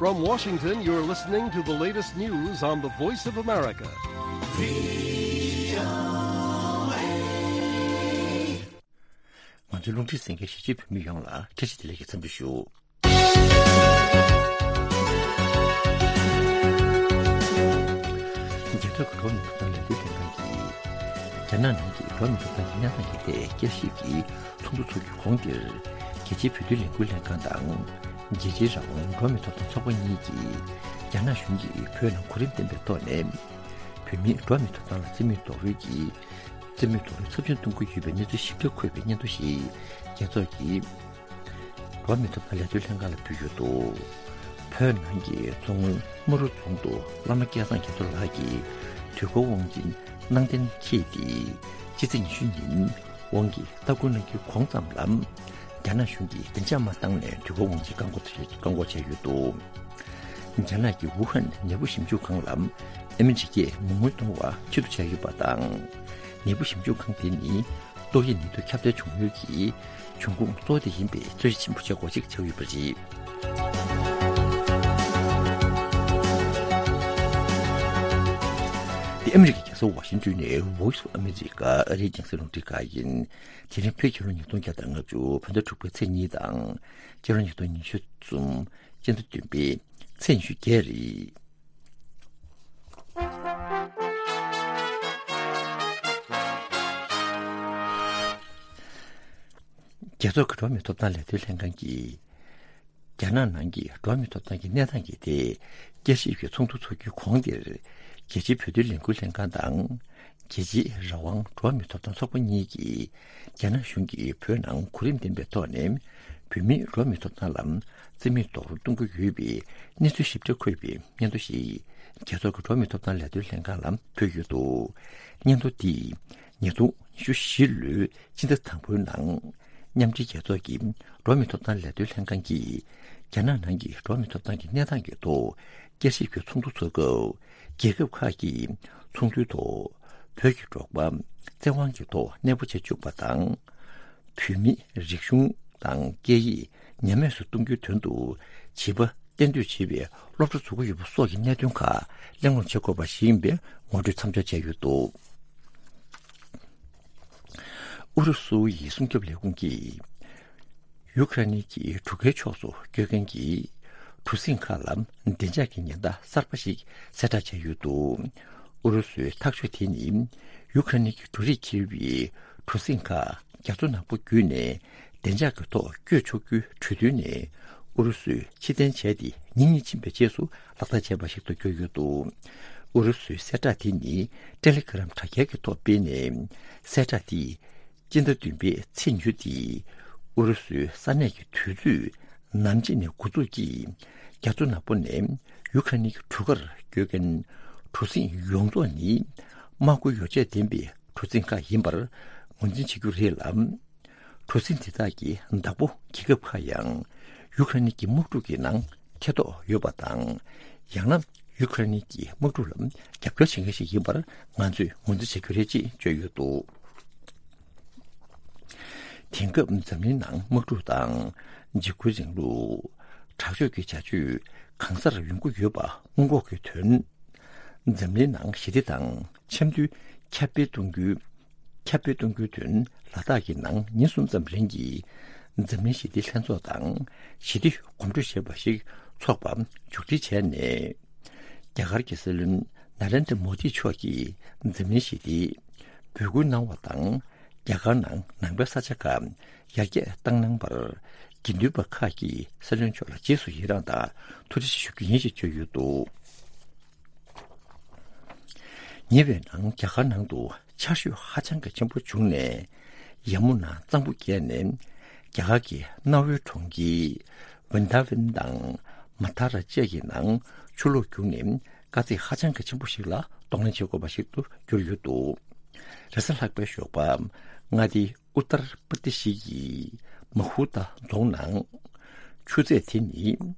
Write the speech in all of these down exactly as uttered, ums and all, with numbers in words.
From Washington, you're listening to the latest news on the Voice of America. ང་ཚོའི་རླུང་འཕྲིན་གསན་མཁན་གཞིས་བྱེས་བོད་མི་ཡོངས་ལ་བཀྲ་ཤིས་བདེ་ལེགས་ཀྱི་འཚམས་འདྲི་ཞུ། རྒྱལ་ཚོགས་ཀྱི་འགྲོ་བ་མིའི་ཐོབ་ཐང་ལས་དོན་ལྷན་ཁང་གིས། རྒྱ་ནག་ནང་གི་འགྲོ་བ་མིའི་ཐོབ་ཐང་གི་གནས་སྟངས་ཀྱི་ཐད་བསྐྱར་ཞིབ་ཀྱི་ཚོགས་འདུ་འཚོགས་རྒྱུའི་གོང་དེར། རྒྱལ་སྤྱིའི་བོད་དོན་ལས་འགུལ་ལྷན་ཁང་དང་། རྒྱལ་སྤྱིའི་རང་དབང་འགྲོ་བ་མིའི་ཐོབ་ཐང་ཚོགས་པ་གཉིས་ཀྱིས། རྒྱ་ནག་གཞུང་གིས་བོད་ནང་གོ་རིམ་ལྡན་པའི་ཐོག་ནས། བོད་མིའི་འགྲོ་བ་མིའི་ཐོབ་ཐང་ལ་བཙན་མོའི་རྡོག་རོལ་གྱིས། བཙན་མོའི་རྡོག་རོལ་ཚབས་ཆེན་གཏོང་གི་ཡོད་པའི་གནས་ཚུལ་ཞིབ་ཕྲ་འཁོད་པའི་སྙན་ཐོ་ཞིག་རྒྱལ་ཚོགས་ཀྱི་འགྲོ་བ་མིའི་ཐོབ་ཐང་ལས་དོན་ལྷན་ཁང་ལ་ཕུལ་ཡོད་འདུག་བོད་ནང་གི་མཚོ་སྔོན་རྨ་རུ་རྫོང་དུ་བླ་མ་སྐལ་བཟང་རྒྱ་མཚོ་ལགས་ཀྱི་དུས་འཁོར་དབང་ཆེན་གནང་གཏན་འཁེལ་ཏེ། ཕྱི་ཚེས་ཉི་ཤུ་ཉིན་དབང་གིས་སྟ་གོན་གནང་རྒྱུའི་གོང་ཙམ་ལ། རྒྱ་ནག་གཞུང་གིས་བདེ་འཇགས་མ་བཏང་ནས་དུས་འཁོར་དབང་ཆེན་བཀག་འགོག་བཀག་འགོག་བྱས་ཡོད་འདུག་རྒྱ་ནག་གི་ཝུ་ཧན་ནད་འབུ་ཞིབ་འཇུག་ཁང་ལ་ཨ་མི་རི་ཀས་མི་རྔོན་གཏོང་བ་ཕྱིར་བསྡུ་བྱས་ཡོད་པ་དང་། ནད་འབུ་ཞིབ་འཇུག་ཁང་དེ་ནི་ཏོག་དབྱིབས་ནད་དུག་ཁྱབ་གདལ་བྱུང་ཡུལ་གྱི་འབྱུང་ཁུངས་གཙོ་བོ་དེ་ཡིན་པའི་རྩོད་གཞི་ཆེན་པོ་ཆགས་འགོ་ཅིག་ཆགས་ཡོད་པ་རེད། དེ་ཨ་མི་རི་ཀའི་རྒྱལ་ས་ཝ་ཤིང་ཏོན་ནས་Voice of America ཨ་རིའི་རྒྱང་སྲིང་རླུང་འཕྲིན་ཁང་ཡིན། དེ་རིང་བོད་རྒྱལ་ལོ་ཉིས་སྟོང་བརྒྱ་དང་ལྔ་བཅུ་བོད་ཟླ་དྲུག་པའི་ཚེས་གཉིས་དང་། སྤྱི་ལོ་ཉིས་སྟོང་ཉི་ཤུ་གསུམ་སྤྱི་ཟླ་བདུན་པའི་ཚེས་ཉི་ཤུ་བརྒྱད་རེད། རྒྱལ་ཚོགས་ཀྱི་འགྲོ་བ་མིའི་ཐོབ་ཐང་ལས་དོན་ལྷན་ཁང་གིས། རྒྱ་ནག་ནང་གི་འགྲོ་བ་མིའི་ཐོབ་ཐང་གི་གནས་སྟངས་ཀྱི་ཐད་བསྐྱར་ཞིབ་ཀྱི་ཚོགས་འདུ་འཚོགས་རྒྱུའི་གོང་དེར། རྒྱལ་སྤྱིའི་བོད་དོན་ལས་འགུལ་ལྷན་ཁང་དང་། རྒྱལ་སྤྱིའི་རང་དབང་འགྲོ་བ་མིའི་ཐོབ་ཐང་ཚོགས་པ་གཉིས་ཀྱིས། རྒྱ་ནག་གཞུང་གིས་བོད་ནང་གོ་རིམ་ལྡན་པའི་ཐོག་ནས་བོད་མིའི་འགྲོ་བ་མིའི་ཐོབ་ཐང་ལ་བཙན་མོའི་རྡོག་རོལ་གཏོང་གི་ཡོད་པའི་གནས་ཚུལ་ཞིབ་ཕྲ་འཁོད་པའི་སྙན་ཐོ་ཞིག་རྒྱལ་ཚོགས་ཀྱི་འགྲོ་བ་མིའི་ཐོབ་ཐང་ལས་དོན་ལྷན་ཁང་ལ་ཕུལ་ཡོད་འདུག་སྙན་ཐོ་འདིས་ཉིས་སྟོང་ཉི་ཤུ་བཞི་ལོའི་སྤྱི་ཟླ་དང་པོའི་ནང་། མཉམ་འབྲེལ་རྒྱལ་ཚོགས་ཀྱི་འགྲོ་བ་མིའི་ཐོབ་ཐང་ལས་དོན་ལྷན་ཁང་གིས། རྒྱ་ནག་ནང་གི་འགྲོ་བ་མིའི་ཐོབ་ཐང་གི་གནས་སྟངས་ཀྱི་ཐོག་བསྐྱར་ཞིབ་ཀྱི་ཚོགས་འདུ་འཚོགས་སྐབས། རྒྱལ་ཁབ་ཁག་གི་ཚོགས་འདུའི་ཐོག་བོད་ཀྱི་འབྲོག་པ་བཙན་དབང་གི་ཐོག་གནས་སྤོ་བྱེད་བཅུག་པ་དང་། བོད་མིའི་རིག་གཞུང་དང་སྐད་ཡིག་ཉམས་དམས་སུ་གཏོང་རྒྱུའི་དོན་དུ་བྱིས་པ་གཏན་སྡོད་བྱེད་པའི་སློབ་གྲྭ་བཙུགས་ཀྱི་ཡོད་པ་སོགས་ཀྱི་གནད་དོན་ཁག་གླེང་སློང་བྱེད་དགོས་པ་ཞིག་ཡིན་པའི་ངོ་སྤྲོད་མཚམས་འཇོག་བྱས་ཡོད་འདུག་ཨུ་རུ་སུ་ཡི་སྲུང་སྐྱོབ་ལས་ཁུངས་ཀྱིས། ཡུ་ཁ་རེ་ནི་གྱི་གྲུ་ཁའི་ཕྱོགས་སུ་སྐྱོད་མཁན་གྱི་གྲུ་གཟིངས་ཁག་ལ་བདེ་འཇགས་ཀྱི་ཉེན་བརྡ་གསར་པ་ཞིག་གསལ་བསྒྲགས་བྱས་ཡོད་འདུག་ཨུ་རུ་སུའི་ཐག་གཅོད་དེ་ནི། ཡུ་ཁ་རེ་ནི་གྱི་འབྲུ་རིགས་འཁྱེར་བའི་གྲུ་གཟིངས་ཁག་རྒྱ་མཚོ་ནག་པོ་བརྒྱུད་ནས་བདེ་འཇགས་ཀྱི་ཐོག་སྐྱོད་ཆོག་རྒྱུའི་གྲོས་མཐུན་ནས་ཨུ་རུ་སུས་ཕྱིར་འཐེན་བྱས་ཏེ་ཉིན་གཉིས་ཕྱིན་པའི་རྗེས་སུ་ལག་བསྟར་བྱས་པ་ཞིག་ཏུ་གྱུར་ཡོད་འདུག་ཨུ་རུ་སུའི་གསལ་བསྒྲགས་དེ་ནི་ཏེ་ལེ་གྷི་རམ་དྲ་རྒྱའི་ཐོག་སྤེལ་ནས། གསལ་བསྒྲགས་དེས་སྤྱི་ཟླ་བདུན་པའི་ཚེས་ཉི་ཤུ་སྟེ། ཨུ་རུ་སུའི་ས་གནས་ཀྱི་དུས་ཚོད་ནམ་ཕྱེད་ནས་འགོ་འཛུགས་ཀྱིས། རྒྱ་མཚོ་ནག་པོ་ནས་ཡུ་ཁ་རེན་གྱི་གྲུ་ཁར་སྐྱོད་མཁན་གྲུ་གཟིངས་ཡོངས་རྫོགས་ནི་དམག་མཁོ་ཡོ་བྱད་ལྡན་པའི་གྲུ་གཟིངས་ཁག་ཡིན་པར་ངོས་འཛིན་བྱེད་རྒྱུ་རེད་ལ། གྲུ་གཟིངས་དེ་དག་གི་བདག་པོ་རྒྱལ་ཁབ་ཁག་ཡང་ཡུ་ཁ་རེན་གྱི་དམག་འཁྲུག་གི་ནང་ཐེ་གཏོགས་ཡོད་པ་དང་། ཡང་ན་ཡུ་ཁ་རེན་གྱི་དམག་འཁྲུག་ལ་རྒྱབ་སྐྱོར་བྱེད་མཁན་ཞིག་ཡིན་པར་ང་ཚོས་ངོས་འཛིན་བྱེད་རྒྱུ་རེད་ཅེས་བརྗོད་ཡོད་འདུག་དེང་སྐབས་འཛམ་གླིང་ནང་དམག་འཁྲུག་དང་འཇིགས་སྐུལ་རིང་ལུགས། དྲག་སྤྱོད་ཀྱི་བྱ་སྤྱོད་གང་སར་ཡོང་གི་ཡོད་པ་སྔོན་འགོག་གི་དོན། འཛམ་གླིང་ནང་ཞི་བདེ་དང་འཆམ་མཐུན་ཁྱབ་སྤེལ་གཏོང་རྒྱུའི་ཁྱབ་སྤེལ་གཏོང་རྒྱུའི་དོན་ལ་དྭགས་ཀྱི་ནང་ཉིན་གསུམ་ཙམ་རིང་གི་འཛམ་གླིང་ཞི་བདེ་ལྷན་ཚོགས་དང་ཞི་བདེ་གོམ་བགྲོད་ཞེས་པ་ཞིག་འཚོགས་པ་མཇུག་སྒྲིལ་བྱས་ནས། རྒྱ་གར་གྱི་སྲིད་བློན་ན་རེན་དྲ་མོ་དི་མཆོག་གིས་འཛམ་གླིང་ཞི་བདེའི་འབོད་སྐུལ་གནང་བ་དང་། རྒྱ་གར་ནང་ནང་པའི་ས་ཆ་ཁག་ཡར་རྒྱས་བཏང་གནང་བར་དགེ་འདུན་པ་ཁག་གིས་སྲིད་བློན་མཆོག་ལ་རྗེས་སུ་ཡི་རངས་དང་ཐུགས་རྗེ་ཆེ་ཞུ་རྒྱུ་ཡིན་ཞེས་བརྗོད་ཡོད་འདུག་ཉེ་བའི་ནང་རྒྱ་གར་ནང་དུ་ཆར་ཞོད་ཧ་ཅང་གི་ཆེན་པོ་བྱུང་ནས། ཡ་མུ་ན་གཙང་པོ་བརྒལ་ནས་རྒྱ་གར་གྱི་གནའ་བོའི་གྲོང་ཁྱེར་ཝིན་དཱ་ཝན་དང་མ་ཐ་ར་བཅས་ཀྱི་ནང་ཆུ་ལོག་བརྒྱུགས་ནས་དཀའ་ཚེགས་ཧ་ཅང་གི་ཆེན་པོ་ཞིག་ལ་གདོང་ལེན་བྱེད་དགོས་པ་ཞིག་ཏུ་གྱུར་ཡོད་འདུག་རེས་གཟའ་ལྷག་པའི་ཞོགས་པ་མངའ་སྡེ་ཨུ་ཏར་པར་དི་ཤི་ཡི་མ་ཧུ་ཏ་རྫོང་ནང་ཆུ་ཚད་དེ་ནི་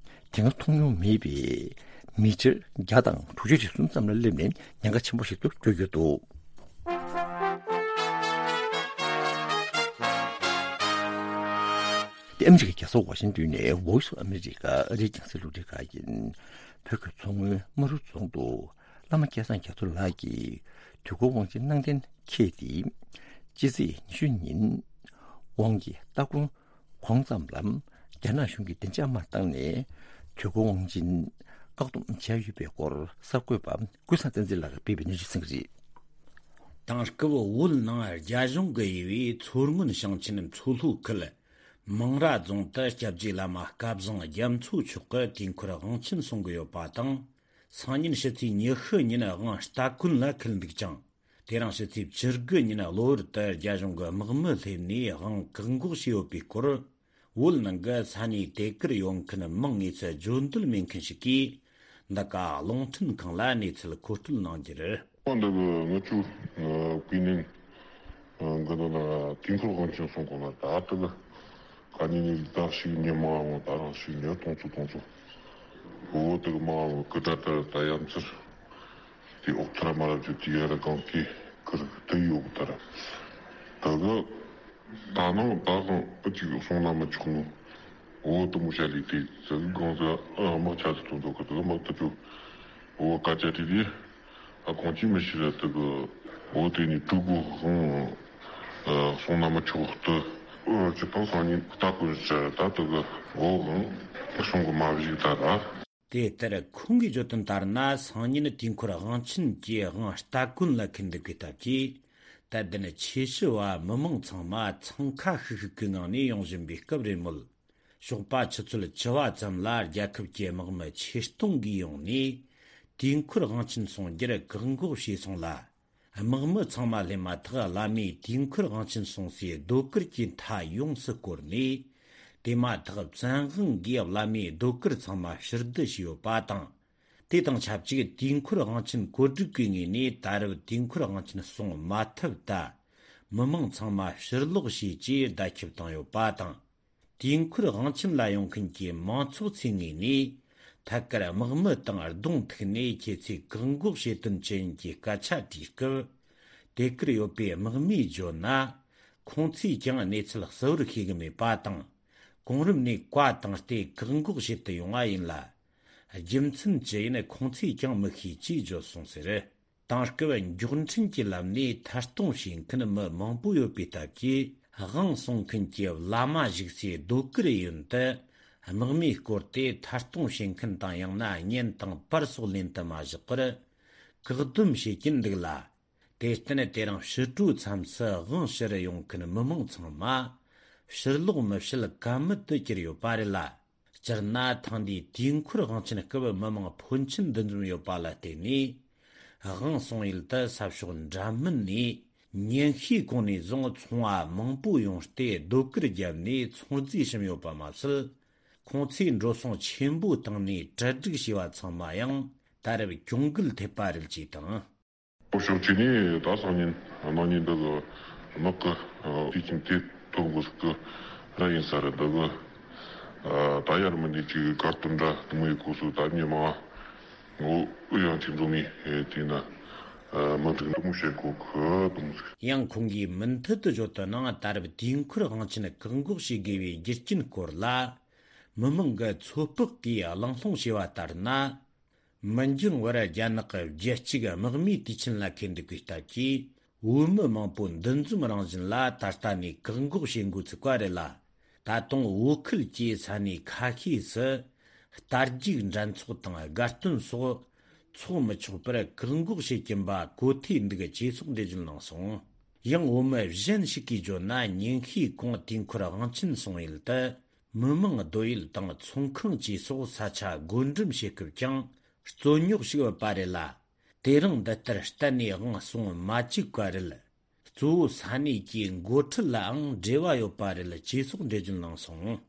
དེ་སྔ་མཐོང་མྱོང་མེད་པའི་མི་ཊར་བརྒྱ་དང་དྲུག་ཅུ་རེ་གསུམ་ཙམ་ལ་སླེབས་ནས་ཉེན་ཁ་ཆེན་པོ་ཞིག་ཏུ་གྱུར་ཡོད་འདུག་དེ་ ཨ་མི་རི་ཀའི་རྒྱལ་ས་ཝ་ཤིང་ཏོན་ནས་Voice of America ཨ་རིའི་རྒྱང་སྲིང་རླུང་འཕྲིན་ཁང་ཡིན། བོད་ཀྱི་མཚོ་སྔོན་རྨ་རུ་རྫོང་དུ་བླ་མ་སྐལ་བཟང་རྒྱ་མཚོ་ལགས་ཀྱིས་དུས་འཁོར་དབང་ཆེན་གནང་གཏན་འཁེལ་ཏེ། སྤྱི་ཚེས་ཉི་ཤུ་ཉིན་དབང་གི་སྟ་གོན་གོང་ཙམ་ལ་རྒྱ་ནག་གཞུང་གིས་བདེ་འཇགས་དམག་བཏང་ནས་དུས་འཁོར་དབང་ཆེན་བཀག་སྡོམ་བྱས་ཡོད་པའི་སྐོར་གསར་འགོད་པ་ཀུན་བཟང་བསྟན་འཛིན་ལགས་ཀྱིས་སྤེལ་བའི་གནས་ཚུལ་གསན་གྱི་རེད། དེང་སྐབས་བོད་ནང་རྒྱ་གཞུང་གི་དབྱེ་བའི་མཚོ་སྔོན་ཞིང་ཆེན་མཚོ་ལྷོ་ཁུལ་མང་ར་རྫོང་དུ་སྐྱབས་རྗེ་བླ་མ་སྐལ་བཟང་རྒྱ་མཚོ་མཆོག་གི་དུས་འཁོར་དབང་ཆེན་གསུང་གི་ཡོད་པ་དང་། སང་ཉིན་ཕྱི་ཚེས་ཉི་ཤུ་ཉིན་དབང་སྟ་གོན་ལ་འཁེལ་འདུག་ཅིང་། དེ་རིང་ཕྱི་ཚེས་བཅུ་དགུ་ཉིན་གློ་བུར་དུ་རྒྱ་གཞུང་གི་དམག་མི་སླེབས་ནས་དབང་བཀག་འགོག་བྱས་ཡོད་པའི་སྐོར། བོད་ནང་གི་ས་གནས་དེ་གར་ཡོད་མཁན་མི་དངོས་ཚུལ་བརྗོད་འདོད་མེད་མཁན་ཞིག་གིས། འདི་ག་རླུང་འཕྲིན་ཁང་ལ་གནས་ཚུལ་མཁོ་སྤྲོད་གནང་རྒྱུ་རེད། འདི་གི་ང་ཚོ་ཀུན་ནས་འགི་འདི་ན་དུས་འཁོར་དབང་ཆེན་གསུང་གོ་ན་ད་ལྟ་གི་ག་ནས་ནས་ད་ཞིག་ཉི་མ་འོང་ད་རང་ཞིག་ཉི་སྟོང་ཚོ་སྟོང་ཚོ་འོ་དེ་གི་མ་འོང་གི་ད་ལྟ་ད་ཡ་མཚར། དེ་ཨོག་ཐར་མ་རབས་ཀྱི་དེ་ཡ་ར་གང་གི་ཁུར་དེ་ཡོད་གི་ད་ར། ད་གི་ད་ནང་ད་གང་ཨ་ཅིག་སོང་ན་མི་ཆོག་ནོ། འོ་དུ་མོ་ཤ་ལི་དེ་ཟི་གང་ཟི་ཨ་དམག་ཆ་ཟི་ཐོན་ཐོག་གི་དུ་དམག་དུ་ཆུ། འོ་ཀ་ཅ་དེ་དེ་ཨ་གང་ཅི་མི་ཤི་ར་དུ་གི་འོ་དེ་ནི་ཕྲུ་གུ་ཧང་སོང་ན་མི་ཆོག་ཏུ། ཨ་ཅི་ཕང་སང་ཉིན་ལྟ་གོན་ཟེར་ད་དུ་གི་འོ་ཧང་སོང་གི་མ་བཞིག་ད་ར། དེ་ལྟར་ཁོང་གིས་བརྗོད་དོན་ལྟར་ན། སང་ཉིན་དུས་འཁོར་དབང་ཆེན་གྱི་དབང་སྟ་གོན་ལ་འཁེལ་འདུག་པའི་སྟབས་ཀྱིས། དད་ལྡན་ཆོས་ཞུ་བ་མི་མང་ཚང་མ་འཚང་ཁ་ཤིག་ཤིག་གི་ངང་ནས་ཡོང་བཞིན་པའི་སྐབས་རེད་མོད། ཞོགས་པ་ཆུ་ཚོད་བཅུ་བ་ཙམ་ལ་རྒྱལ་ཁབ་ཀྱི་དམག་མི་ཆེད་གཏོང་གིས་ཡོང་ནས་དུས་འཁོར་དབང་ཆེན་གསུང་རྒྱུར་བཀག་འགོག་བྱས་སོང་ལ། དམག་མི་ཚང་མ་སླེབས་མ་ཐག་བླ་མས་དུས་འཁོར་དབང་ཆེན་གསུང་སའི་ཟློས་གར་གྱི་མཐའ་ཡོངས་སུ་བསྐོར་ནས། དེ་མ་ཐག་བཙན་དབང་གིས་བླ་མའི་ཟློས་གར་ཚང་མ་ཕྱིར་བསྡུ་བྱས་ཡོད་པ་དང་། དེ་དང་ཆབས་ཅིག་དུས་འཁོར་དབང་ཆེན་གོ་སྒྲིག་གི་ངོས་ནས་ད་རེབ་དུས་འཁོར་དབང་ཆེན་གསུང་མ་ཐུབ་ད། མི་མང་ཚང་མ་ཕྱིར་ལོག་བྱས་ཅེས་བརྡ་ཁྱབ་བཏང་ཡོད་པ་དང་། དུས་འཁོར་དབང་ཆེན་ལ་ཡོང་མཁན་གྱི་མང་ཚོགས་ཚོའི་ངོས་ནས། ཐད་ཀར་དམག་མི་དང་གདོང་ཐུག་ནས་ཁྱེད་ཚོས་བཀག་འགོག་བྱེད་དོན་ཅི་ཡིན་གྱི་སྐད་ཆ་དྲིས་སྐབས། དེ་གར་ཡོད་པའི་དམག་མིས་བརྗོད་ན། ཁོང་ཚོས་ཀྱང་གནས་ཚུལ་གསལ་བོར་ཤེས་ཀྱི་མེད་པ་དང་། གོང་རིམ་ནས་བཀའ་བཏང་སྟེ་བཀག་འགོག་བྱེད་དུ་ཡོང་བ་ཡིན་ལ། རྒྱུ་མཚན་ཅི་ཡིན་ཁོང་ཚོས་ཀྱང་མི་ཤེས་ཅེས་བརྗོད་སོང་ཟེར། དེང་སྐབས་མགྱོགས་འཕྲིན་གྱི་ལམ་ནས་ཐད་གཏོང་བྱེད་མཁན་མི་མང་པོ་ཡོད་པའི་སྟབས་ཀྱིས། དབང་གསུང་མཁན་གྱི་བླ་མ་བཞུགས་སའི་ཟློས་གར་ཡུན་དུ་དམག་མིས་བསྐོར་ཏེ་ཐད་གཏོང་བྱེད་མཁན་དང་། ཡང་ན་བརྙན་དང་པར་སོགས་ལེན་དུ་མ་བཞག་པར་བཀག་སྡོམ་བྱེད་ཀྱིན་འདུག་ལ། དེར་བརྟེན་དེ་རིང་ཕྱི་དྲོའི་མཚམས་སུ་དབང་ཕྱིར་ཡོང་མཁན་མི་མང་ཚང་མ་ཕྱིར་ལོག་མི་བྱེད་ཀ་མེད་དུ་གྱུར་ཡོད་པ་རེད་ལ། སྤྱིར་ན་ཐེངས་འདིའི་དུས་འཁོར་དབང་ཆེན་སྐབས་མི་མང་ཕོན་ཆེན་འདུ་འཛོམས་ཡོད་པ་ལ་བརྟེན་ནས། དབང་གསུང་ཡུལ་དུ་ས་ཕྱོགས་འདྲ་མིན་ནས་ཉིན་ཤས་གོང་ནས་བཟུང་ཚོང་བ་མང་པོ་ཡོང་སྟེ་ཟློས་གར་བརྒྱབ་ནས་ཚོང་རྫས་བྱིན་ཡོད་པ་མ་ཟད། ཁོང་ཚོས་འགྲོ་སོང་ཆེན་པོ་བཏང་ནས་གྲ་སྒྲིག་བྱས་པ་ཚང་མ་ཡང་ད་རེབ་གྱོང་གུད་ཐེབས་པ་རེད་ཅེས་དང་། ཕྱོགས་གཅིག་ནས་ད་སང་ཉིན་གནངས་ཉིན་འདི་གི་དམག་གི་དུས་ཆེན་དེ་ཐོབ་དགོས་ཀྱི་ར་ཡིན་ས་རེད། འདི་གི་ད་ཡར་མི་འདི་ཅིག་གར་སྟོན་འདྲ་དུ་མོ་ཡི་སྐོར་སུ་ད་ཉི་མ་ངོ་ཡང་ཅིག་འགྲོ་མི་དེ་ན་མི་འགྲིག་འདི་མོ་བྱེད་དགོས་ཀྱི་དུ་མོ་ཟིག་ཡང་ཁོང་གིས་མུ་མཐུད་དུ་བརྗོད་དོན་ནང་། ད་རེབ་དུས་འཁོར་དབང་ཆེན་བཀག་འགོག་བྱེད་དགོས་པའི་རྒྱུ་རྐྱེན་སྐོར་ལ་མི་མང་གི་ཚོད་དཔག་གིས་གླེང་སློང་བྱས་པ་ལྟར་ན། མི་འགྱངས་བར་རྒྱ་ནག་གི་རྒྱལ་གཅེས་དམག་མིའི་དུས་ཆེན་ལ་འཁེལ་འདུག་པའི་སྟབས་ཀྱིས། བོད་མི་མང་པོ་འདུ་འཛོམས་རང་བཞིན་ལ་ད་ལྟ་ནས་བཀག་འགོག་བྱེད་འགོ་ཚུགས་པ་རེད་ལ། ད་དུང་བོད་ཁུལ་གྱི་ས་གནས་ཁ་ཤས་སུ་རྟ་རྒྱུག་འགྲན་ཚོགས་དང་དགའ་སྟོན་སོགས་འཚོགས་མི་ཆོག་པར་བཀག་འགོག་བྱེད་ཀྱིན་པ་གོ་ཐོས་འདུག་ཅེས་སོགས་འགྲེལ་བརྗོད་གནང་སོང་། ཡང་བོད་མི་གཞན་ཞིག་གིས་བརྗོད་ན། ཉིན་ཤས་གོང་དུས་འཁོར་དབང་ཆེན་གསུང་ཡུལ་དུ། མི་མང་སྡོད་ཡུལ་དང་ཚོང་ཁང་བཅས་སོགས་ས་ཆ་བགོ་འགྲེམས་བྱེད་སྐབས་ཀྱང་རྩོད་རྙོག་ཞིག་ཡོད་པ་རེད་ལ། དེ་རིང་འདི་ལྟར་གཏན་ནས་དབང་གསུང་མ་བཅུག་པ་རེད། གཙོ་བོ་ས་གནས་ཀྱི་འགོ་ཁྲིད་ལའང་འབྲེལ་བ་ཡོད་པ་རེད་ཅེས་སོགས་འགྲེལ་བརྗོད་གནང་སོང་།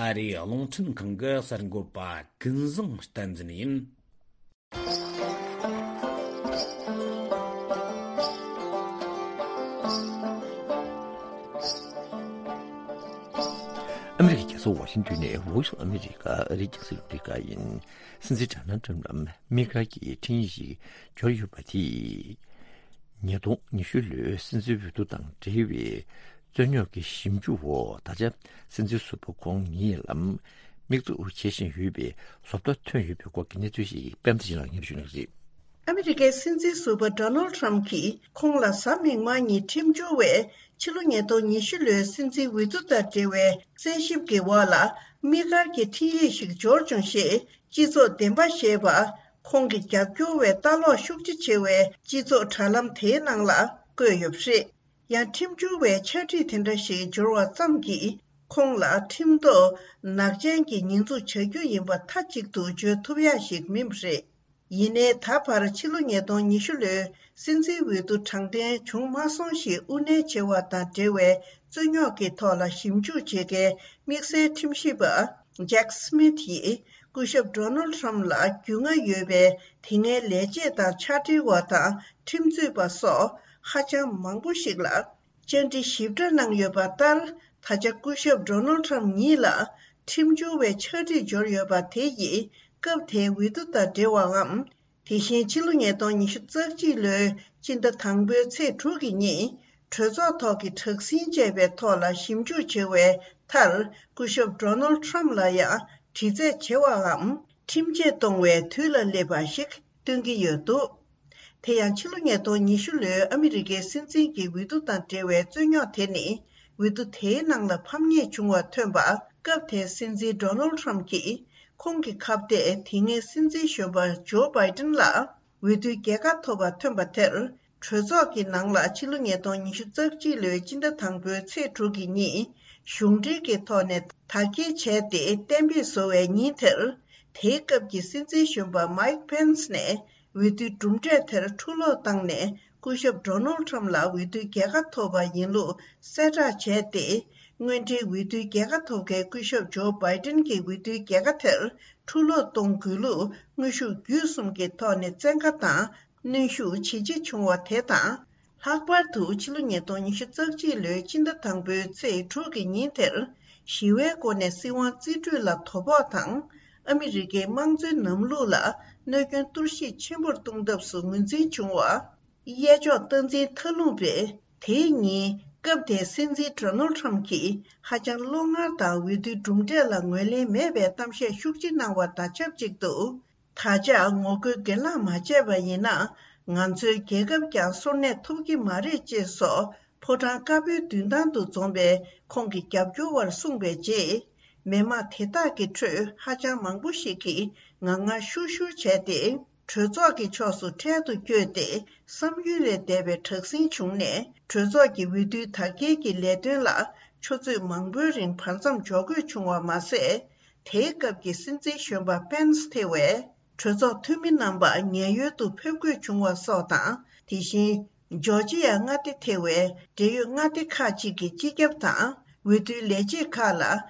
ཨ་རིའི་རླུང་འཕྲིན་ཁང་གི་གསར་འགོད་པ་ཀུན་བཟང་བསྟན་འཛིན་ཡིན། ཨ་མི་རི་ཀའི་རྒྱལ་ས་ཝ་ཤིང་ཏོན་ནས་Voice of America ཨ་རིའི་རྒྱང་སྲིང་རླུང་འཕྲིན་ཁང་ཡིན། སྲིད་འཛིན་ཌོ་ནལ་ཊམ་ལམ་སྨི་ཁ་གི་འཕྲིན་ཡིག་ཞིག་འབྱོར་ཡོད་པ་དེས། ཉིས་སྟོང་ཉི་ཤུ་ལོའི་སྲིད་འཛིན་འོས་བསྡུ་དང་འབྲེལ་བའི་ རྩོད་རྙོག་གི་ཞིབ་འཇུག་འོག་ད་ཆ་སྲིད་འཛིན་ཟུར་པ་ཁོང་ཉིད་ལ་དམིགས་འཛུགས་བྱེད་བཞིན་ཡོད་པའི་བཟོ་ལྟ་ཐོན་ཡོད་པའི་སྐོར་གྱི་གནས་ཚུལ་ཞིག་པད་མ་བདེ་ཆེན་ལགས་སྙན་ཞུ་གནང་གི་རེད། ཨ་མི་རི་ཀའི་སྲིད་འཛིན་ཟུར་པ་ཌོ་ནལ་ཁྲམ་གྱིས་ཁོང་ལ་གཟའ་མིག་དམར་ཉིན་ཁྲིམས་སྦྱོར་བས་ཕྱི་ལོ་ཉིས་སྟོང་ཉི་ཤུ་ལོའི་སྲིད་འཛིན་འོས་བསྡུ་དང་འབྲེལ་བའི་རྩད་ཞིབ་ཀྱི་འོག་ལ་དམིགས་བཀར་གྱི་འཕྲིན་ཡིག་ཞིག་འབྱོར་བྱུང་ཞེས་སྤྱི་ཚོགས་བདེན་པ་ཞེས་པ་ཁོང་གི་རྒྱབ་སྐྱོར་བས་ལྟ་ཀློག་ཤུགས་ཆེ་ཆེ་བའི་སྤྱི་ཚོགས་དྲ་ལམ་དེའི་ནང་ལ་བཀོད་ཡོད་པ་རེད། ཡང་ཁྲིམས་སྦྱོར་བའི་ཕྱག་བྲིས་དེ་འདྲ་ཞིག་འབྱོར་བ་ཙམ་གྱིས་ཁོང་ལ་ཁྲིམས་ཐོག་ནག་ཅན་གྱི་ཉེས་འཛུགས་བྱ་རྒྱུ་ཡིན་པ་མཐའ་གཅིག་ཏུ་བརྗོད་ཐུབ་ཡ་ཞིག་མིན་པ་རེད། ཡིན་ནའི་ད་བར་ཕྱི་ལོ་ཉིས་སྟོང་ཉི་ཤུ་ལོའི་སྲིད་འཛིན་འོས་བསྡུ་དྲང་བདེན་བྱུང་མ་སོང་ཞེས་དབུ་མནན་བྱས་པ་དང་འབྲེལ་བའི་རྩོད་རྙོག་གི་ཐོག་ལ་ཞིབ་འཇུག་བྱེད་མཁན་དམིགས་བསལ་ཁྲིམས་ཞིབ་པ་ཇེག་སི་མིད་ཡིས་སྐུ་ཞབས་ཌོ་ནལ་ཁྲམ་ལ་རྒྱུས་མངའ་ཡོད་པའི་དེ་སྔའི་ལས་བྱེད་དང་ཕྱག་སྦྲེལ་བ་དང་ཁྲིམས་རྩོད་པ་སོགས་ཧ་ཅང་མང་པོ་ཞིག་ལ་བཅར་འདྲི་ཞིབ་ཕྲ་གནང་ཡོད་པ་ལྟར། ད་ཆ་སྐུ་ཞབས་ཌོ་ནལ་ཁྲམ་ཉིད་ལ་ཁྲིམས་སྦྱོར་བའི་ཕྱག་བྲིས་འབྱོར་ཡོད་པ་དེ་ཡིས་སྐབས་དེའི་འོས་བསྡུ་དང་འབྲེལ་བའམ། དེ་བཞིན་ཕྱི་ལོ་ཉིས་སྟོང་ཉི་ཤུ་རྩ་གཅིག་ལོའི་སྤྱི་ཟླ་དང་པོའི་ཚེས་དྲུག་གི་ཉིན་གྲོས་ཚོགས་ཐོག་གི་དྲག་ཟིང་བཅས་པའི་ཐོག་ལ་ཞིབ་འཇུག་བྱས་པའི་མཐར། སྐུ་ཞབས་ཌོ་ནལ་ཁྲམ་ལ་ཡང་དྲི་རྩད་བྱེད་པའམ་ཁྲིམས་ཆད་གཏོང་བའི་དུས་ལ་སླེབས་པ་ཞིག་སྟོན་གྱི་ཡོད་འདུག་དེ་ཡང་ཕྱི་ལོ་ཉིས་སྟོང་ཉི་ཤུ་ལོའི་ཨ་མི་རི་ཀའི་སྲིད་འཛིན་གྱི་འོས་བསྡུ་དང་འབྲེལ་བའི་རྩོད་རྙོག་དེ་ནི་འོས་བསྡུ་དེའི་ནང་ལ་ཕམ་ཉེས་བྱུང་བ་ཐོན་པ། སྐབས་དེའི་སྲིད་འཛིན་ཌོ་ནལ་ཁྲམ་གྱིས་ཁོང་གི་ཁ་གཏད་དེ་སྔའི་སྲིད་འཛིན་གཞོན་པ་ཇོ་བྷའི་ཏིན་ལ་འོས་བསྡུའི་རྒྱལ་ཁ་ཐོབ་པ་ཐོན་པ་དེར། གྲོས་ཚོགས་ཀྱི་ནང་ལ་ཕྱི་ལོ་ཉིས་སྟོང་ཉི་ཤུ་རྩ་གཅིག་ལོའི་སྤྱི་ཟླ་དང་པོའི་ཚེས་དྲུག་གི་ཉིན་གཞུང་འབྲེལ་གྱི་ཐོག་ནས་དར་རྒྱས་བྱས་ཏེ་གཏན་འབེབས་བཟོ་བའི་ཉིན་དེར། དེའི་སྐབས་ཀྱི་སྲིད་འཛིན་གཞོན་པ་མའིག་པེན་སི་ནས་འོས་བསྡུའི་གྲུབ་འབྲས་དེར་ཕྱིར་སློག་བཏང་ནས་སྐུ་ཞབས་ཌོ་ནལ་ཁྲམ་ལ་འོས་བསྡུའི་རྒྱལ་ཁ་ཐོབ་པ་ཡིན་ལུགས་གསལ་བསྒྲགས་བྱས་ཏེ། སྔོན་འགྲོའི་འོས་བསྡུའི་རྒྱལ་ཁ་ཐོབ་མཁན་སྐུ་ཞབས་ཇོ་བྷའི་ཏིན་གྱི་འོས་བསྡུའི་རྒྱལ་ཁ་དེར་ཕྱིར་སློག་གཏོང་དགོས་ལུགས་དངོས་ཤུགས་བརྒྱུད་གསུམ་གྱི་ཐོག་ནས་བཙན་བཀའ་དང་གནོན་ཤུགས་ཇེ་ཆེ་བྱུང་བ་དེ་དང་། ལྷག་པར་དུ་ཕྱི་ལོ་ཉིས་སྟོང་ཉི་ཤུ་རྩ་གཅིག་ལོའི་སྤྱི་ཟླ་དང་པོའི་ཚེས་དྲུག་གི་ཉིན་དེར་ཞི་བའི་སྒོ་ནས་སྲིད་དབང་རྩིས་སྤྲོད་ལ་དོ་ཕོག་དང་། ཨ་མི་རི་ཀའི་དམངས་གཙོའི་ལམ་ལུགས་ལ་གནོད་སྐྱོན་གཏོར་བཤིག་ཆེན་པོར་གཏོང་ཐབས་སུ་ངོས་འཛིན་བྱུང་བ། གཡས་ཕྱོགས་སྟངས་འཛིན་མཐའ་ལྷུང་པས་དེའི་ཉིན་སྐབས་དེའི་སྲིད་འཛིན་ཌོ་ནལ་ཁྲམ་གྱིས་ཧ་ཅང་བློ་ངར་དང་འོས་བསྡུའི་གྲུབ་འབྲས་ལ་ངོས་ལེན་མེད་པའི་གཏམ་བཤད་ཤུགས་ཆེ་གནང་བ་དང་ཆབས་ཅིག་ཏུ། ད་ཆ་ངོ་རྒོལ་གྱེན་ལངས་མ་བྱས་པ་ཡིན་ན། ང་ཚོའི་རྒྱལ་ཁབ་ཀྱང་སོར་གནས་ཐུབ་ཀྱི་མ་རེད་ཅེས་སོགས་ཕོ་བྲང་དཀར་པོའི་མདུན་ཐང་དུ་འཛོམས་པའི་ཁོང་གི་རྒྱབ་སྐྱོར་བར་གསུངས་པའི་རྗེས། མི་མང་དེ་དག་གི་ཁྲོད་ཧ་ཅང་མང་པོ་ཞིག་གིས་ངར་ངར་ཤུར་ཤུར་བྱས་ཏེ། གྲོས་ཚོགས་ཀྱི་ཕྱོགས་སུ་འཕྲལ་དུ་བསྐྱོད་དེ། བསམ་ཡུལ་ལས་འདས་པའི་དྲག་ཟིང་བྱུང་ནས། གྲོས་ཚོགས་ཀྱི་འོས་བསྡུའི་དར་རྒྱས་ཀྱི་ལས་དོན་ལ་ཆུ་ཚོད་མང་པོའི་རིང་བར་མཚམས་འཇོག་དགོས་བྱུང་བ་མ་ཟད། དེའི་སྐབས་ཀྱི་སྲིད་འཛིན་གཞོན་པ་པེན་སི་ཐེ་བས། གྲོས་ཚོགས་འཐུས་མི་རྣམ་པ་ཉེན་གཡོལ་དུ་ཕེབས་དགོས་བྱུང་བ་སོགས་དང་། དེ་བཞིན། ཇོར་ཇི་ཡ་མངའ་སྡེ་ཐེ་བའི་འབྲེལ་ཡོད་མངའ་སྡེ་ཁག་ཅིག་གི་སྤྱི་ཁྱབ་དང་། འོས་བསྡུའི་ལས་བྱེད་ཁག་ལ་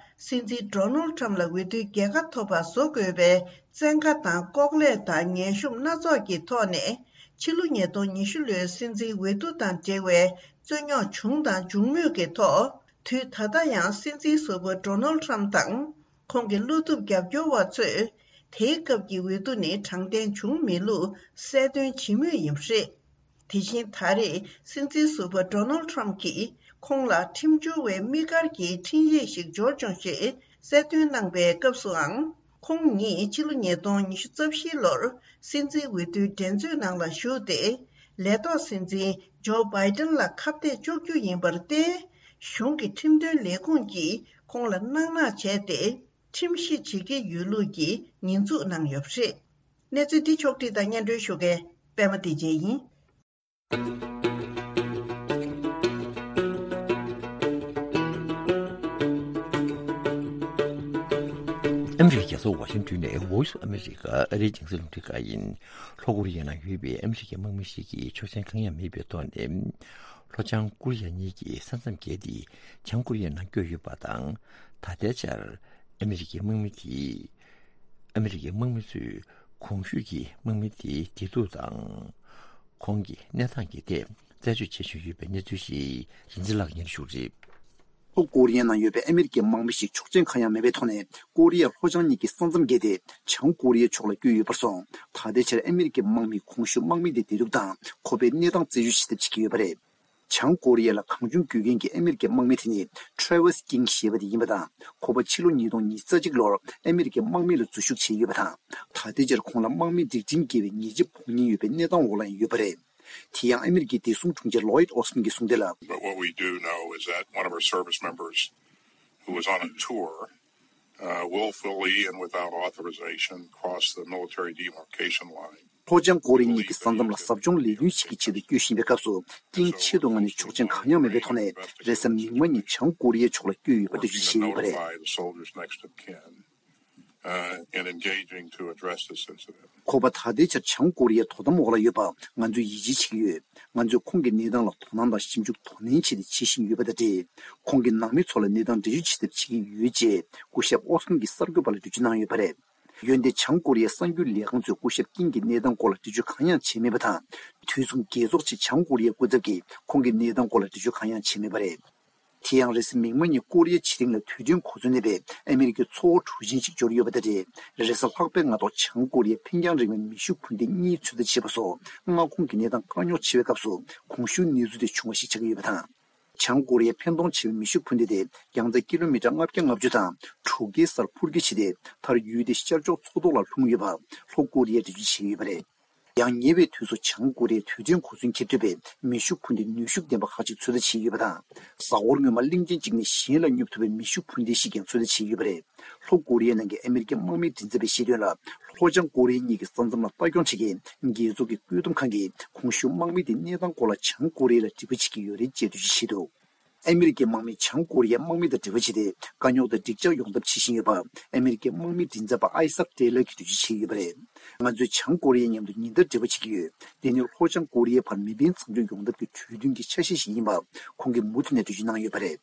སྲིད་འཛིན་ཌོ་ནལ་ཁྲམ་ལ་འོས་བསྡུའི་རྒྱལ་ཁ་ཐོབ་པ་བཟོ་དགོས་པའི་བཙན་བཀའ་དང་ལྐོག་ལས་དང་ངན་ཤོམ་སྣ་ཚོགས་ཀྱི་ཐོག་ནས། ཕྱི་ལོ་ཉིས་སྟོང་ཉི་ཤུ་ལོའི་སྲིད་འཛིན་འོས་བསྡུ་དང་འབྲེལ་བའི་རྩོད་རྙོག་བྱུང་དང་འབྱུང་མུས་ཀྱི་ཐོག་དུས་ད་ལྟ་ཡང་སྲིད་འཛིན་ཟུར་པ་ཌོ་ནལ་ཁྲམ་དང་། ཁོང་གི་བློ་ཐུབ་རྒྱབ་སྐྱོར་བ་ཚོས། དེའི་སྐབས་ཀྱི་འོས་བསྡུ་ནི་དྲང་བདེན་བྱུང་མེད་ལུགས་གསལ་སྟོན་བྱེད་མུས་ཡིན་པ་རེད། དེ་བཞིན་ད་རེས་སྲིད་འཛིན་ཟུར་པ་ཌོ་ནལ་ཁྲམ་གྱིས་ཁོང་ལ་ཁྲིམས་སྦྱོར་བའི་དམིགས་བཀར་གྱི་འཕྲིན་ཡིག་ཞིག་འབྱོར་བྱུང་ཞེས་གསལ་སྟོན་གནང་པའི་སྐབས་སུའང་། ཁོང་ཉིད་ཕྱི་ལོ་ཉིས་སྟོང་ཉི་ཤུ་རྩ་བཞིའི་ལོར་སྲིད་འཛིན་འོས་བསྡུའི་འགྲན་རྩོད་ནང་ལ་ཞུགས་ཏེ། ལས་ཐོག་སྲིད་འཛིན་ཇོ་བྷའི་ཏན་ལ་ཁ་གཏད་གཅོག་རྒྱུ་ཡིན་པར་བརྟེན། གཞུང་གི་ཁྲིམས་དོན་ལས་ཁུངས་ཀྱིས་ཁོང་ལ་སྣང་མང་བྱས་ཏེ། ཁྲིམས་གཞི་བྱེད་ཀྱི་ཡོད་ལུགས་ཀྱི་ཉེས་འཛུགས་གནང་ཡོད་པ་རེད། གནས་ཚུལ་འདི་ཕྱོགས་བསྒྲིགས་དང་སྙན་སྒྲོན་ཞུ་མཁན་པད་མ་བདེ་ཆེན་ཡིན། ཨ་མི་རི་ཀའི་རྒྱལ་ས་ཝ་ཤིང་ཏོན་ནས་Voice of America ཨ་རིའི་རྒྱང་སྲིང་རླུང་འཕྲིན་ཁང་ཡིན། ལྷོ་ཀོ་རི་ཡའི་ནང་ཡོད་པའི་ཨ་མི་རི་ཀའི་དམག་མི་ཞིག་གིས་ཆོག་མཆན་གང་ཡང་མེད་པའི་ཐོག་ནས། ལྷོ་བྱང་ཀོ་རི་ཡ་གཉིས་ཀྱི་ས་མཚམས་བརྒལ་ཏེ་བྱང་ཀོ་རི་ཡའི་ནང་བསྐྱོད་ཡོད་པ་དང་། ད་ལྟའི་ཆར་ཨ་མི་རི་ཀའི་དམག་མི་དེས། ཨ་མི་རི་ཀའི་དམག་མི་ཚོས་གོང་ཞུས་ཀྱི་དམག་མི་དེའི་བདེ་སྡུག་དང་། ཁོང་གི་གནས་སྟངས་ཀྱི་ཐད་རྩད་གཅོད་བྱེད་བཞིན་ཡོད་པའི་གནས་ཚུལ་ཞིག་རིན་ཆེན་ལགས་སྙན་ཞུ་རེད། ལྷོ་ཀོ་རི་ཡའི་ནང་ཡོད་པའི་ཨ་མི་རི་ཀའི་དམག་མི་ཞིག་ཆོག་མཆན་གང་ཡང་མེད་པའི་ཐོག་ནས་ཀོ་རི་ཡ་ལྷོ་བྱང་གཉིས་ཀྱི་ས་མཚམས་བརྒལ་ཏེ་བྱང་ཀོ་རི་ཡའི་ཕྱོགས་ལ་བསྐྱོད་ཡོད་པར་སོང་། ད་ལྟའི་ཆར་ཨ་མི་རི་ཀའི་དམག་མིས་གོང་ཞུས་དམག་མི་དེའི་བདེ་སྡུག་དང་ཁོ་པའི་གནས་སྟངས་རྩད་གཅོད་བྱེད་ཐབས་བྱེད་ཀྱི་ཡོད་པ་རེད། བྱང་ཀོ་རི་ཡ་ལ་གང་བྱུང་དགོས་མཁན་གྱི་ཨ་མི་རི་ཀའི་དམག་མི་དེ་ནི་Travis King་ཞེས་པ་དེ་ཡིན་པ་དང་། ཁོ་པ་ཕྱི་ལོ་ཉིས་སྟོང་ཉི་ཤུ་རྩ་གཅིག་ལོར་ཨ་མི་རི་ཀའི་དམག་མི་ལ་འཛུལ་ཞུགས་བྱས་ཡོད་པ་དང་། ད་ལྟའི་ཆར་ཁོང་ལ་དམག་མི་སྒྲིག་ཁྲིམས་འགལ་བའི་ཉེས་ཆད་ཕོག་ཉེན་ཡོད་པའི་གནས་སྟངས་འོག་ལ་ཡང་ཡོད་པ་རེད། དེ་ཡང་ཨ་མི་རི་ཀའི་བདེ་སྲུང་དྲུང་ཆེ་Lloyd Austin་གྱིས་གསུངས་དོན་ལ། But what we do know is that one of our service members who was on a tour, uh, willfully and without authorization crossed the military demarcation line. ལྷོ་བྱང་ཀོ་རི་ཡ་གཉིས་ཀྱི་ས་མཚམས་ལ་ཟབ་སྦྱོང་ལས་དོན་ཞིག་གི་ཆེད་དུ་སྐྱོད་བཞིན་པའི་སྐབས་སུ། ཀིང་ཆེད་དུ་མངགས་ནས་ཆོག་མཆན་གང་ཡང་མེད་པའི་ཐོག་ནས་རེས་གཟའ་མིག་དམར་ཉིན་བྱང་ཀོ་རི་ཡའི་ཕྱོགས་ལ་བསྐྱོད་ཡོད་པ་འགྲེལ་བརྗོད་བྱས་ཡོད་པ་རེད། Notify the soldiers next of kin, uh, and engaging to address this incident. ཁོ་པ་ད་ལྟའི་ཆར་བྱང་ཀོ་རི་ཡའི་དོ་དམ་འོག་ལ་ཡོད་པ་ང་ཚོས་ཡིད་ཆེས་བྱེད་ཀྱི་ཡོད། ང་ཚོས་ཁོང་གི་གནས་སྟངས་ལ་དོ་སྣང་དང་ཞིབ་འཇུག་དོ་ནན་བྱས་ཏེ་བྱེད་བཞིན་ཡོད་པ་དང་འབྲེལ། ཁོང་གི་ནང་མི་ཚོ་ལ་གནས་སྟངས་འགྲེལ་བརྗོད་བྱེད་ཐབས་བྱེད་ཀྱི་ཡོད་ཅེས་སྐུ་ཞབས་ཨོ་སི་ཏིན་གྱིས་གསར་འགོད་པ་ལ་འགྲེལ་བརྗོད་གནང་ཡོད་པ་རེད། འོན་ཏེ་བྱང་ཀོ་རི་ཡའི་གསར་འགྱུར་ལས་ཁང་ཚོས་སྐུ་ཞབས་ཀིང་གི་གནས་སྟངས་སྐོར་ལ་འགྲེལ་བརྗོད་གང་ཡང་བྱས་མེད་པ་དང་། དུས་མཚུངས་རྒྱལ་ཚོགས་ཆེད་བྱང་ཀོ་རི་ཡའི་སྐུ་ཚབ་ཀྱིས་ཁོང་གི་གནས་སྟངས་སྐོར་ལ་འགྲེལ་བརྗོད་གང་ཡང་བྱས་མེད་པ་རེད། དེ་ཡང་རེས་གཟའ་མིག་དམར་ཉིན་ཀོ་རི་ཡའི་ཕྱེད་གླིང་ལ་དུས་མཐུན་གོ་མཚོན་གནས་པའི་ཨ་མི་རི་ཀའི་མཚོ་དབར་གྲུ་གཟིངས་ཤིག་འབྱོར་ཡོད་པ་དང་འབྲེལ། རེས་གཟའ་ལྷག་པའི་སྔ་ཐོག་བྱང་ཀོ་རི་ཡའི་འཕེན་རྒྱང་རིང་བའི་མེ་ཤུགས་འཕུར་མདེལ་གཉིས་ཚོད་ལྟ་བྱས་པ་སོགས་མངའ་ཁོངས་ཀྱི་གནས་སྟངས་བཀག་ཉོག་ཆེ་བའི་སྐབས་སུ་གོང་ཞུས་གནས་ཚུལ་དེ་བྱུང་བ་ཞིག་ཆགས་ཀྱི་ཡོད་པ་དང་། བྱང་ཀོ་རི་ཡའི་འཕེན་གཏོང་ཆེ་བའི་མེ་ཤུགས་འཕུར་མདེལ་དེ་རྒྱང་ཚད་ཀི་ལོ་མི་ཊར་ལྔ་བརྒྱ་ལྔ་བཅུ་དང་དྲུག་བརྒྱའི་སར་འཕུར་སྐྱོད་བྱས་ཏེ། མཐར་ཡུལ་དེའི་ཤར་ཕྱོགས་མཚོ་ཐོག་ལ་ལྷུང་ཡོད་པ་ལྷོ་ཀོ་རི་ཡས་འགྲེལ་བརྗོད་བྱས་ཡོད་པ་རེད། ཡང་ཉེ་བའི་དུས་སུ་བྱང་ཀོ་རི་ཡས་དུས་མཐུན་གོ་མཚོན་འཁྱེར་ཐུབ་པའི་མེ་ཤུགས་འཕུར་མདེལ་ནུས་ཤུགས་ལྡན་པ་ཁག་ཅིག་ཚོད་ལྟ་བྱས་ཡོད་པ་དང་། གཟའ་འཁོར་སྔོན་མ་གླིང་ཆེན་གཅིག་ནས་གཞན་ལ་སྙོབ་ཐུབ་པའི་མེ་ཤུགས་འཕུར་མདེལ་ཞིག་ཀྱང་ཚོད་ལྟ་བྱས་ཡོད་པ་རེད། ལྷོ་ཀོ་རི་ཡའི་ནང་གི་ཨ་མི་རི་ཀའི་དམག་མིའི་མགྲིན་ཚབ་པས་བཤད་དོན་ལ། ལྷོ་བྱང་ཀོ་རི་ཡ་གཉིས་ཀྱི་ས་མཚམས་ལ་ལྟ་སྐྱོང་བྱེད་མཁན་རྒྱལ་ཚོགས་ཀྱི་བཀོད་འདོམས་ཁང་གིས་གོང་ཞུས་དམག་མི་དེའི་གནས་སྟངས་སྐོར་ལ་བྱང་ཀོ་རི་ཡ་ལ་དྲི་བ་བྱེད་ཀྱི་ཡོད་རེད་ཅེས་འགྲེལ་བརྗོད་བྱས་འདུག་ཨ་མི་རི་ཀའི་དམག་མིས་བྱང་ཀོ་རི་ཡའི་དམག་མི་དང་འབྲེལ་བ་བྱས་ཏེ། དཀའ་རྙོག་དང་འགྲིག་འཇགས་ཡོང་ཐབས་བྱེད་བཞིན་ཡོད་པ། ཨ་མི་རི་ཀའི་དམག་མིའི་མགྲིན་ཚབ་པ་ཨའི་སག་ཏེ་ལར་གྱིས་འགྲེལ་བརྗོད་བྱས་ཡོད་པ་རེད། ང་ཚོས་བྱང་ཀོ་རི་ཡའི་མཉམ་དུ་ཉིན་ལྟར་འབྲེལ་བ་བྱེད་ཀྱི་ཡོད། དེ་ནི་ལྷོ་བྱང་ཀོ་རི་ཡའི་བར་མེ་འཕེན་མཚམས་འཇོག་ཡོང་ཐབས་ཀྱི་གྲོས་མཐུན་གྱི་ཆ་ཤས་ཤིག་ཡིན་པ། ཁོང་གིས་མུ་མཐུད་ནས་འགྲེལ་བརྗོད་གནང་ཡོད་པ་རེད།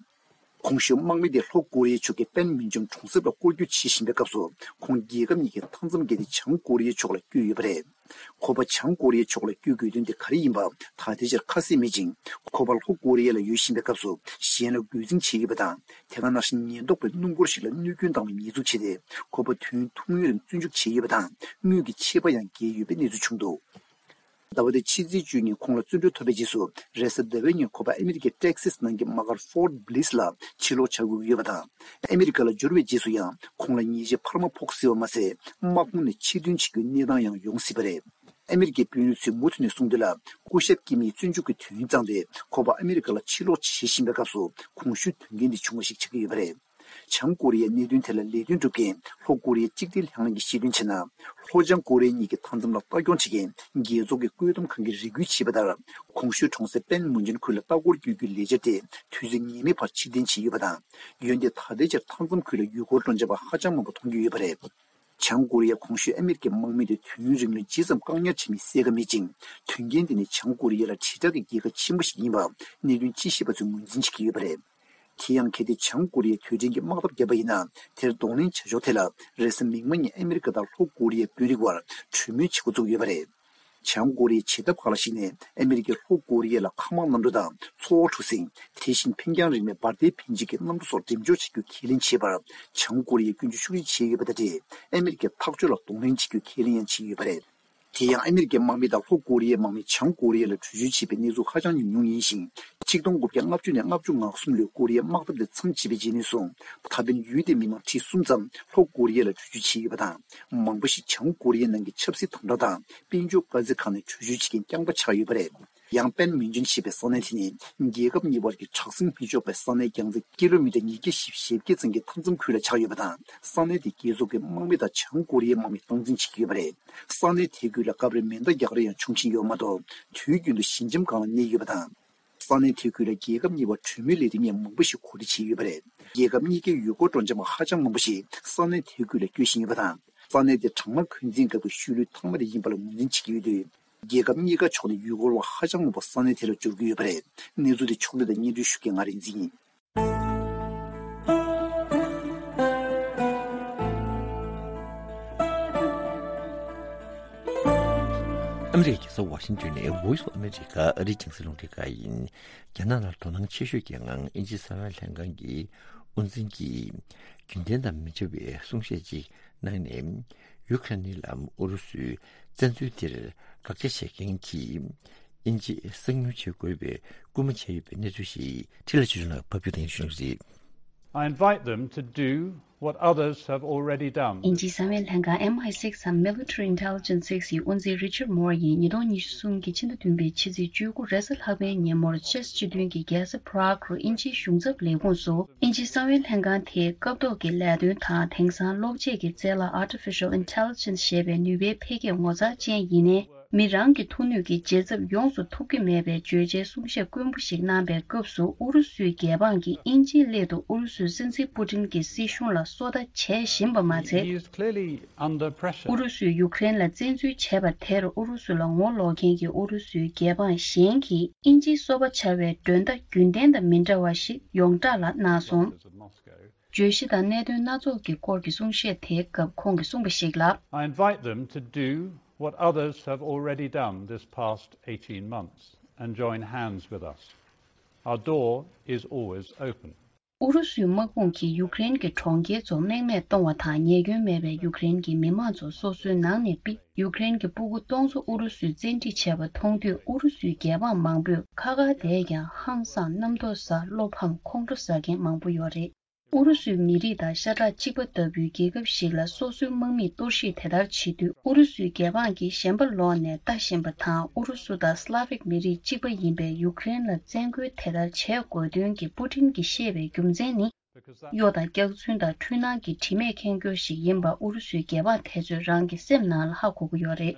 གོང་ཞུས་དམག་མི་དེ་ལྷོ་ཀོ་རི་ཡའི་ཕྱོགས་ཀྱི་པན་མུན་ཇོན་གྲོང་གསེབ་ལ་སྐོར་སྐྱོད་བྱེད་བཞིན་པའི་སྐབས་སུ། ཁོང་རྒྱལ་ཁབ་གཉིས་ཀྱི་མཐའ་མཚམས་བརྒལ་ཏེ་བྱང་ཀོ་རི་ཡའི་ཕྱོགས་ལ་བསྐྱོད་ཡོད་པ་རེད། ཁོ་པ་བྱང་ཀོ་རི་ཡའི་ཕྱོགས་ལ་བསྐྱོད་དགོས་དོན་དེ་ག་རེ་ཡིན་པ་ད་ལྟའི་ཆར་ཁ་གསལ་མེད་ཅིང་། ཁོ་པ་ལྷོ་ཀོ་རི་ཡ་ལ་ཡོད་བཞིན་པའི་སྐབས་སུ་གཞན་ལ་རྒོལ་འཛིང་བྱས་ཡོད་པ་དང་། དེ་ག་ནང་བཞིན་ཉེན་རྟོག་པས་སྣུམ་འཁོར་ཞིག་ལ་གནོད་སྐྱོན་བཏང་བའི་ཉེས་འཛུགས་བྱས་ཏེ། ཁོ་པ་དུས་ཡུན་ཐུང་ངུའི་རིང་བཙོན་འཇུག་བྱས་ཡོད་པ་དང་། དངུལ་གྱི་ཆད་པ་ཡང་འགེལ་ཡོད་པའི་གནས་ཚུལ་བྱུང་འདུག་ཟླ་བ་འདིའི་ཕྱི་ཚེས་བཅུ་ཉིན་ཁོང་ལ་བཙོན་གྲོལ་ཐོབ་པའི་རྗེས་སུ། རེས་གཟའ་ཟླ་བའི་ཉིན་ཁོ་པ་ཨ་མི་རི་ཀའི་ཊེག་སིས་ནང་གི་དམག་སྒར་ཕོར་ཊི་བྷི་ལིས་ལ་ཕྱིར་ལོག་བྱ་དགོས་ཀྱི་ཡོད་པ་དང་། ཨ་མི་རི་ཀ་ལ་འབྱོར་བའི་རྗེས་སུ་ཡང་ཁོང་ལ་ཉེས་ཆད་འཕར་མ་ཕོག་སྲིད་པ་མ་ཟད། དམག་དཔུང་ནས་ཕྱིར་ཐོན་བྱེད་རྒྱུའི་གནས་སྟངས་ཡང་ཡོང་སྲིད་པ་རེད། ཨ་མི་རི་ཀའི་དཔོན་རིགས་ཚོས་མུ་མཐུད་ནས་གསུངས་དོན་ལ། སྐུ་ཞབས་ཀིམ་ཡི་བཙོན་འཇུག་གི་དུས་ཡུན་བརྩམས་ཏེ། ཁོ་པ་ཨ་མི་རི་ཀ་ལ་ཕྱིར་ལོག་བྱེད་བཞིན་པའི་སྐབས་སུ། གོང་ཞུས་དོན་རྐྱེན་འདི་བྱུང་བ་ཞིག་ཆགས་ཀྱི་ཡོད་པ་རེད། བྱང་ཀོ་རི་ཡའི་གནད་དོན་ཐད་ལ་ལས་དོན་སྒྲུབ་མཁན་ལྷོ་ཀོ་རི་ཡའི་གཅིག་སྒྲིལ་ལྷན་ཁང་གིས་བཤད་དོན་བྱས་ན། ལྷོ་བྱང་ཀོ་རི་ཡ་གཉིས་ཀྱི་མཐའ་མཚམས་ལ་ལྟ་སྐྱོང་བྱེད་མཁན་རྒྱལ་ཚོགས་ཀྱི་བཀོད་འདོམས་ཁང་གིས་རེ་སྐུལ་བྱས་པ་ལྟར། གོང་ཞུས་གྲོང་གསེབ་པན་མུན་ཇོན་ཁུལ་ལ་ལྟ་སྐོར་བསྐྱོད་རྒྱུའི་ལས་འཆར་དེ་དུས་ཚོད་ངེས་མེད་བར་ཕྱིར་འཐེན་བྱས་ཡོད་པ་དང་། འོན་ཏེ་ད་ལྟའི་ཆར་མཐའ་མཚམས་ཁུལ་ལ་ཡུལ་སྐོར་སྤྲོ་འཆམ་པ་ཧ་ཅང་མང་པོ་མཐོང་རྒྱུ་ཡོད་པ་རེད། བྱང་ཀོ་རི་ཡའི་གོང་ཞུས་ཨ་མི་རི་ཀའི་དམག་མི་དེ་དུས་ཡུན་རིང་ལོས་ཇི་ཙམ་བཀག་ཉར་བྱས་མིན་གསལ་ཁ་མེད་ཅིང་། དོན་རྐྱེན་དེ་ནི་བྱང་ཀོ་རི་ཡ་ལ་དྲིལ་བསྒྲགས་ཀྱི་རྒྱལ་ཁ་ཆེན་པོ་ཞིག་ཡིན་པ་གནད་དོན་དཔྱད་ཞིབ་པ་ཚོས་ངོས་འཛིན་བྱེད་ཀྱི་ཡོད་པ་རེད། དེ་ཡང་གལ་ཏེ་བྱང་ཀོ་རི་ཡས་དུས་དྲན་གྱི་དམག་འཐབ་བརྒྱབ་པ་ཡིན་ན། དེར་གདོང་ལེན་བྱ་ཕྱོགས་ཐད་ལ་རེས་གཟའ་མིག་དམར་ཉིན་ཨ་མི་རི་ཀ་དང་ལྷོ་ཀོ་རི་ཡའི་དཔོན་རིགས་དབར་གྲོས་མོལ་བྱེད་འགོ་བཙུགས་ཡོད་པ་རེད། བྱང་ཀོ་རི་ཡའི་བྱེད་ཐབས་ཁག་ལ་གཞིགས་ནས་ཨ་མི་རི་ཀས་ལྷོ་ཀོ་རི་ཡ་ལ་མཁའ་དམག་གནམ་གྲུ་དང་མཚོ་དབར་གྲུ་གཟིངས། དེ་བཞིན་འཕེན་རྒྱང་རིང་བའི་འབར་མདེལ་འཕེན་བྱེད་ཀྱི་གནམ་གྲུ་སོགས་འགྲེམས་འཇོག་བྱ་རྒྱུ་ཁས་ལེན་བྱས་པར། བྱང་ཀོ་རི་ཡས་སྐྱོན་བརྗོད་ཤུགས་ཆེ་བྱས་ཡོད་པ་དང་འབྲེལ། ཨ་མི་རི་ཀས་ཐག་གཅོད་ལ་གདོང་ལེན་བྱེད་རྒྱུ་ཁས་ལེན་ཡང་བྱས་ཡོད་པ་རེད། དེ་ཡང་ཨ་མི་རི་ཀའི་དམག་མི་དང་ལྷོ་ཀོ་རི་ཡའི་དམག་མི་བྱང་ཀོ་རི་ཡ་ལ་འགྲུལ་བཞུད་བྱས་པའི་གནས་ཚུལ་ཧ་ཅང་ཉུང་ཉུང་ཡིན་ཞིང་། ཆིག་སྟོང་དགུ་བརྒྱ་ལྔ་བཅུ་ནས་ལྔ་བཅུ་ང་གསུམ་ལོའི་ཀོ་རི་ཡའི་དམག་འཐབ་དེ་མཚམས་ཆད་པའི་རྗེས་ནས་བཟུང་། ད་ཕན་ཡུལ་དེའི་མི་མང་ཁྲི་གསུམ་ཙམ་ལྷོ་ཀོ་རི་ཡ་ལ་འགྲུལ་བཞུད་བྱས་ཡོད་པ་དང་། མང་པོ་ཞིག་བྱང་ཀོ་རི་ཡའི་ནང་གི་ཆབ་སྲིད་དམ་དྲག་དང་དཔལ་འབྱོར་དཀའ་ཚེགས་ཁག་ནས་འགྲུལ་བཞུད་བྱེད་མཁན་རྐྱང་པ་ཆགས་ཡོད་པ་རེད། ཡང་པན་མིན་ཇོན་ཞེས་པའི་ས་གནས་དེ་ནི་རྒྱལ་ཁབ་གཉིས་བར་གྱི་དྲག་ཟིང་མི་ཆོག་པའི་ས་གནས་རྒྱང་ཚད་ཀི་ལོ་མི་ཊར་ཉིས་བརྒྱ་བཞི་བཅུ་ཞེ་བརྒྱད་ཙམ་གྱི་མཐའ་མཚམས་ཁུལ་ལ་ཆགས་ཡོད་པ་དང་། ས་གནས་དེ་རྒྱལ་ཚོགས་ཀྱི་དམག་མི་དང་བྱང་ཀོ་རི་ཡའི་དམག་མིས་སྟངས་འཛིན་བྱེད་ཀྱི་ཡོད་པ་རེད། ས་གནས་དེ་ཁུལ་ལ་སྐབས་རེ་མེ་མདའ་རྒྱག་རེས་ཡང་བྱུང་བཞིན་ཡོད་མ་གཏོགས། དུས་རྒྱུན་དུ་ཞི་འཇམ་སྒང་ལ་གནས་ཡོད་པ་དང་། ས་གནས་དེ་ཁུལ་ལ་རྒྱལ་ཁབ་གཉིས་བར་གྲོས་མོལ་ལས་རིམ་ཡང་མང་པོ་ཞིག་གོ་སྒྲིག་བྱས་ཡོད་པ་རེད། རྒྱལ་ཁབ་གཉིས་ཀའི་ཡུལ་སྐོར་སྤྲོ་འཆམ་པ་ཧ་ཅང་མང་པོ་ཞིག་ས་གནས་དེ་ཁུལ་ལ་སྐྱོད་བཞིན་ཡོད་པ་དང་། ས་གནས་དེ་གྲང་དམག་འཁོན་འཛིན་སྐབས་ཀྱི་ཤུལ་ལུས་ཐང་མ་དེ་ཡིན་པ་ལ་ངོས་འཛིན་བྱེད་ཀྱི་ཡོད་དུས། རྒྱལ་ཁབ་གཉིས་ཀ་ཕྱོགས་ནས་ཡུལ་སྐོར་བ་ཧ་ཅང་མང་པོ་ས་གནས་དེ་ལ་འབྱོར་གྱི་ཡོད་པ་རེད། གནས་ཚུལ་དེ་ཕྱོགས་བསྡུས་དང་སྙན་སྒྲོན་ཞུ་མཁན་ང་རིག་འཛིན་ཡིན། ཨ་མི་རི་ཀའི་རྒྱལ་ས་ཝ་ཤིང་ཊོན་ནས་Voice of America ཨ་རིའི་རྒྱང་སྲིང་རླུང་འཕྲིན་ཁང་ཡིན། རྒྱ་ནག་ནང་དོ་སྣང་ཆེ་ཤོས་ཀྱི་ངང་དབྱིན་ཇིའི་གསང་བའི་ལྷན་ཁང་གི་དབུ་འཛིན་གྱིས་རྒྱུན་ལྡན་དང་མི་འདྲ་བའི་གསུང་བཤད་ཅིག་གནང་ནས། ཡུ་ཁ་རེན་ནི་ལ་ཨུ་རུ་སུའི་བཙན་འཛུལ་དེར་དགག་བྱ་བྱེད་མཁན་གྱི་ དབྱིན་ཇི་གསང་ཉུལ་བྱེད་དགོས་པའི་སྐུལ་མ་བྱས་ཡོད་པའི་གནས་ཚུལ་ཞིག་འཕྲིན་ལས་ཆོས་སྒྲོན་ལགས་ཕབ་སྒྱུར་དང་ཞུ་གནང་རེད། I invite them to do what others have already done. དབྱིན་ཇིའི་གསང་བའི་ལྷན་ཁང་M I six དང་Military Intelligence Six ཡི་དབུ་འཛིན་Richard Moore ཡིས་ཉིས་སྟོང་ཉི་ཤུ་གསུམ་གྱི་ཕྱི་ཟླ་བདུན་པའི་ཕྱི་ཚེས་བཅུ་དགུ་རེས་གཟའ་ལྷག་པའི་ཉིན་མོར་ཅེས་སྤྱི་མཐུན་གྱི་རྒྱལ་ས་Prague རུ་དབྱིན་ཇིའི་གཞུང་ཚབ་ལས་ཁུངས་སུ། དབྱིན་ཇིའི་གསང་བའི་ལྷན་ཁང་དེའི་སྐབས་ཐོག་གི་ལས་དོན་དང་དེང་སང་གློག་ཆས་ཀྱི་རྩལ་ལ་Artificial Intelligence ཞེས་པའི་ནུས་པའི་འཕེལ་རྒྱས་ངོ་མཚར་ཅན་ཡིན་ནའི། མི་རང་གི་ཐུགས་ནུས་ཀྱི་བརྗེད་ཚབས་ཡོངས་སུ་ཐུབ་ཀྱི་མེད་པའི་བརྗོད་བྱའི་གསུང་བཤད་དཀོན་པོ་ཞིག་གནང་པའི་སྐབས་སུ། ཨུ་རུ་སུའི་རྒྱལ་འབངས་ཀྱིས་དབྱིན་ཇིའི་སླད་དུ་ཨུ་རུ་སུའི་སྲིད་འཛིན་པུ་ཏིན་གྱི་སྲིད་གཞུང་ལ་སོ་ལྟ་བྱེད་བཞིན་པ་མ་ཚད། He is clearly under pressure. ཨུ་རུ་སུས་ཡུཀ་རེན་ལ་བཙན་འཛུལ་བྱས་པ་དེར་ཨུ་རུ་སུ་ལ་ངོ་ལོག་མཁན་གྱི་ཨུ་རུ་སུའི་རྒྱལ་འབངས་གཞན་གྱིས་དབྱིན་ཇིའི་སོ་པ་བྱ་བའི་མགྲོན་བརྡ་རྒྱུན་ལྡན་དང་མི་འདྲ་བ་ཞིག་ཡོངས་གྲགས་ལ་གནང་སོང་། བརྗོད་གཞི་དང་གནད་དོན་སྣ་ཚོགས་ཀྱི་སྐོར་གྱི་གསུང་བཤད་དེའི་སྐབས་ཁོང་གིས་གསུངས་པ་ཞིག་ལ། I invite them to do what others have already done this past eighteen months and join hands with us. Our door is always open. ཨུ་རུ་སུའི་དམག་དཔུང་གིས་ཡུཀ་རེན་གྱི་གྲོང་ཁྱེར་ཚོ་རྨེག་མེད་གཏོང་བ་དང་། ཉེས་སྐྱོན་མེད་པའི་ཡུཀ་རེན་གྱི་མི་མང་ཚོ་སོ་སོའི་ནང་ནས་ཕུད། ཡུཀ་རེན་གྱི་སྤུ་གུ་སྟོང་ཚོ་ཨུ་རུ་སུས་བཙན་ཁྲིད་བྱས་པ་མཐོང་དུས། ཨུ་རུ་སུའི་རྒྱལ་འབངས་མང་པོས་ཁ་ཁ་བསྡད་ཀྱང་། ཧང་སངས། གནམ་ཐོག་ཟ། བློ་ཕམ། ཁོང་ཁྲོ་ཟ་མཁན་མང་པོ་ཡོད་རེད། ཨུ་རུ་སུའི་མི་རིགས་དང་ཤ་ཁྲག་གཅིག་པ་ལྟ་བུའི་རྒྱལ་ཁབ་ཞིག་ལ་སོ་སོའི་དམག་མིས་གཏོར་བཤིག་དེ་ལྟར་བྱེད་དུས། ཨུ་རུ་སུའི་རྒྱལ་འབངས་ཀྱིས་ཞེན་པ་ལོག་ནས་ལྟ་བཞིན་པ་དང་། ཨུ་རུ་སུ་དང་Slavic མི་རིགས་གཅིག་པ་ཡིན་པའི་ཡུཀ་རེན་ལ་བཙན་རྒོལ་དེ་ལྟར་བྱེད་དགོས་དོན་གྱི་པུ་ཏིན་གྱིས་བཤད་པའི་རྒྱུ་མཚན་ནི། གཡོ་དང་སྐྱག་རྫུན་དང་འཁྲུལ་སྣང་གི་དྲི་མས་ཁེངས་སྐྱུར་ཞིག་ཡིན་པ་ཨུ་རུ་སུའི་རྒྱལ་འབངས་དེ་ཚོས་རང་གི་སེམས་ནང་ལ་ཧ་གོ་གི་ཡོད་རེད།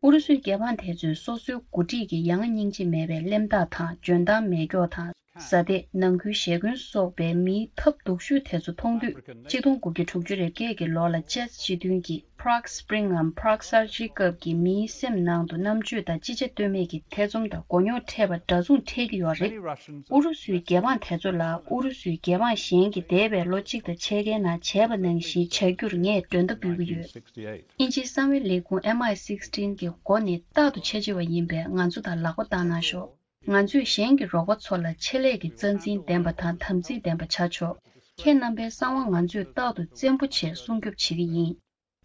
ཨུ་རུ་སུའི་རྒྱལ་འབངས་དེ་ཚོས་སོ་སོའི་འགོ་ཁྲིད་ཀྱི་ཡ་ང་སྙིང་རྗེ་མེད་པའི་གླེན་རྟགས་དང་། འཇོན་ཐང་མེད་སྐྱོ་དང་། བཟའ་ཟླས་ནང་ཁུལ་ཞེ་འཁོན་སོགས་པའི་མིའི་ཐབས་སྡུག་ཤོས་དེ་ཚོ་མཐོང་དུས། གཅིག་སྟོང་དགུ་བརྒྱ་དྲུག་ཅུ་རེ་བརྒྱད་ཀྱི་ལོ་ལ་ཅེས་སྤྱི་མཐུན་གྱི་Prague Spring ངམ་Prague གསར་བརྗེའི་སྐབས་ཀྱི་མིའི་སེམས་ནང་དུ་རྣམ་དཔྱོད་དང་ཅི་བྱ་གཏོལ་མེད་ཀྱི་ཐེ་ཚོམ་དང་མགོ་རྙོག་འཕྲད་པ་འདྲ་མཚུངས་འཕྲད་ཀྱི་ཡོད་རེད། ཨུ་རུ་སུའི་རྒྱལ་འབངས་དེ་ཚོ་ལ་ཨུ་རུ་སུའི་རྒྱལ་འབངས་གཞན་གྱིས་འདས་པའི་ལོ་གཅིག་དང་ཕྱེད་ཀའི་ནང་བྱས་པ་ནང་བཞིན་བྱ་རྒྱུར་ངས་མགྲོན་བརྡ་འབུལ་གྱི་ཡོད། དབྱིན་ཇིའི་གསང་བའི་ལས་ཁུངས་M I sixteen གྱི་འགོ་ནི་རྟག་ཏུ་འཆར་གཞི་བ་ཡིན་པས། ང་ཚོ་དང་ལག་པ་བསྟར་གནང་ཤོག་ང་ཚོས་གཞན་གྱི་རོགས་པ་ཚོ་ལ་ཆེད་ལས་ཀྱི་རྩ་འཛིན་ལྡན་པ་དང་དམ་ཚིག་ལྡན་པ་ཆགས་ཆོག་ཁྱེད་རྣམ་པའི་གསང་བ་ང་ཚོས་རྟག་ཏུ་བཙན་པོ་བྱས་སྲུང་སྐྱོབ་བྱེད་ཀྱི་ཡིན།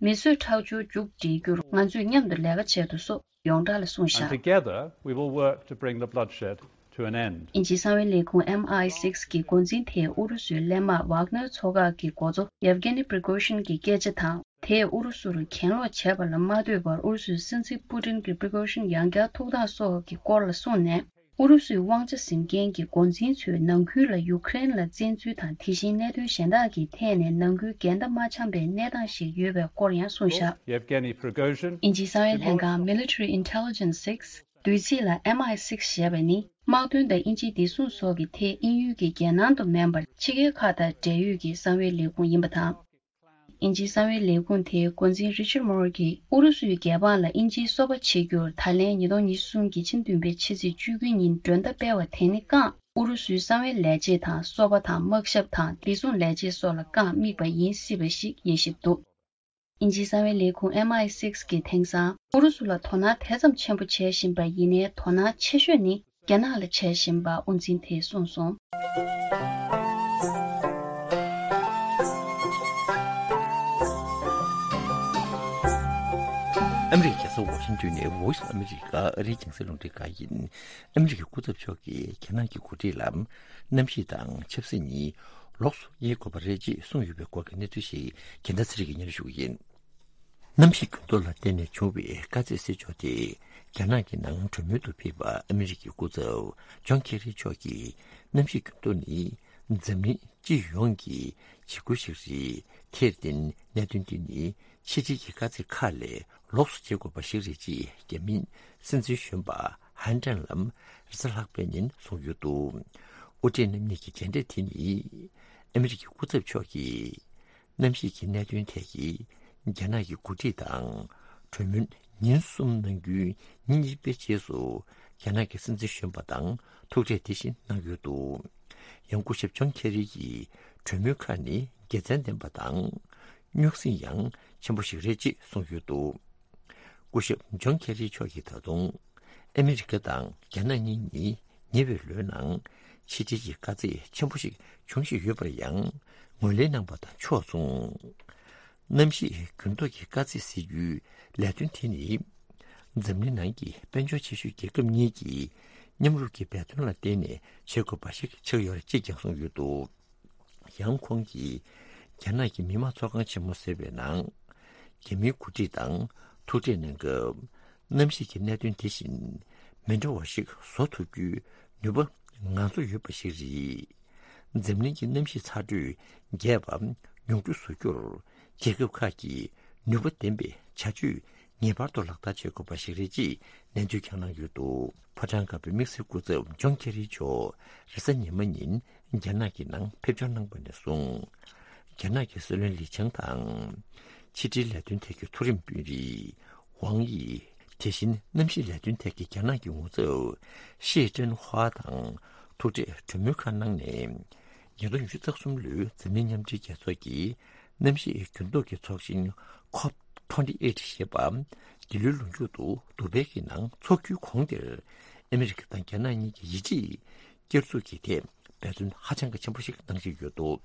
མི་གསོད་ཁྲག་སྦྱོར་མཇུག་སྒྲིལ་རྒྱུར་ང་ཚོས་མཉམ་དུ་ལས་ཀ་བྱེད་དུ་སོགས་ཡོངས་གྲགས་ལ་གསུངས་བཞག And together we will work to bring the bloodshed to an end. དབྱིན་ཇིའི་གསང་བའི་ལས་ཁུངས M I six གི་འགོ་འཛིན་དེས་ཨུ་རུ་སུའི་གླས་དམག་Wagner ཚོ་ཁག་གི་འགོ་གཙོ་Yevgeny Prigozhin གྱི་སྐད་ཆ་དང་། དེས་ཨུ་རུ་སུ་རུ་གྱེན་ལོག་བྱས་པ་ལ་མ་ལྟོས་པར། ཨུ་རུ་སུའི་སྲིད་འཛིན་པུ་ཏིན་གྱིས་པི་རི་གོ་ཤིན་ཡང་བསྐྱར་ཐུག་སྟངས་སོགས་ཀྱི་སྐོར་ལ་གསུངས་ནས། ཨུ་རུ་སུའི་དབང་ཆ་འཛིན་མཁན་གྱི་འགོ་འཛིན་ཚོས་ནང་ཁུལ་ལ་ཡུཀ་རེན་ལ་བཙན་འཛུལ་དང་། དེ་བཞིན་གནད་དོན་གཞན་དག་གི་ཐད་ནས་ནང་ཁུལ་འགལ་ཟླ་མ་འཆམ་པའི་གནས་སྟངས་ཤིག་ཡོད་པའི་སྐོར་ཡང་གསུངས་བཞག Yevgeny Prigozhin དབྱིན་ཇིའི་གསང་བའི་ལྷན་ཁང་Military Intelligence Six བསྡུས་ཚིག་ལ་M I six ཞེས་པ་ནི། དམག་དོན་དང་དབྱིན་ཇིའི་བདེ་སྲུང་སོགས་ཀྱི་ཐད་དབྱིན་ཡུལ་གྱི་རྒྱལ་ནང་དུ་མིན་པར་ཕྱི་རྒྱལ་ཁག་དང་འབྲེལ་ཡོད་ཀྱི་གསང་བའི་ལས་ཁུངས་ཡིན་པ་དང་། དབྱིན་ཇིའི་གསང་བའི་ལས་ཁུངས་དེའི་འགོ་འཛིན་Richard Moore གྱིས། ཨུ་རུ་སུའི་རྒྱལ་འབངས་ལ་དབྱིན་ཇིའི་སོ་པ་བྱེད་རྒྱུར་ད་ལན་ཉིས་སྟོང་ཉི་ཤུ་གསུམ་གྱི་ཕྱི་ཟླ་བདུན་པའི་ཕྱི་ཚེས་བཅུ་དགུ་ཉིན་མགྲོན་བརྡ་སྤེལ་བ་དེ་ནི་རྐང་། ཨུ་རུ་སུའི་གསང་བའི་ལས་བྱེད་དང་། སོ་པ་དང་། དམག་ཞབས་དང་། བདེ་སྲུང་ལས་བྱེད་སོགས་ལ་རྐང་དམིགས་པ་ཡིན་སྲིད་པ་ཞིག་དབྱེ་ཞིབ་འདུག་དབྱིན་ཇིའི་གསང་བའི་ལས་ཁུངས་M I six གིས་དེང་སང་ཨུ་རུ་སུ་ལ་དོ་སྣང་དེ་ཙམ་ཆེན་པོ་བྱས་བཞིན་པ་ཡིན་ནའི། དོ་སྣང་ཆེ་ཤོས་ནི་རྒྱ་ནག་ལ་བྱས་བཞིན་པ་དབུ་འཛིན་དེས་གསུངས་སོང་། ཨ་མི་རི་ཀའི་རྒྱལ་ས་ཝ་ཤིང་ཏོན་ནས་Voice of America ཨ་རིའི་རྒྱང་སྲིང་རླུང་འཕྲིན་ཁང་ཡིན། ཨ་མི་རི་ཀའི་སྐུ་ཚབ་མཆོག་གིས་རྒྱ་ནག་གི་འགོ་ཁྲིད་ལ་གནམ་གཤིས་དང་ཆབ་སྲིད་གཉིས་ལོགས་སུ་དབྱེ་དགོས་པ་རེད་ཅེས་གསུངས་ཡོད་པའི་སྐོར་གྱི་གནས་ཚུལ་ཞིག་རྒྱལ་མཚན་ཚེ་རིང་གིས་སྙན་སྒྲོན་ཞུ་གི་ཡིན། གནམ་གཤིས་འགྱུར་ལྡོག་ལ་བརྟེན་ནས་བྱུང་བའི་དཀའ་ཚེགས་སེལ་ཕྱོགས་དེ་རྒྱ་ནག་གི་ནང་གྲོས་མོལ་དུ་ཕེབས་པ་ཨ་མི་རི་ཀའི་སྐུ་ཚབ་ཇོན་ཁེ་རི་མཆོག་གིས། གནམ་གཤིས་འགྱུར་ལྡོག་ནི་འཛམ་གླིང་སྤྱི་ཡོངས་ཀྱི་འཆར་འགོད་ཞིག་རེད། དེར་བརྟེན་གནད་དོན་འདི་ནི་ཕྱི་འབྲེལ་གྱི་དཀའ་ཚེགས་ཁག་ལས་ལོགས་སུ་བྱེད་དགོས་པ་ཞིག་རེད་ཅེས་རྒྱ་མིའི་སྲིད་འཛིན་གཞོན་པ་ཧན་ཀྲེང་ལམ་རེས་གཟའ་ལྷག་པའི་ཉིན་གསུངས་ཡོད་འདུག་དབུ་ཁྲིད་རྣམ་གཉིས་ཀྱི་མཇལ་འཕྲད་དེ་ནི་ཨ་མི་རི་ཀའི་སྐུ་ཚབ་མཆོག་གིས། གནམ་གཤིས་ཀྱི་གནད་དོན་ཐད་ཀྱི་རྒྱ་ནག་གི་འགོ་ཁྲིད་དང་གྲོས་མོལ་ཉིན་གསུམ་གནང་རྒྱུའི་ཉིན་གཉིས་པའི་རྗེས་སུ་རྒྱ་ནག་གི་སྲིད་འཛིན་གཞོན་པ་དང་ཐུག་འཕྲད་དེ་བཞིན་གནང་ཡོད་འདུག་ཡང་སྐུ་ཞབས་ཇོན་ཁེ་རི་ཡིས་གྲོས་མོལ་ཁག་ནི་དགེ་མཚན་ལྡན་པ་དང་རྙོག་ཟིང་ཡང་ཆེན་པོ་ཞིག་རེད་ཅེས་གསུངས་ཡོད་འདུག་སྐུ་ཞབས་ཇོན་ཁེ་རི་མཆོག་གིས་ད་དུང་ཨ་མི་རི་ཀ་དང་རྒྱ་ནག་གཉིས་ནི་ཉེ་བའི་ལོའི་ནང་ཕྱི་འབྲེལ་གྱི་དཀའ་ཚེགས་ཆེན་པོ་ཞིག་འབྱུང་བཞིན་ཡོད་པར་ཡང་ངོས་ལེན་གནང་པ་དང་ཕྱོགས་མཚུངས། གནམ་གཤིས་འགྱུར་ལྡོག་གི་དཀའ་ཚེགས་སེལ་རྒྱུའི་ལས་དོན་དེ་ནི་ འཛམ་གླིང་ནང་གི་དཔལ་འབྱོར་ཆེ་ཤོས་རྒྱལ་ཁབ་གཉིས་ཀྱི་མཉམ་རུབ་ཀྱི་འབད་བརྩོན་ལ་བརྟེན་ནས་བྱེད་དགོས་པ་ཞིག་ཆགས་ཡོད་རེད་ཅེས་ཀྱང་གསུངས་ཡོད་འདུག། ཡང་ཁོང་གིས་རྒྱ་ནག་གི་མི་དམངས་ཚོགས་ཁང་ཆེན་མོ་ཟེར་བའི་ནང་། རྒྱ་མིའི་འགོ་ཁྲིད་དང་ཐུག་འཕྲད་གནང་སྐབས། གནམ་གཤིས་ཀྱི་གནད་དོན་དེ་བཞིན་མི་འདྲ་བ་ཞིག་བཟོ་ཐུབ་རྒྱུའི་ནུས་པ་ང་ཚོ་ཡོད་པ་ཞིག་རེད། འཛམ་གླིང་གི་གནམ་གཤིས་ཚ་དྲོད་རྒྱས་པ་ཉུང་འཕྲི་བཟོ་རྒྱུར་རྒྱལ་ཁབ་ཁག་གིས་ནུས་པ་ལྡན་པའི་བྱ་སྤྱོད་ངེས་པར་དུ་ལག་བསྟར་བྱེད་དགོས་པ་ཞིག་རེད་ཅེས་ནན་སྐྱོན་ཀྱང་གནང་ཡོད་འདུག། ཕོ་བྲང་དཀར་པོའི་དམིགས་བསལ་སྐུ་ཚབ་ཇོན་ཁེ་རི་མཆོག་རེས་གཟའ་ཉི་མ་ཉིན་རྒྱ་ནག་གི་ནང་ཕེབས་འབྱོར་གནང་པ་ནས་བཟུང་། རྒྱ་ནག་གི་སྲིད་བློན་ལི་ཆང་དང་། ཕྱི་འབྲེལ་ལས་དོན་ཐད་ཀྱི་མཐོ་རིམ་དཔོན་རིགས་ཝང་ཡི། དེ་བཞིན་གནམ་གཤིས་ལས་དོན་ཐད་ཀྱི་རྒྱ་ནག་གི་ངོ་ཚབ་ཤེ་ཀྲེན་ཧྭ་དང་ཐུག་འཕྲད་གྲོས་མོལ་ཁག་གནང་ནས། ཉིས་སྟོང་ཉི་ཤུ་རྩ་གསུམ་ལོའི་འཛམ་གླིང་མཉམ་འབྲེལ་རྒྱལ་ཚོགས་ཀྱི་གནམ་གཤིས་འགྱུར་ལྡོག་གི་ཚོགས་ཆེན་ཁོབ་ཊུ་ཝེན་ཊི་ཨེ་ཊི་ཞེས་པ་འདི་ལོའི་ལོ་མཇུག་ཏུ་དུ་བྷེ་གི་ནང་འཚོགས་རྒྱུའི་གོང་དེར་ཨ་མི་རི་ཀ་དང་རྒྱ་ནག་གཉིས་ཀྱི་ཡིད་ཆེས་བསྐྱར་འཛུགས་ཀྱི་ཐད་འབད་བརྩོན་ཧ་ཅང་གི་ཆེན་པོ་ཞིག་གནང་བཞིན་ཡོད་འདུག།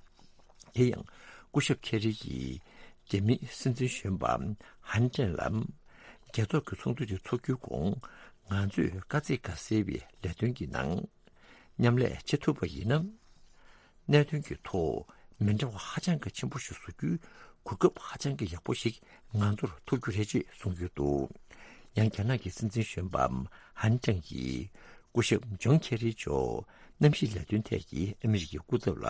དེ་ཡང་སྐུ་ཞབས་ཁེ་རི་ཡིས་རྒྱ་མིའི་སྲིད་འཛིན་གཞོན་པ་ཧན་ཀྲེང་ལ། རྒྱལ་ཚོགས་ཀྱི་ཚོགས་འདུ་དེ་འཚོགས་རྒྱུའི་གོང་ང་ཚོས་དཀའ་ཚེགས་ཁ་སེལ་བའི་ལས་དོན་གྱི་ནང་མཉམ་ལས་བྱེད་ཐུབ་པ་ཡིན་ན། གནད་དོན་གྱི་ཐོག་མི་འདྲ་བ་ཧ་ཅང་གི་ཆེན་པོ་ཞིག་བཟོ་རྒྱུའི་གོ་སྐབས་ཧ་ཅང་གི་ཡག་པོ་ཞིག་ང་ཚོར་ཐོབ་རྒྱུ་རེད་ཅེས་གསུངས་ཡོད་འདུག། ཡང་རྒྱ་ནག་གི་སྲིད་འཛིན་གཞོན་པ་ཧན་ཀྲེང་གིས་སྐུ་ཞབས་ཇོན་ཁེ་རི་མཆོག་གནམ་གཤིས་ལས་དོན་ཐད་ཀྱི་ཨ་མི་རི་ཀའི་སྐུ་ཚབ་ལ་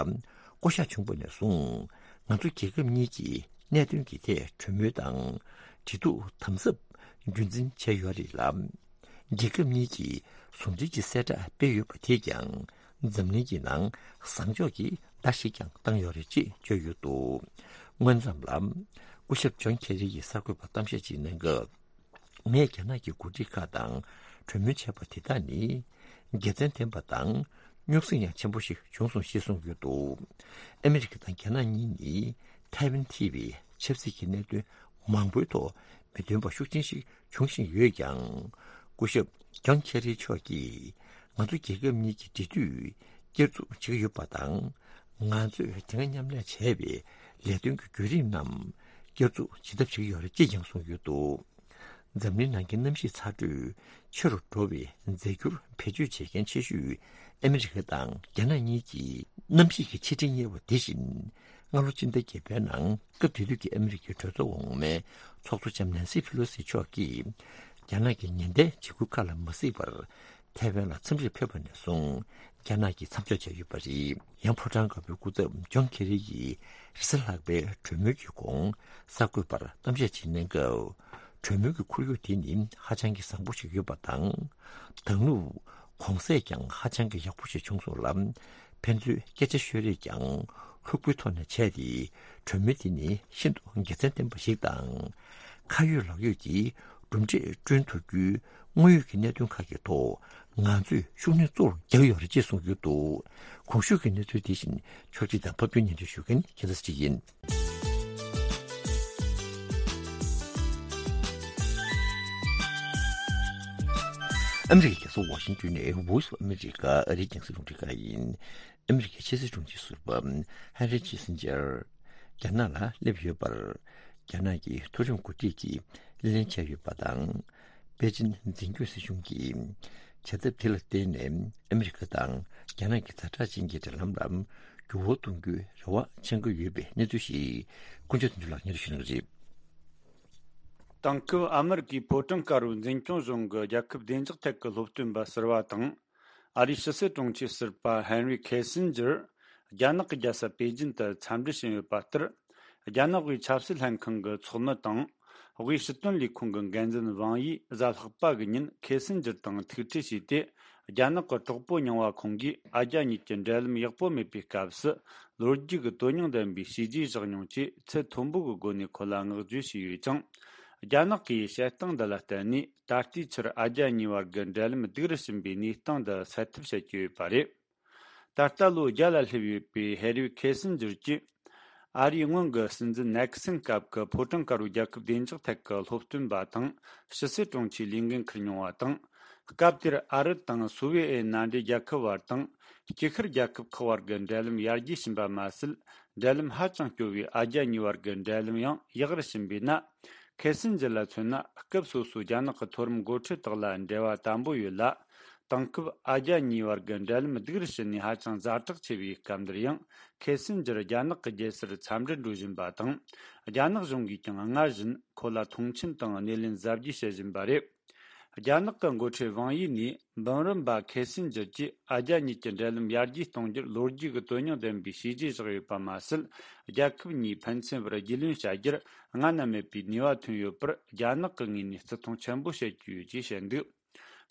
བསྐོ་གཞག་བྱུང་བ་ནས་བཟུང་། ང་ཚོ་རྒྱལ་ཁབ་གཉིས་ཀྱིས་གནད་དོན་གྱི་ཐད་གྲོས་མོལ་དང་འབྲེལ་གཏུག་དམ་ཟབ་རྒྱུན་འཛིན་བྱས་ཡོད་རེད་ལ། རྒྱལ་ཁབ་གཉིས་ཀྱིས་ཟུང་འབྲེལ་གྱི་གསལ་བསྒྲགས་སྤེལ་ཡོད་པ་དེས་ཀྱང་འཛམ་གླིང་གི་ནང་བཟང་ཕྱོགས་ཀྱི་བརྡ་ཞིག་ཀྱང་བཏང་ཡོད་རེད་ཅེས་བརྗོད་ཡོད་འདུག། སྔོན་ཙམ་ལ་སྐུ་ཞབས་ཇོན་ཁེ་རི་ཡིས་གསར་འགོད་པར་གཏམ་བཤད་ཅིག་གནང་སྐབས། ངས་རྒྱ་ནག་གི་འགོ་ཁྲིད་ཁག་དང་གྲོས་མོལ་བྱས་པ་དེ་དག་ནི་དགེ་མཚན་ལྡན་པ་དང་རྙོག་ཟིང་ཡང་ཆེན་པོ་ཞིག་བྱུང་སོང་ཞེས་གསུངས་ཡོད་འདུག། ཨ་མི་རི་ཀ་དང་རྒྱ་ནག་གཉིས་ནི་ཐའེ་ཝན་ཐེ་བའི་ཆབ་སྲིད་ཀྱི་གནད་དོན་མང་པོའི་ཐོག་མི་མཐུན་པ་ཤུགས་ཆེན་ཞིག་འབྱུང་བཞིན་ཡོད་ཀྱང་། སྐུ་ཞབས་ཇོན་ཁེ་རི་མཆོག་གིས་ང་ཚོ་རྒྱལ་ཁབ་གཉིས་ཀྱི་འབྲེལ་མཐུད་བསྐྱར་འཛུགས་བྱེད་ཀྱི་ཡོད་པ་དང་། ང་ཚོས་དེ་སྔ་མཉམ་ལས་བྱས་པའི་ལས་དོན་གྱི་བརྒྱུད་རིམ་རྣམས་བསྐྱར་འཛུགས་བྱེད་ཐབས་བྱེད་ཀྱི་ཡོད་རེད་ཅེས་ཀྱང་གསུངས་ཡོད་འདུག། འཛམ་གླིང་ནང་གི་གནམ་གཤིས་ཚ་དྲོད་ཆེ་རུ་འགྲོ་བའི་རྫས་འགྱུར་བེད་སྤྱོད་བྱེད་མཁན་ཆེ་ཤོས་ཨ་མི་རི་ཀ་དང་རྒྱ་ནག་གཉིས་ཀྱིས་གནམ་གཤིས་ཀྱི་ཆེས་འབྲིང་དབྱེ་བ་དེ་བཞིན་སྔ་ལོ་ཕྱི་ཟླ་བརྒྱད་པའི་ནང་སྐབས་དེ་དུས་ཀྱི་ཨ་མི་རི་ཀའི་གྲོས་ཚོགས་འོག་མའི་ཚོགས་གཙོ་ལྕམ་ནན་སི་ཕི་ལོ་སི་མཆོག་གིས་རྒྱ་ནག་གི་ཉེན་བརྡའི་འཇིགས་སྐུལ་ཁག་ལ་མ་གཟིགས་པར་ཐའེ་ཝན་ལ་འཚམས་འདྲིར་ཕེབས་པ་ནས་བཟུང་རྒྱ་ནག་གིས་མཚམས་འཇོག་བྱས་ཡོད་པ་རེད། ཡང་ཕོ་བྲང་དཀར་པོའི་སྐུ་ཚབ་ཇོན་ཁེ་རི་ཡིས་རེས་གཟའ་ལྷག་པའི་གྲོས་མོལ་གྱི་གོང་གསར་འགོད་པར་གཏམ་བཤད་ཅིག་གནང་སྐབས། གྲོས་མོལ་གྱི་ཁོར་ཡུག་དེ་ནི་ཧ་ཅང་གི་བཟང་པོ་ཞིག་ཡོད་པ་དང་། དང་ལུགས་གོང་གསལ་ཀྱང་ཧ་ཅང་གི་ཡག་པོ་ཞིག་བྱུང་སོང་ལ། ཕན་ཚུན་སྐད་ཆ་ཤོད་རེས་ཀྱང་ལྷུག་པོའི་ཐོག་ནས་བྱས་ཏེ། གྲོས་མོལ་དེ་ནི་ཤིན་ཏུ་དགེ་མཚན་ལྡན་པ་ཞིག་དང་། ཁ་ཡོད་ལག་ཡོད་ཀྱི་གྲུབ་འབྲས་བསྐྲུན་ཐུབ་རྒྱུའི་དངོས་ཡོད་ཀྱི་གནད་དོན་ཁག་གི་ཐོག་ང་ཚོས་ཤུགས་སྣོན་གཙོ་བོར་རྒྱག་ཡོད་རེད་ཅེས་གསུངས་ཡོད་འདུག། གོང་ཞུས་ཀྱི་གནས་ཚུལ་དེ་བཞིན་ཕྱོགས་སྒྲིག་དང་ཕབ་སྒྱུར་སྙན་སྒྲོན་ཞུ་མཁན་ཁྱེད་ཚོ་གཅིག་ཡིན། ཨ་མི་རི་ཀའི་རྒྱལ་ས་ཝ་ཤིང་ཏོན་ནས་Voice of America ཨ་རིའི་རྒྱང་སྲིང་རླུང་འཕྲིན་ཁང་ཡིན། ཨ་མི་རི་ཀའི་ཕྱི་སྲིད་དྲུང་ཆེ་ཟུར་པ་ཧན་རི་ཁི་སིན་ཇར་རྒྱ་ནག་ལ་སླེབས་ཡོད་པར། རྒྱ་ནག་གི་མཐོ་རིམ་འགོ་ཁྲིད་ཀྱིས་གླེང་བྱས་ཡོད་པ་དང་། པེ་ཅིན་འཛིན་སྐྱོང་སྲིད་གཞུང་གིས་བྱ་ཐབས་དེ་ལ་བརྟེན་ནས་ཨ་མི་རི་ཀ་དང་རྒྱ་ནག་གི་ཛ་དྲག་ཅན་གྱི་འབྲེལ་ལམ་ལ་འགྱུར་བ་གཏོང་རྒྱུའི་རེ་བ་འཆང་གི་ཡོད་པའི་གནས་ཚུལ་ཞིག་དཀོན་མཆོག་དོན་གྲུབ་ལགས་སྙན་སྒྲོན་ཞུ་གནང་གི་རེད། དེང་སྐབས་ཨ་མི་རི་ཀའི་ཕོ་བྲང་དཀར་པོའི་འཛིན་སྐྱོང་གཞུང་གི་རྒྱལ་ཁབ་བདེ་འཇགས་ཐད་ཀྱི་སློབ་སྟོན་པ་ཟུར་པ་དང་། ཨ་རིའི་ཕྱི་སྲིད་དྲུང་ཆེ་ཟུར་པ་ཧན་རི་ཁེ་སིན་ཇར་རྒྱ་ནག་གི་རྒྱལ་ས་པེ་ཅིན་དུ་འཚམས་འདྲི་ཞུས་ཡོད་པ་ལྟར། རྒྱ་ནག་དབུས་ཆབ་སྲིད་ལྷན་ཁང་གི་ཚོགས་མི་དང་། དབུས་སྲིད་དོན་ལས་ཁུངས་ཀྱི་འགན་འཛིན་ཝང་ཡིས་གཟའ་ལྷག་པ་གི་ཉིན་ཁེ་སིན་ཇར་དང་ཐུག་འཕྲད་བྱས་ཏེ། རྒྱ་ནག་གི་གྲོགས་པོ་རྙིང་བ་ཁོང་གིས་ཨ་རྒྱ་གཉིས་ཀྱི་འབྲེལ་ལམ་ཡག་པོ་མེད་པའི་སྐབས་སུ། ལོ་རྒྱུས་ཀྱི་དོན་སྙིང་ལྡན་པའི་བྱས་རྗེས་བཞག་མྱོང་ཆེད་ཚད་མཐོན་པོ་གི་སྒོ་ནས་ཁོ་ལ་བསྔགས་བརྗོད་བྱས་ཡོད་ཅིང་། རྒྱ་ནག་གིས་བྱེད་སྟངས་འདི་ལ་བརྟེན་ནས་ད་ལྟའི་ཆར་ཨ་རྒྱ་གཉིས་བར་གྱི་འབྲེལ་ལམ་སྡུག་རུ་ཕྱིན་པའི་གནས་སྟངས་འདི་སེལ་ཐབས་བྱེད་ཀྱི་ཡོད་པ་རེད། ད་ལྟ་ལོ་བརྒྱ་ལ་སླེབས་ཡོད་པའི་ཧེ་རི་ཁེ་སིན་ཇར་གྱིས་ཨ་རིའི་སྔོན་གྱི་སྲིད་འཛིན་ནེག་སིན་སྐབས་ཀྱི་ཕོ་བྲང་དཀར་པོའི་རྒྱལ་ཁབ་བདེ་འཇགས་ཐད་ཀྱི་སློབ་སྟོན་པ་དང་ཕྱི་སྲིད་དྲུང་ཆེའི་ལས་འགན་འཁུར་མྱོང་བ་དང་། སྐབས་དེར་ཨ་རི་དང་སོ་བི་ཨེ་མནའ་འབྲེལ་རྒྱལ་ཁབ་བར་དང་། དཀྱིལ་ཤར་རྒྱལ་ཁབ་ཁག་བར་གྱི་འབྲེལ་ལམ་ཡར་རྒྱས་ཕྱིན་པ་མ་ཟད། འབྲེལ་ལམ་ཧ་ཅང་སྐྱོ་བའི་ཨ་རྒྱ་གཉིས་བར་གྱི་འབྲེལ་ལམ་ཡང་ཡག་རུ་ཕྱིན་པས་ན། ཁེ་སིན་ཇར་ལ་མཚོན་ན། སྐབས་སོ་སོའི་རྒྱ་ནག་གི་མཐོ་རིམ་འགོ་ཁྲིད་དག་ལ་འབྲེལ་བ་དམ་པོ་ཡོད་ལ། དེང་སྐབས་ཨ་རྒྱ་གཉིས་བར་གྱི་འབྲེལ་ལམ་སྡུག་རུ་ཕྱིན་ནས་ཧ་ཅང་ཛ་དྲག་ཆེ་བའི་སྐབས་འདིར་ཡང་། ཁེ་སིན་ཇར་རྒྱ་ནག་གི་རྒྱལ་སར་འཚམས་འདྲིར་འགྲོ་བཞིན་པ་དང་། རྒྱ་ནག་གཞུང་གིས་ཀྱང་སྔར་བཞིན་ཁོ་ལ་མཐོང་ཆེན་དང་སྣེ་ལེན་གཟབ་རྒྱས་བྱེད་བཞིན་པ་རེད། རྒྱ་ནག་གི་འགོ་ཁྲིད་ཝང་ཡི་ནས་འབུམ་རམས་པ་ཁེ་སིན་ཇར་གྱིས་ཨ་རྒྱ་གཉིས་ཀྱི་འབྲེལ་ལམ་ཡར་རྒྱས་གཏོང་རྒྱུར་ལོ་རྒྱུས་ཀྱི་དོན་སྙིང་ལྡན་པའི་བྱས་རྗེས་བཞག་ཡོད་པ་མ་ཟད། རྒྱལ་ཁབ་གཉིས་ཕན་ཚུན་བར་རྒྱུས་ལོན་བྱ་རྒྱུར་སྔ་ན་མེད་པའི་ནུས་པ་ཐོན་ཡོད་པར། རྒྱ་ནག་གི་ངོས་ནས་བརྩི་མཐོང་ཆེན་པོ་བྱེད་ཀྱི་ཡོད་ཅེས་བཤད་འདུག་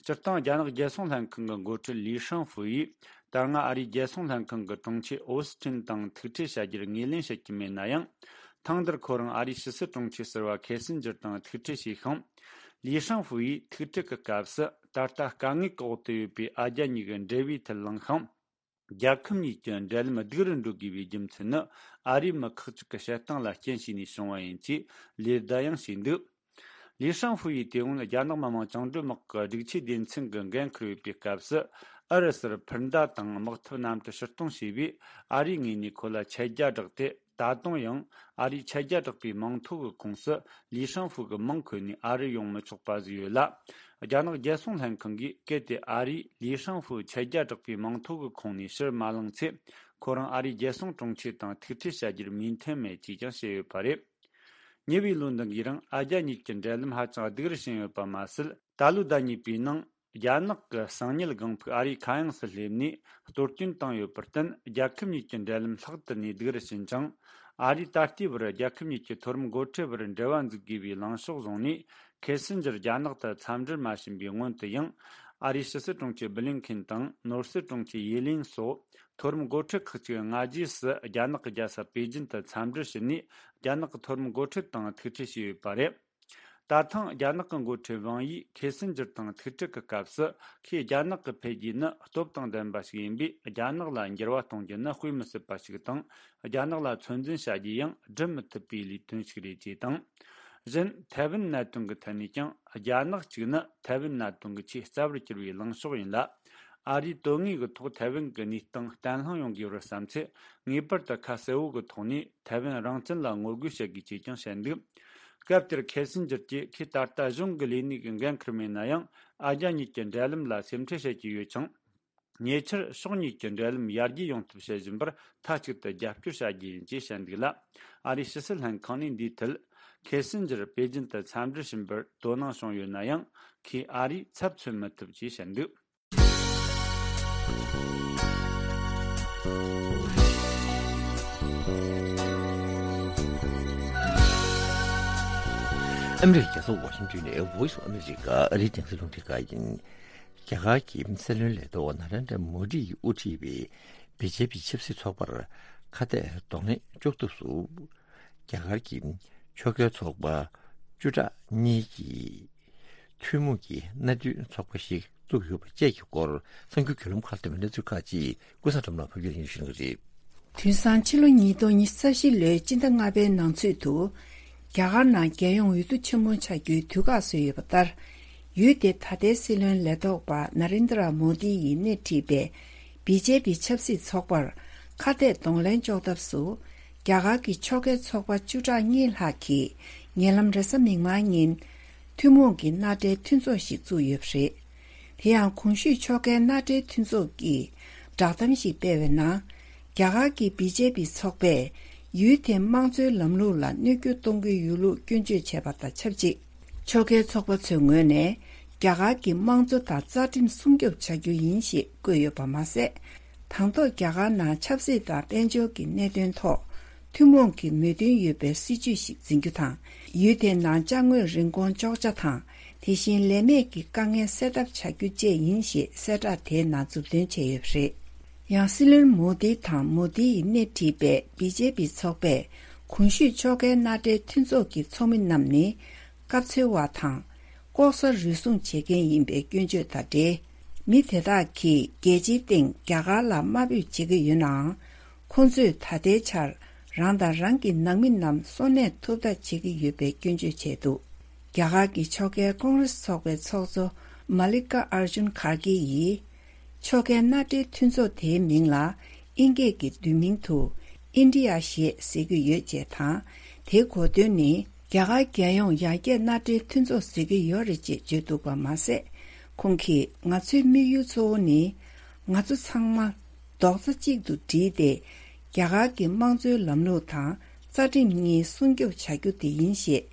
སྤྱིར་བཏང་། རྒྱ་ནག་རྒྱལ་སྲུང་ལྷན་ཁང་གི་འགོ་ཁྲིད་ལི་ཧྲང་ཧྥུ་ཡིས། ད་སྔ་ཨ་རིའི་རྒྱལ་སྲུང་ལྷན་ཁང་གི་དྲུང་ཆེ་ཨོ་སི་ཁྲིན་དང་ཐུག་འཕྲད་བྱ་རྒྱུར་ངོས་ལེན་བྱེད་ཀྱི་མེད་ན་ཡང་། ཐེངས་འདིར་ཁོ་རང་ཨ་རིའི་ཕྱི་སྲིད་དྲུང་ཆེ་ཟུར་པ་ཁེ་སིན་ཇར་དང་ཐུག་འཕྲད་བྱས་ཤིང་། ལི་ཧྲང་ཧྥུ་ཡིས་ཐུག་འཕྲད་ཀྱི་སྐབས་སུ། ད་ལྟ་དཀའ་ངལ་གྱི་འོག་ཏུ་ཡོད་པའི་ཨ་རྒྱ་གཉིས་ཀྱི་འབྲེལ་བའི་ཐད་གླེང་ཤིང་། རྒྱལ་ཁབ་གཉིས་ཀྱི་འབྲེལ་ལམ་སྡུག་རུ་འགྲོ་དགོས་པའི་རྒྱུ་མཚན་ནི། ཨ་རིའི་མི་ཁག་ཅིག་གི་བྱེད་སྟངས་ལ་རྐྱེན་བྱས་ནས་བྱུང་བ་ཡིན་ཅེས་ལེ་བདའ་ཡང་བྱས་འདུག་ལི་ཤང་ཧྥུ་ཡིས་དེ་སྔོན་རྒྱ་ནག་མི་དམངས་བཅིངས་འགྲོལ་དམག་གི་སྒྲིག་ཆས་སྡེ་ཚན་གྱི་འགན་འཁུར་ཡོད་པའི་སྐབས་སུ། ཨུ་རུ་སུར་འཕུར་མདའ་དང་དམག་འཐབ་གནམ་གྲུ་ཕྱིར་གཏོང་བྱས་པས། ཨ་རིའི་ངོས་ནས་ཁོ་ལ་ཆད་རྒྱ་བསྒྲགས་ཏེ། ད་དུང་ཡང་ཨ་རིའི་ཆད་རྒྱ་བསྒྲགས་པའི་མིང་ཐོ་གི་ཁོངས་སུ་ལི་ཤང་ཧྥུ་གི་མིང་འཁོད་ནས་ཨ་རི་ཡོང་མི་ཆོག་པ་ཟིག་ཡོད་ལ། རྒྱ་ནག་རྒྱལ་སྲུང་ལྷན་ཁང་གིས་གལ་ཏེ་ཨ་རིས་ལི་ཤང་ཧྥུ་ཆད་རྒྱ་བསྒྲགས་པའི་མིང་ཐོ་གི་ཁོངས་ནས་ཕྱིར་མ་བླངས་ཚེ། ཁོ་རང་ཨ་རིའི་རྒྱལ་སྲུང་དྲུང་ཆེ་དང་ཐུག་འཕྲད་བྱ་རྒྱུར་མོས་མཐུན་མེད་ཅེས་ཀྱང་བཤད་ཡོད་པ་རེད། ཉེ་བའི་ལོ་འདི་གའི་རིང་ཨ་རྒྱ་གཉིས་ཀྱི་འབྲེལ་ལམ་ཧ་ཅང་སྡུག་རུ་ཕྱིན་ཡོད་པ་མ་ཟད། ད་ལོའི་ཟླ་གཉིས་པའི་ནང་། རྒྱ་ནག་གི་གསང་ཉུལ་སྒང་ཕུག་ཨ་རིའི་མཁའ་དབྱིངས་སུ་སླེབས་ནས་གཏོར་སྐྱོན་བཏང་ཡོད་པར་བརྟེན། རྒྱལ་ཁབ་གཉིས་ཀྱི་འབྲེལ་ལམ་ལྷག་ཏུ་ནས་སྡུག་རུ་ཕྱིན་ཅིང་། ཨ་རིས་ད་ལྟའི་བར་རྒྱལ་ཁབ་གཉིས་ཀྱི་མཐོ་རིམ་འགོ་ཁྲིད་བར་འབྲེལ་བ་འཛུགས་དགོས་པའི་ལངས་ཕྱོགས་བཟུང་ནས། ཁེ་སིན་ཇར་རྒྱ་ནག་ཏུ་འཚམས་འདྲིར་མ་ཕྱིན་པའི་སྔོན་དུ་ཡང་། ཨ་རིའི་ཕྱི་སྲིད་དྲུང་ཆེ་བྷི་ལིན་ཁིན་དང་ནོར་སྲིད་དྲུང་ཆེ་ཡེ་ལིན་སོགས་མཐོ་རིམ་འགོ་ཁྲིད་ཁག་ཅིག་སྔ་རྗེས་སུ་རྒྱ་ནག་གི་རྒྱལ་ས་པེ་ཅིན་དུ་འཚམས་འདྲིར་ཕྱིན་ནས། རྒྱ་ནག་གི་མཐོ་རིམ་འགོ་ཁྲིད་དང་ཐུག་འཕྲད་བྱས་ཡོད་པ་རེད། ད་ཐེངས་རྒྱ་ནག་གི་འགོ་ཁྲིད་ཝང་ཡིས་ཁེ་སིན་ཇར་དང་ཐུག་འཕྲད་ཀྱི་སྐབས་སུ། ཁོས་རྒྱ་ནག་གི་འཕེལ་རྒྱས་ནི་སྟོབས་དང་ལྡན་པ་ཞིག་ཡིན་པས། རྒྱ་ནག་ལ་འགྱུར་བ་གཏོང་རྒྱུ་ནི་དཔེ་མི་སྲིད་པ་ཞིག་དང་། རྒྱ་ནག་ལ་ཚོད་འཛིན་བྱ་རྒྱུ་ཡང་སྒྲུབ་མི་ཐུབ་པའི་ལས་དོན་ཞིག་རེད་ཅེས་དང་། གཞན། ཐའེ་ཝན་གནད་དོན་གྱི་ཐད་ནས་ཀྱང་། རྒྱ་ནག་གཅིག་ནི་ཐའེ་ཝན་གནད་དོན་གྱི་ཆེས་རྩ་བར་གྱུར་པའི་ལངས་ཕྱོགས་ཡིན་ལ། ཨ་རིས་དོན་དངོས་ཀྱི་ཐོག་ཐའེ་ཝན་གྱི་གནས་སྟངས་བརྟན་ལྷིང་ཡོང་དགོས་པར་བསམ་ཚེ། ངེས་པར་དུ་ཁ་གསལ་བོ་གི་ཐོག་ནས་ཐའེ་ཝན་རང་བཙན་ལ་ངོ་རྒོལ་བྱེད་དགོས་ཅེས་ཀྱང་བཤད་འདུག་སྐབས་དེར་ཁེ་སིན་ཇར་གྱིས། ཁོས་ད་ལྟ་གཞུང་གི་ལས་གནས་ཀྱི་འགན་འཁུར་མེད་ན་ཡང་། ཨ་རྒྱ་གཉིས་ཀྱི་འབྲེལ་ལམ་ལ་སེམས་ཁྲལ་བྱེད་ཀྱི་ཡོད་ཅིང་། ཉེ་ཆར་ཕྱོགས་གཉིས་ཀྱི་འབྲེལ་ལམ་ཡར་རྒྱས་ཡོང་ཐབས་བྱེད་བཞིན་པར་མཐའ་གཅིག་ཏུ་རྒྱབ་སྐྱོར་བྱ་རྒྱུ་ཡིན་ཅེས་བཤད་འདུག་ལ། ཨ་རིའི་ཕྱི་སྲིད་ལྷན་ཁང་ནས་འདིའི་ཐད། ཁེ་སིན་ཇར་པེ་ཅིན་དུ་འཚམས་འདྲིར་ཕྱིན་པར་དོ་སྣང་བྱུང་ཡོད་ན་ཡང་། ཁོས་ཨ་རིས་ཚབ་མཚོན་མི་ཐུབ་ཅེས་བཤད་འདུག་ཨ་མི་རི་ཀའི་རྒྱལ་ས་ཝ་ཤིང་ཏོན་ནས་Voice of America ཨ་རིའི་རྒྱང་སྲིང་རླུང་འཕྲིན་ཁང་ཡིན། རྒྱ་གར་གྱི་སྲིད་བློན་ལས་ཐོག་ནཱ་རེན་དྲ་མོ་དི་ཡིས་དབུ་ཁྲིད་པའི་བི་ཇེ་པི་ཆབ་སྲིད་ཚོགས་པར་ཁ་གཏད་གདོང་ལེན་གཅོག་ཐབས་སུ། རྒྱ་གར་གྱི་ཕྱོགས་འགལ་ཚོགས་པ་བཅུ་ཕྲག་གཉིས་ཀྱིས་ཐུན་མོང་གི་མནའ་མཐུན་ཚོགས་པ་ཞིག་བཙུགས་ཡོད་པ་བཅས་ཀྱི་སྐོར་གསར་འགྱུར་བརྒྱུད་ལམ་ཁག་ཏུ་མི་སྣ་ཚོས་ཁག་ཅིག་ཀུན་བཟང་སྒྲོལ་མ་ཕབ་སྒྱུར་ཡིན་ཞུ་གནང་གི་རེད། དུས་སང་ཕྱི་ལོ་ཉིས་སྟོང་ཉི་ཤུ་རྩ་བཞི་ལོའི་སྤྱི་ཟླ་ལྔ་པའི་ནང་ཚུད་དུ། རྒྱ་གར་ནང་རྒྱལ་ཡོངས་འོས་བསྡུ་ཆེན་མོ་བྱ་རྒྱུའི་དུས་བཀག་བཟོས་ཡོད་པ་ལྟར། ཡུལ་དེའི་ད་ལྟའི་སྲིད་བློན་ལས་ཐོག་པ་ན་རེན་དྲ་མོ་དི་ཡིས་སྣེ་ཁྲིད་པའི་བི་ཇེ་པི་ཆབ་སྲིད་ཚོགས་པར་ཁ་གཏད་གདོང་ལེན་གཅོག་ཐབས་སུ། རྒྱ་གར་གྱི་ཕྱོགས་འགལ་ཚོགས་པ་བཅུ་ཕྲག་གཉིས་ལྷག་གིས་ཉེ་ལམ་རེས་གཟའ་མིག་དམར་ཉིན། ཐུན་མོང་གི་མནའ་འབྲེལ་མཐུན་ཚོགས་ཤིག་བཙུགས་ཡོད་པ་རེད། དེ་ཡང་གོང་ཞུས་ཕྱོགས་འགལ་མནའ་འབྲེལ་མཐུན་ཚོགས་ཀྱིས་བསྒྲགས་གཏམ་ཞིག་སྤེལ་བའི་ནང་། རྒྱ་གར་གྱི་བི་ཇེ་པི་ཚོགས་པས་ཡུལ་དེའི་དམངས་གཙོའི་ལམ་ལུགས་ལ་གནོད་སྐྱོན་གཏོང་གི་ཡོད་ལུགས་སྐྱོན་བརྗོད་བྱས་པ་དང་ཆབས་ཅིག་ཕྱོགས་འགལ་ཚོགས་པ་ཚོའི་ངོས་ནས། རྒྱ་གར་གྱི་དམངས་གཙོ་དང་རྩ་ཁྲིམས་སྲུང་སྐྱོབ་བྱ་རྒྱུ་ཡིན་ཞེས་བཀོད་ཡོད་པ་མ་ཟད། དང་ཐོག་རྒྱ་གར་ནང་ཆབ་སྲིད་དང་དཔལ་འབྱོར་གྱི་གནད་དོན་ཐོག་ཐུན་མོང་གི་མོས་མཐུན་ཡོད་པའི་སྲིད་ཇུས་ཤིག་འཛིན་རྒྱུ་དང་། ཡུལ་དེའི་ནང་ཅ་དངོས་རིན་གོང་གཅོག་ཆ་དང་། དེ་བཞིན་ལས་མེད་ཀྱི་དཀའ་ངལ་སེལ་ཐབས་བྱ་རྒྱུ་བཅས་ཡིན་ཞེས་གསལ་བསྒྲགས་དེའི་ནང་མཛུབ་སྟོན་བྱས་ཡོད་པ་རེད། ཡང་སྲིད་བློན་མོ་དི་དང་མོ་དི་ཡིས་སྣེ་ཁྲིད་པའི་བི་ཇེ་པི་ཚོགས་པས་གོང་ཞུས་ཕྱོགས་འགལ་མནའ་འབྲེལ་མཐུན་ཚོགས་ཀྱི་ཚོགས་མི་རྣམས་ནི་སྐབས་འཚོལ་བ་དང་། ལྐོག་ཟ་རུལ་སུངས་བྱེད་མཁན་ཡིན་པའི་སྐྱོན་བརྗོད་དང་འབྲེལ། མི་དེ་དག་གིས་རྒྱལ་སྤྱིའི་སྟེང་རྒྱ་གར་ལ་དམའ་འབེབས་བྱེད་ཀྱི་ཡོད་ནའང་། ཁོང་ཚོས་ད་ལྟའི་ཆར་རང་དང་རང་གི་ནང་མི་རྣམས་གསོ་གནས་ཐོབ་ཐབས་བྱེད་ཀྱི་ཡོད་པའི་སྐྱོན་བརྗོད་བྱས་འདུག་རྒྱ་གར་གྱི་ཕྱོགས་འགལ་ཀོང་རེས་ཚོགས་པའི་ཚོགས་གཙོ་མ་ལི་ཀ་ཨར་ཇུན་གྷར་གྷི་ཡིས། ཕྱོགས་འགལ་མནའ་འབྲེལ་མཐུན་ཚོགས་དེའི་མིང་ལ་དབྱིན་སྐད་ཀྱི་བསྡུས་མིང་དུ་ཨིན་ཌི་ཡ་ཞེས་ཟེར་གྱི་ཡོད་ཅེས་དང་། དེའི་གོ་དོན་ནི་ རྒྱ་གར་རྒྱལ་ཡོངས་ཡར་རྒྱས་མནའ་འབྲེལ་མཐུན་ཚོགས་བཟོ་གི་ཡོད་རེད་ཅེས་བརྗོད་འདུག་པ་མ་ཟད། ཁོང་གིས་ང་ཚོའི་དམིགས་ཡུལ་གཙོ་བོ་ནི། ང་ཚོ་ཚང་མ་རྡོག་རྩ་གཅིག་ཏུ་བསྒྲིལ་ཏེ། རྒྱ་གར་གྱི་དམངས་གཙོའི་ལམ་ལུགས་དང་རྩ་ཁྲིམས་གཉིས་སྲུང་སྐྱོབ་བྱ་རྒྱུ་དེ་ཡིན་ཞེས།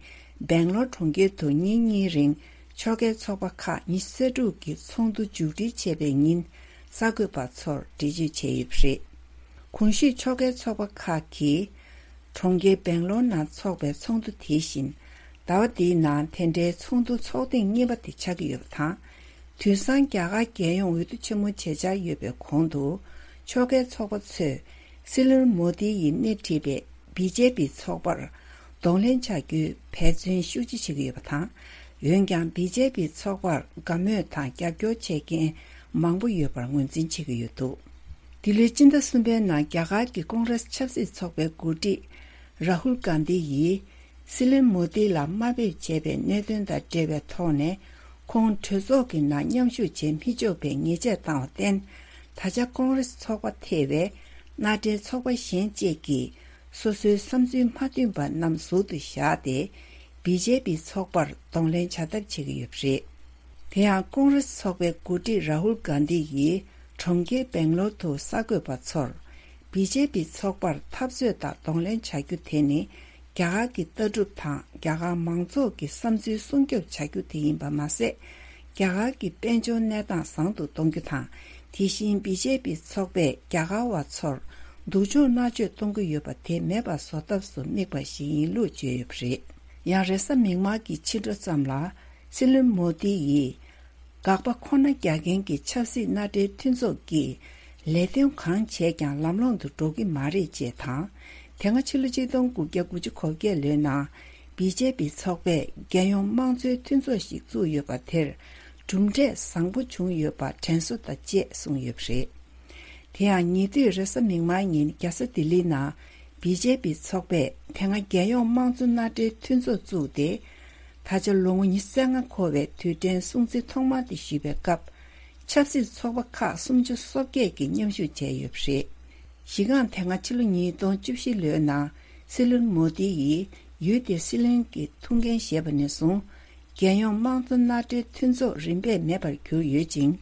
སྦེང་ལོར་གྲོང་ཁྱེར་དུ་ཉིན་གཉིས་རིང་ཕྱོགས་འགལ་ཚོགས་པ་ཁག་ཉི་ཤུ་རྩ་དྲུག་གི་ཚོགས་འདུ་མཇུག་སྒྲིལ་བྱས་པའི་ཉིན། གསར་འགོད་པ་ཚོར་འགྲེལ་བརྗོད་བྱས་ཡོད་པ་རེད། གོང་ཞུས་ཕྱོགས་འགལ་ཚོགས་པ་ཁག་གིས། གྲོང་ཁྱེར་སྦེང་ལོར་ནང་འཚོགས་པའི་ཚོགས་འདུ་དེ་བཞིན། ཟླ་བ་འདིའི་ནང་དེ་འདྲའི་ཚོགས་འདུ་ཚོགས་ཐེངས་གཉིས་པ་དེ་ཆགས་ཀྱི་ཡོད་པ་དང་། དུས་སང་རྒྱ་གར་རྒྱལ་ཡོངས་འོས་བསྡུ་ཆེན་མོ་བྱེད་འཆར་ཡོད་པའི་གོང་དུ། ཕྱོགས་འགལ་ཚོགས་པ་ཚོས་སྲིད་བློན་མོ་དི་ཡིས་སྣེ་ཁྲིད་པའི་བི་ཇེ་པི་ཚོགས་པར་གདོང་ལེན་བྱ་རྒྱུའི་འབད་བརྩོན་ཤུགས་ཆེ་བྱེད་ཀྱི་ཡོད་པ་དང་། འོན་ཀྱང་བི་ཇེ་པི་ཚོགས་པར་དགའ་མོས་དང་རྒྱབ་སྐྱོར་བྱེད་མཁན་མང་པོ་ཡོད་པར་ངོས་འཛིན་བྱེད་ཀྱི་ཡོད་འདུག་འདི་ལོའི་སྤྱི་ཟླ་གསུམ་པའི་ནང་རྒྱ་གར་གྱི་ཀོང་རེས་ཆབ་སྲིད་ཚོགས་པའི་འགོ་ཁྲིད་རཱ་ཧུལ་གྷན་དྷི་ཡིས། སྲིད་བློན་མོ་དྷི་ལ་དམའ་འབེབས་བྱས་པའི་གནད་དོན་དང་འབྲེལ་བའི་ཐོག་ནས། ཁོང་གྲོས་ཚོགས་ཀྱི་ནང་མཉམ་ཞུགས་བྱེད་མི་ཆོག་པའི་ཉེས་ཆད་བཏང་བར་བརྟེན། ད་ཆ་ཀོང་རེས་ཚོགས་པ་ཐེ་བའི་མནའ་འབྲེལ་ཚོགས་པ་གཞན་བཅས་ཀྱིས། སོ་སོའི་བསམ་ཚུལ་མ་མཐུན་པ་རྣམས་ཟུར་དུ་བཞག་སྟེ། བི་ཇེ་པི་ཚོགས་པར་གདོང་ལེན་བྱ་ཐབས་བྱེད་ཀྱི་ཡོད་པ་རེད། དེ་ཡང་ཀོང་རེས་ཚོགས་པའི་འགོ་ཁྲིད་རཱ་ཧུལ་གྷན་དྷི་ཡིས་གྲོང་ཁྱེར་སྦེང་ལོར་དུ་གསར་འགོད་པ་ཚོར། བི་ཇེ་པི་ཚོགས་པར་འཐབ་རྩོད་དང་གདོང་ལེན་བྱ་རྒྱུ་དེ་ནི། རྒྱ་གར་གྱི་ལྟ་གྲུབ་དང་རྒྱ་གར་མང་ཚོགས་ཀྱི་བསམ་ཚུལ་སྲུང་སྐྱོབ་བྱ་རྒྱུ་དེ་ཡིན་པ་མ་ཟད། རྒྱ་གར་གྱི་དཔལ་འབྱོར་གནས་སྟངས་བཟང་དུ་གཏོང་རྒྱུ་དང་། དེ་བཞིན་བི་ཇེ་པི་ཚོགས་པས་རྒྱ་གར་བ་ཚོར་སྡུག་སྦྱོང་མནར་གཅོད་གཏོང་གི་ཡོད་པ་དེ་མེད་པ་བཟོ་ཐབས་སུ་དམིགས་པ་ཞིག་ཡིན་ལུགས་བརྗོད་ཡོད་པ་རེད། ཡང་རེས་གཟའ་མིག་དམར་གྱི་ཕྱི་དྲོ་ཙམ་ལ། སྲིད་བློན་མོ་དྷི་ཡིས། དགག་པ་ཁོ་ན་རྒྱག་མཁན་གྱི་ཆབ་སྲིད་མནའ་འབྲེལ་མཐུན་ཚོགས་ཀྱིས་ལས་དོན་གང་བྱས་ཀྱང་ལམ་ལྷོང་དུ་འགྲོ་གི་མ་རེད་ཅེས་དང་། དེ་སྔ་ཕྱི་ལོ་ཆིག་སྟོང་དགུ་བརྒྱ་དགུ་བཅུ་གོ་བརྒྱད་ལོའི་ནང་བི་ཇེ་པི་ཚོགས་པས་རྒྱལ་ཡོངས་དམངས་གཙོའི་མཐུན་ཚོགས་ཤིག་བཙུགས་ཡོད་པ་དེར་གྲུབ་འབྲས་བཟང་པོ་བྱུང་ཡོད་པ་དྲན་གསོ་དང་བཅས་གསུངས་ཡོད་པ་རེད། དེ་ཡང་ཉེ་དུས་རེས་གཟའ་མིག་དམར་ཉིན་རྒྱལ་ས་ལྡི་ལིའི་ནང་བི་ཇེ་པི་ཚོགས་པས་དེ་སྔ་རྒྱལ་ཡོངས་དམངས་གཙོ་མནའ་འབྲེལ་མཐུན་ཚོགས་བཙུགས་ཏེ། ད་ཆ་ལོ་ངོ་ཉི་ཤུ་རྩ་ལྔ་འཁོར་བའི་དུས་དྲན་སྲུང་བརྩི་ཐོག་མ་དེ་ཞུས་པའི་སྐབས། ཆབ་སྲིད་ཚོགས་པ་ཁག་སུམ་ཅུ་སོ་བརྒྱད་ཀྱིས་མཉམ་ཞུགས་བྱས་ཡོད་པ་རེད། གཞི་རྐང་དེ་སྔ་ཕྱི་ལོ་ཉིས་སྟོང་བཅུ་བཞི་ལོའི་ནང་སྲིད་བློན་མོ་དི་ཡིས་ཡུལ་དེའི་སྲིད་བློན་གྱི་ཐུགས་འགན་བཞེས་པ་ནས་བཟུང་། རྒྱལ་ཡོངས་དམངས་གཙོ་མནའ་འབྲེལ་མཐུན་ཚོགས་རིམ་པས་མེད་པར་གྱུར་ཡོད་ཅིང་།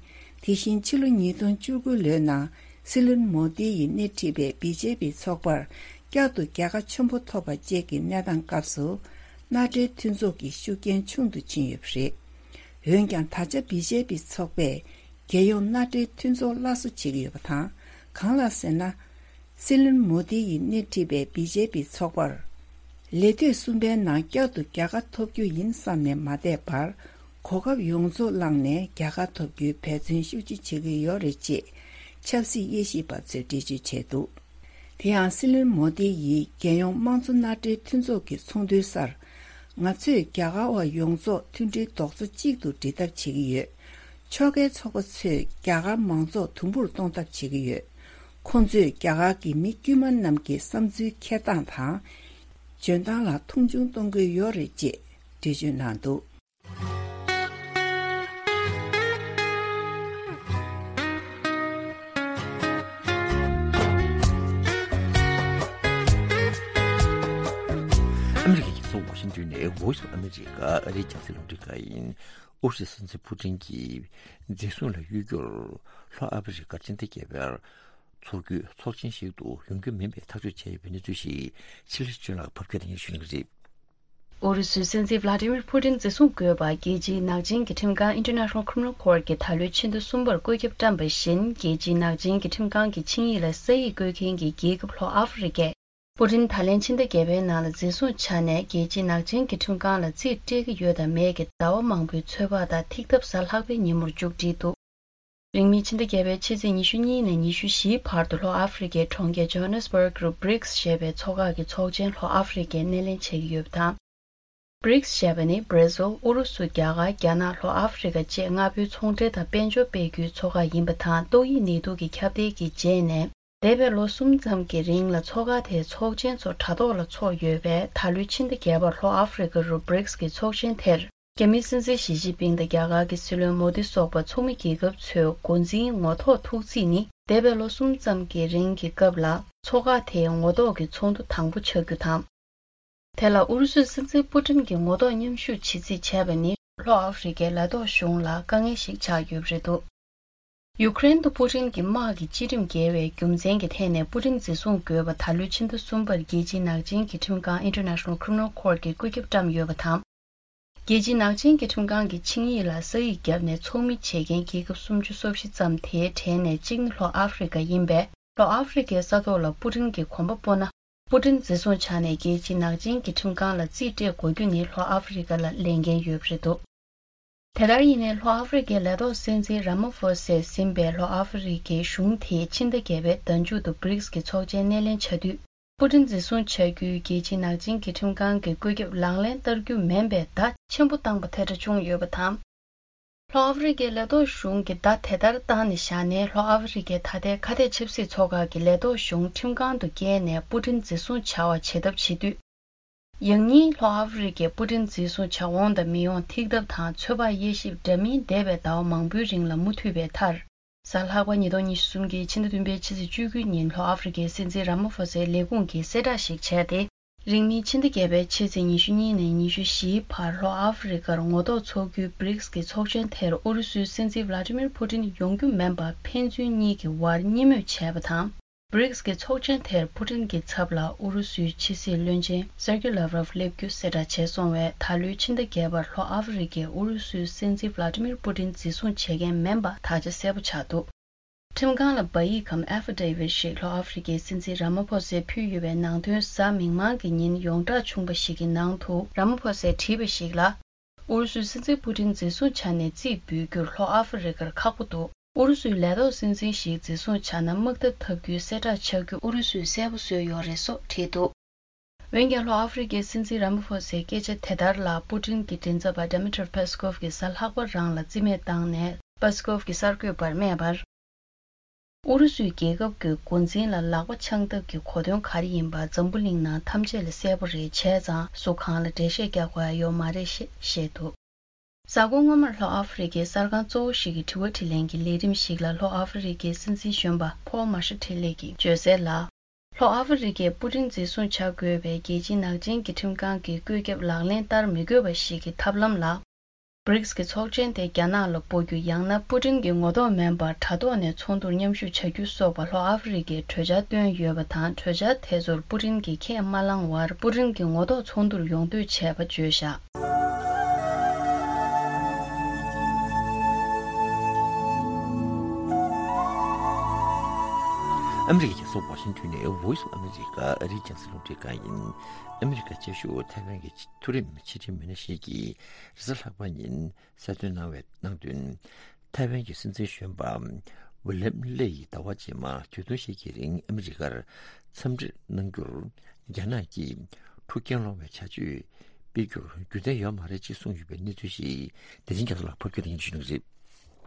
དེ་བཞིན་ཕྱི་ལོ་ཉིས་སྟོང་བཅུ་དགུ་ལོའི་ནང་སྲིད་བློན་མོ་དི་ཡིས་སྣེ་ཁྲིད་པའི་བི་ཇེ་པི་ཚོགས་པར་བསྐྱར་དུ་རྒྱལ་ཁ་ཆེན་པོ་ཐོབ་པ་བཅས་ཀྱི་གནས་སྟངས་སྐབས་སུ། མནའ་འབྲེལ་མཐུན་ཚོགས་ཀྱི་ཤུགས་རྐྱེན་ཆུང་དུ་ཕྱིན་ཡོད་པ་རེད། འོན་ཀྱང་ད་ཆ་བི་ཇེ་པི་ཚོགས་པས་རྒྱལ་ཡོངས་མནའ་འབྲེལ་མཐུན་ཚོགས་སླར་གསོ་བྱེད་ཀྱི་ཡོད་པ་དང་། གང་ལགས་ཟེར་ན། སྲིད་བློན་མོ་དི་ཡིས་སྣེ་ཁྲིད་པའི་བི་ཇེ་པི་ཚོགས་པར། ལས་དུས་གསུམ་པའི་ནང་བསྐྱར་དུ་རྒྱལ་ཁ་ཐོབ་རྒྱུ་ཡིན་བསམ་ནས་མ་བསྡད་པར། གོ་སྐབས་ཡོངས་རྫོགས་བླངས་ནས་རྒྱལ་ཁ་ཐོབ་རྒྱུའི་འབད་བརྩོན་ཤུགས་ཆེ་བྱེད་ཀྱི་ཡོད་རེད་ཅེས་ཆབ་སྲིད་དབྱེ་ཞིབ་པ་ཚོས་འགྲེལ་བརྗོད་བྱས་འདུག་དེ་ཡང་སྲིད་བློན་མོ་དི་ཡིས་རྒྱལ་ཡོངས་དམངས་གཙོ་མནའ་འབྲེལ་མཐུན་ཚོགས་ཀྱི་ཚོགས་འདུའི་སར། ང་ཚོས་རྒྱ་གར་བ་ཡོངས་རྫོགས་མཐུན་སྒྲིལ་རྡོག་རྩ་གཅིག་ཏུ་སྒྲིལ་ཐབས་བྱེད་ཀྱི་ཡོད། ཕྱོགས་འགལ་ཚོགས་པ་ཚོས་རྒྱ་གར་མང་ཚོགས་དུམ་བུར་གཏོང་ཐབས་བྱེད་ཀྱི་ཡོད། ཁོང་ཚོས་རྒྱ་གར་གྱི་མི་དཀྱུས་མ་རྣམས་ཀྱི་བསམ་ཚུལ་འཁྱེར་སྟངས་དང་། འཇོན་ཐང་ལ་མཐོང་ཆུང་གཏོང་གི་ཡོད་རེད་ཅེས་འགྲེལ་བརྗོད་གནང་འདུག་ཨ་མི་རི་ཀའི་རྒྱལ་ས་ཝ་ཤིང་ཏོན་ནས་Voice of America ཨ་རིའི་རྒྱང་སྲིང་རླུང་འཕྲིན་ཁང་ཡིན། ཨུ་རུ་སུའི་སྲིད་འཛིན་ཕུ་ཀྲིན་གྱིས་འཛིན་བཟུང་ལ་གཡོལ་རྒྱུར་ལྷོ་ཨ་ཧྥེ་རི་ཁར་ཕྱི་ཟླ་བརྒྱད་པར་འཚོགས་རྒྱུའི་ཚོགས་ཆེན་ཞིག་ཏུ་ཡོང་རྒྱུ་མིན་པའི་ཐག་གཅོད་བྱས་ཡོད་པའི་གནས་ཚུལ་ཞིག་ཕྱི་ལོ་ཆུ་ལག་ཕབ་སྒྱུར་དེ་ཉིད་ཞུ་གནང་གི་རེད། ཨུ་རུ་སུའི་སྲིད་འཛིན་Vladimir Putin་འཛིན་བཟུང་དགོས་པར་རྒྱལ་སྤྱིའི་ནག་ཅན་གྱི་ཁྲིམས་ཁང་International Criminal Court་གྱིས་ད་ལོའི་ཕྱི་ཟླ་གསུམ་པར་བཀོད་ཁྱབ་བཀྲམ་པ་བཞིན། རྒྱལ་སྤྱིའི་ནག་ཅན་གྱི་ཁྲིམས་ཁང་གི་ཆིངས་ཡིག་ལ་ས་ཡིག་བཀོད་མཁན་གྱི་རྒྱལ་ཁབ་ལྷོ་ཨ་ཧྥེ་རི་ཀས། པུ་ཏིན་ད་ལན་ཕྱི་ཟླ་བརྒྱད་པའི་ནང་ལ་འཛིན་བཟུང་བྱས་ནས། རྒྱལ་སྤྱིའི་ནག་ཅན་གྱི་ཁྲིམས་ཁང་ལ་རྩིས་སྤྲད་ཀྱི་ཡོད་དམ་མེད་ཀྱི་ཟླ་བ་མང་པོའི་ཚོད་དཔག་དང་། ཐིག་ཐབས་གཟའ་ལྷག་པའི་ཉིན་མོར་མཇུག་བསྒྲིལ་འདུག་རིང་མིན་ཕྱི་ཟླ་བརྒྱད་པའི་ཕྱི་ཚེས་ཉི་ཤུ་གཉིས་ནས་ཉི་ཤུ་བཞིའི་བར་དུ་ལྷོ་ཨ་ཧྥེ་རི་ཀའི་གྲོང་ཁྱེར་ཇོ་ཧ་ནེ་སི་བྷརག་རུ་བྷི་རིགས་ཞེས་པའི་ཚོགས་ཁག་གི་ཚོགས་ཆེན་ལྷོ་ཨ་ཧྥེ་རི་ཀས་སྣེ་ལེན་བྱེད་ཀྱི་ཡོད་པ་དང་། བྷི་རིགས་ཞེས་པ་ནི་བྷར་ཛིལ། ཨུ་རུ་སུ། རྒྱ་གར། རྒྱ་ནག་ལྷོ་ཨ་ཧྥེ་རི་ཀ་བཅས་ལྔ་པོའི་ཚོང་འབྲེལ་དང་དཔལ་འབྱོར་སྤེལ་རྒྱུའི་ཚོགས་ཁག་ཡིན་པ་དང་། ཏོག་དབྱིབས་ནད་དུག་གི་ཁྱབ་གདལ་གྱི་རྗེས་ནས། འདས་པའི་ལོ་གསུམ་ཙམ་གྱི་རིང་ལ་ཚོགས་ཁག་དེའི་ཚོགས་ཆེན་ཚོ་དྲ་ཐོག་ལ་འཚོགས་ཡོད་པས། ད་ལོའི་ཕྱི་ཟླ་བརྒྱད་པར་ལྷོ་ཨ་ཧྥེ་རི་ཀ་རུ་བྷི་རིགས་ཀྱི་ཚོགས་ཆེན་དེར། རྒྱ་མིའི་སྲིད་འཛིན་ཞི་ཅིན་ཕིང་དང་རྒྱ་གར་གྱི་སྲིད་བློན་མོ་དི་སོགས་པ་ཚོགས་མི་རྒྱལ་ཁབ་ཚོའི་འགོ་འཛིན་ངོ་ཐོག་ཐུག་རྩིས་ནི། འདས་པའི་ལོ་གསུམ་ཙམ་གྱི་རིང་གི་སྐབས་ལ་ཚོགས་ཁག་དེའི་ངོ་ཐོག་གི་ཚོགས་འདུ་དང་པོ་ཆགས་རྒྱུ་དང་། དེ་ལ་ཨུ་རུ་སུའི་སྲིད་འཛིན་པུ་ཏིན་གྱི་ངོ་ཐོག་མཉམ་ཞུགས་བྱེད་རྩིས་བྱས་པ་ནི་ལྷོ་ཨ་ཧྥེ་རི་ཁའི་ལས་ཐོག་གཞུང་ལ་དཀའ་ངལ་ཞིག་ཆགས་ཡོད་པ་རེད་འདུག་ཡུ་ཀེ་རེན་དུ་པུ་ཏིན་གྱི་དམག་གི་བཅའ་ཁྲིམས་འགལ་བའི་རྒྱུ་མཚན་གྱི་ཐད་ནས་པུ་ཏིན་འཛིན་བཟུང་དགོས་པ་ད་ལོའི་ཕྱི་ཟླ་གསུམ་པར་རྒྱལ་སྤྱིའི་ནག་ཅན་གྱི་ཁྲིམས་ཁང་International Criminal Court གྱིས་བཀོད་ཁྱབ་བཀྲམ་ཡོད་པ་དང་། རྒྱལ་སྤྱིའི་ནག་ཅན་གྱི་ཁྲིམས་ཁང་གི་ཆིངས་ཡིག་ལ་ས་ཡིག་བརྒྱབ་ནས་ཚོགས་མི་བྱེད་མཁན་རྒྱལ་ཁབ་སུམ་ཅུ་སོ་བཞི་ཙམ་དེའི་གྲས་ནས་གཅིག་ནི་ལྷོ་ཨ་ཧྥེ་རི་ཁ་ཡིན་པས། ལྷོ་ཨ་ཧྥེ་རི་ཁའི་ས་ཐོག་ལ་པུ་ཏིན་གྱི་གོམ་པ་སྤོ་ན། པུ་ཏིན་འཛིན་བཟུང་བྱས་ནས་རྒྱལ་སྤྱིའི་ནག་ཅན་གྱི་ཁྲིམས་ཁང་ལ་རྩིས་སྤྲད་དགོས་རྒྱུ་ནི་ལྷོ་ཨ་ཧྥེ་རི་ཁ་ལ་ལས་འགན་ཡོད་པ་རེད་འདུག་དེ་ལྟར་ཡིན་ནའི་ལྷོ་ཨ་ཧྥེ་རི་ཁའི་ལས་ཐོག་སྲིད་འཛིན་ར་མ་ཧྥོ་སས་ཟིན་པའི་ལྷོ་ཨ་ཧྥེ་རི་ཁའི་གཞུང་དེས་ཕྱི་ཟླ་བརྒྱད་པའི་ཟླ་མཇུག་ཏུ་བྷི་རིག་སི་གི་ཚོགས་ཆེན་སྣེ་ལེན་བྱ་དུས། པུ་ཏིན་འཛིན་བཟུང་བྱ་རྒྱུའི་རྒྱལ་སྤྱིའི་ནག་ཅན་གྱི་ཁྲིམས་ཁང་གི་བཀོད་ཁྱབ་ལག་ལེན་བསྟར་རྒྱུ་མིན་པའི་བརྡ་ཆེན་པོ་བཏང་པ་ཐལ་ཆ་བྱུང་ཡོད་པ་དང་། ལྷོ་ཨ་ཧྥེ་རི་ཁའི་ལས་ཐོག་གཞུང་གིས་བརྡ་དེ་ལྟར་བཏང་ནས་བཞག་ནས། ལྷོ་ཨ་ཧྥེ་རི་ཁའི་ད་ལྟའི་ཁ་གཏད་ཆབ་སྲིད་ཚོགས་ཁག་གི་ལས་ཐོག་གཞུང་ཁྲིམས་ཁང་དུ་བསྐྱལ་ནས་པུ་ཏིན་འཛིན་བཟུང་བྱ་བ་བྱེད་ཐབས་བྱེད་དུས། ཡང་སྙིང་ལྷོ་ཨ་ཧྥེ་རི་ཁས་པུ་ཏིན་འཛིན་བཟུང་བྱ་འོང་དང་མི་འོང་ཐིག་གདབ་དང་ཚོད་དཔག་དབྱེ་ཞིབ་འདྲ་མིན་འདས་པའི་ཟླ་བ་མང་པོའི་རིང་ལ་མུ་མཐུད་པའི་མཐར། གཟའ་ལྷག་པ་ཉིས་སྟོང་ཉི་ཤུ་རྩ་གསུམ་གྱི་ཕྱི་ཟླ་བདུན་པའི་ཕྱི་ཚེས་བཅུ་དགུ་ཉིན་ལྷོ་ཨ་ཧྥེ་རི་ཁའི་སྲིད་འཛིན་ར་མ་ཧྥོ་སའི་ལས་ཁུངས་ཀྱིས་གསལ་བསྒྲགས་ཤིག་བྱས་ཏེ། རིང་མིན་ཕྱི་ཟླ་བརྒྱད་པའི་ཕྱི་ཚེས་ཉི་ཤུ་གཉིས་ནས་ཉི་ཤུ་བཞིའི་བར་ལྷོ་ཨ་ཧྥེ་རི་ཁར་ངོ་ཐོག་ཚོགས་རྒྱུའི་བྷི་རིག་སི་གི་ཚོགས་ཆེན་དེར་ཨུ་རུ་སུའི་སྲིད་འཛིན་ཝ་ལ་ཏི་མིར་པུ་ཏིན་ཡོང་རྒྱུ་མིན་པ་ཕན་ཚུན་གཉིས་ཀྱི་དབར་གཉིས་མོས་བྱས་པ་དང་། བྷི་རིག་སི་གི་ཚོགས་ཆེན་དེར་པུ་ཏིན་གྱི་ཚབ་ལ་ཨུ་རུ་སུའི་ཕྱི་སྲིད་བློན་ཆེན་སེར་གྱི་ལབ་རོབ་སླེབས་རྒྱུ་གསལ་བསྒྲགས་བྱས་སོང་བས། ད་ལོའི་ཕྱི་ཟླ་བརྒྱད་པར་ལྷོ་ཨ་ཧྥེ་རི་ཁས་ཨུ་རུ་སུའི་སྲིད་འཛིན་ཝ་ལ་ཏི་མིར་པུ་ཏིན་འཛིན་བཟུང་བྱེད་མཁན་མིན་པ་དག་ཆ་གསལ་པོ་ཆགས་འདུག་ཁྲིམས་ཁང་ལ་བ་ཡིག་གམ་ཨེ་ཕི་ཌེ་བིད་ཞིག་ལྷོ་ཨ་ཧྥེ་རི་ཁའི་སྲིད་འཛིན་ར་མ་ཕོ་སེ་ཕུལ་ཡོད་པའི་ནང་དོན། གཟའ་མིག་དམར་གྱི་ཉིན་ཡོངས་གྲགས་ཆུང་པ་ཞིག་གི་ནང་དུ་ར་མ་ཕོ་སེས་བྲིས་པ་ཞིག་ལ། ཨུ་རུ་སུའི་སྲིད་འཛིན་པུ་ཏིན་འཛིན་བཟུང་བྱས་ནས་རྩིས་འབུལ་རྒྱུར་ལྷོ་ཨ་ཧྥེ་རི་ཁར་ཁག་པོ་འདུག་ཨུ་རུ་སུའི་ལས་ཐོག་སྲིད་འཛིན་ཞིག་འཛིན་བཟུང་བྱས་ན་དམག་འཐབ་འཐབ་རྒྱུའི་གསལ་བསྒྲགས་ཆགས་རྒྱུ་ཨུ་རུ་སུས་གསལ་པོ་བཟོས་ཡོད་རེད་སོགས་བྲིས་འདུག་འོན་ཀྱང་ལྷོ་ཨ་ཧྥེ་རི་ཁའི་སྲིད་འཛིན་ར་མ་ཕོ་སའི་སྐད་ཆ་དེ་ལྟར་ལ། པུ་ཏིན་གྱི་མགྲིན་ཚབ་པ་ཌི་མི་ཏྲི་པེ་སི་ཀོབ་ཀྱིས་གཟའ་ལྷག་པ་རང་ལ་རྩིས་མེད་བཏང་ནས། པེ་སི་ཀོབ་ཀྱིས་གསར་འགོད་པར་སྨྲས་པར། ཨུ་རུ་སུའི་རྒྱལ་ཁབ་ཀྱི་འགོ་འཛིན་ལ་ལག་པ་འཆང་ཐབས་ཀྱི་གོ་དོན་ག་རེ་ཡིན་པ་འཛམ་བུ་གླིང་ནང་ཐམས་ཅད་ལ་གསལ་པོ་རེད། བྱས་ཙང་སུ་གང་ལ་འགྲེལ་བཤད་རྒྱག་དགོས་ཡ་ཡོད་མ་རེད་ཞེས་བཤད་འདུག་གཟའ་འཁོར་སྔོན་མར་ལྷོ་ཨ་ཧྥེ་རི་ཁའི་གསར་ཁང་གཙོ་བོ་ཞིག་གི་དྲི་བ་དྲིས་ལན་གྱི་ལས་རིམ་ཞིག་ལ་ལྷོ་ཨ་ཧྥེ་རི་ཁའི་སྲིད་འཛིན་གཞོན་པ་ཕོལ་མར་ཤལ་ཏི་ལེ་གིས་བརྗོད་གསལ་ལ། ལྷོ་ཨ་ཧྥེ་རི་ཁས་པུ་ཏིན་འཛིན་བཟུང་བྱ་དགོས་པའི་རྒྱལ་སྤྱིའི་ནག་ཅན་གྱི་ཁྲིམས་ཁང་གི་བཀོད་ཁྱབ་ལག་ལེན་བསྟར་མི་དགོས་པ་ཞིག་གི་ཐབས་ལམ་ལ། བྷི་རིག་སི་གི་ཚོགས་ཆེན་དེ་རྒྱ་ནག་ལ་སྤོ་རྒྱུ། ཡང་ན་པུ་ཏིན་གྱི་ངོ་ཐོག་མིན་པར་དྲ་ཐོག་ནས་ཚོགས་འདུར་མཉམ་ཞུགས་བྱ་རྒྱུ་སོགས་པ་ལྷོ་ཨ་ཧྥེ་རི་ཁས་གྲོས་འཆར་བཏོན་ཡོད་པ་དང་། གྲོས་འཆར་དེ་ཚོར་པུ་ཏིན་གྱིས་ཁས་མ་བླངས་བར་པུ་ཏིན་གྱི་ངོ་ཐོག་ཚོགས་འདུར་ཡོང་འདོད་བྱས་པ་བརྗོད་བཞག་ཨ་མི་རི་ཀའི་རྒྱལ་ས་ཝ་ཤིང་ཏོན་ནས་Voice of America ཨ་རིའི་རྒྱང་སྲིང་རླུང་འཕྲིན་ཁང་ཡིན། ཨ་མི་རི་ཀ་བཅའ་བཞུགས་ཐའེ་ཝན་གྱི་མཐོ་རིམ་ཕྱི་འབྲེལ་མི་སྣ་ཞིག་གིས་རེས་གཟའ་ལྷག་པ་ཉིན་གསལ་སྟོན་གནང་བའི་ནང་དོན། ཐའེ་ཝན་གྱི་སྲིད་འཛིན་གཞོན་པ་ཝི་ལམ་ལེ་ཡིས་ཟླ་བ་རྗེས་མ་དུས་ཐུང་ཞིག་གི་རིང་ཨ་མི་རི་ཀར་འཚམས་འདྲི་གནང་རྒྱུར། རྒྱ་ནག་གིས་འཁྲུག་རྐྱེན་སློང་བའི་བྱ་སྤྱོད་སྤེལ་རྒྱུར་རྒྱུ་མཚན་ཡོད་མ་རེད་ཅེས་གསུངས་ཡོད་པའི་གནས་ཚུལ་ཞིག་བདེ་ཆེན་རྒྱ་མཚོ་ལགས་ཕབ་སྒྱུར་དང་སྙན་ཞུ་གནང་གི་རེད།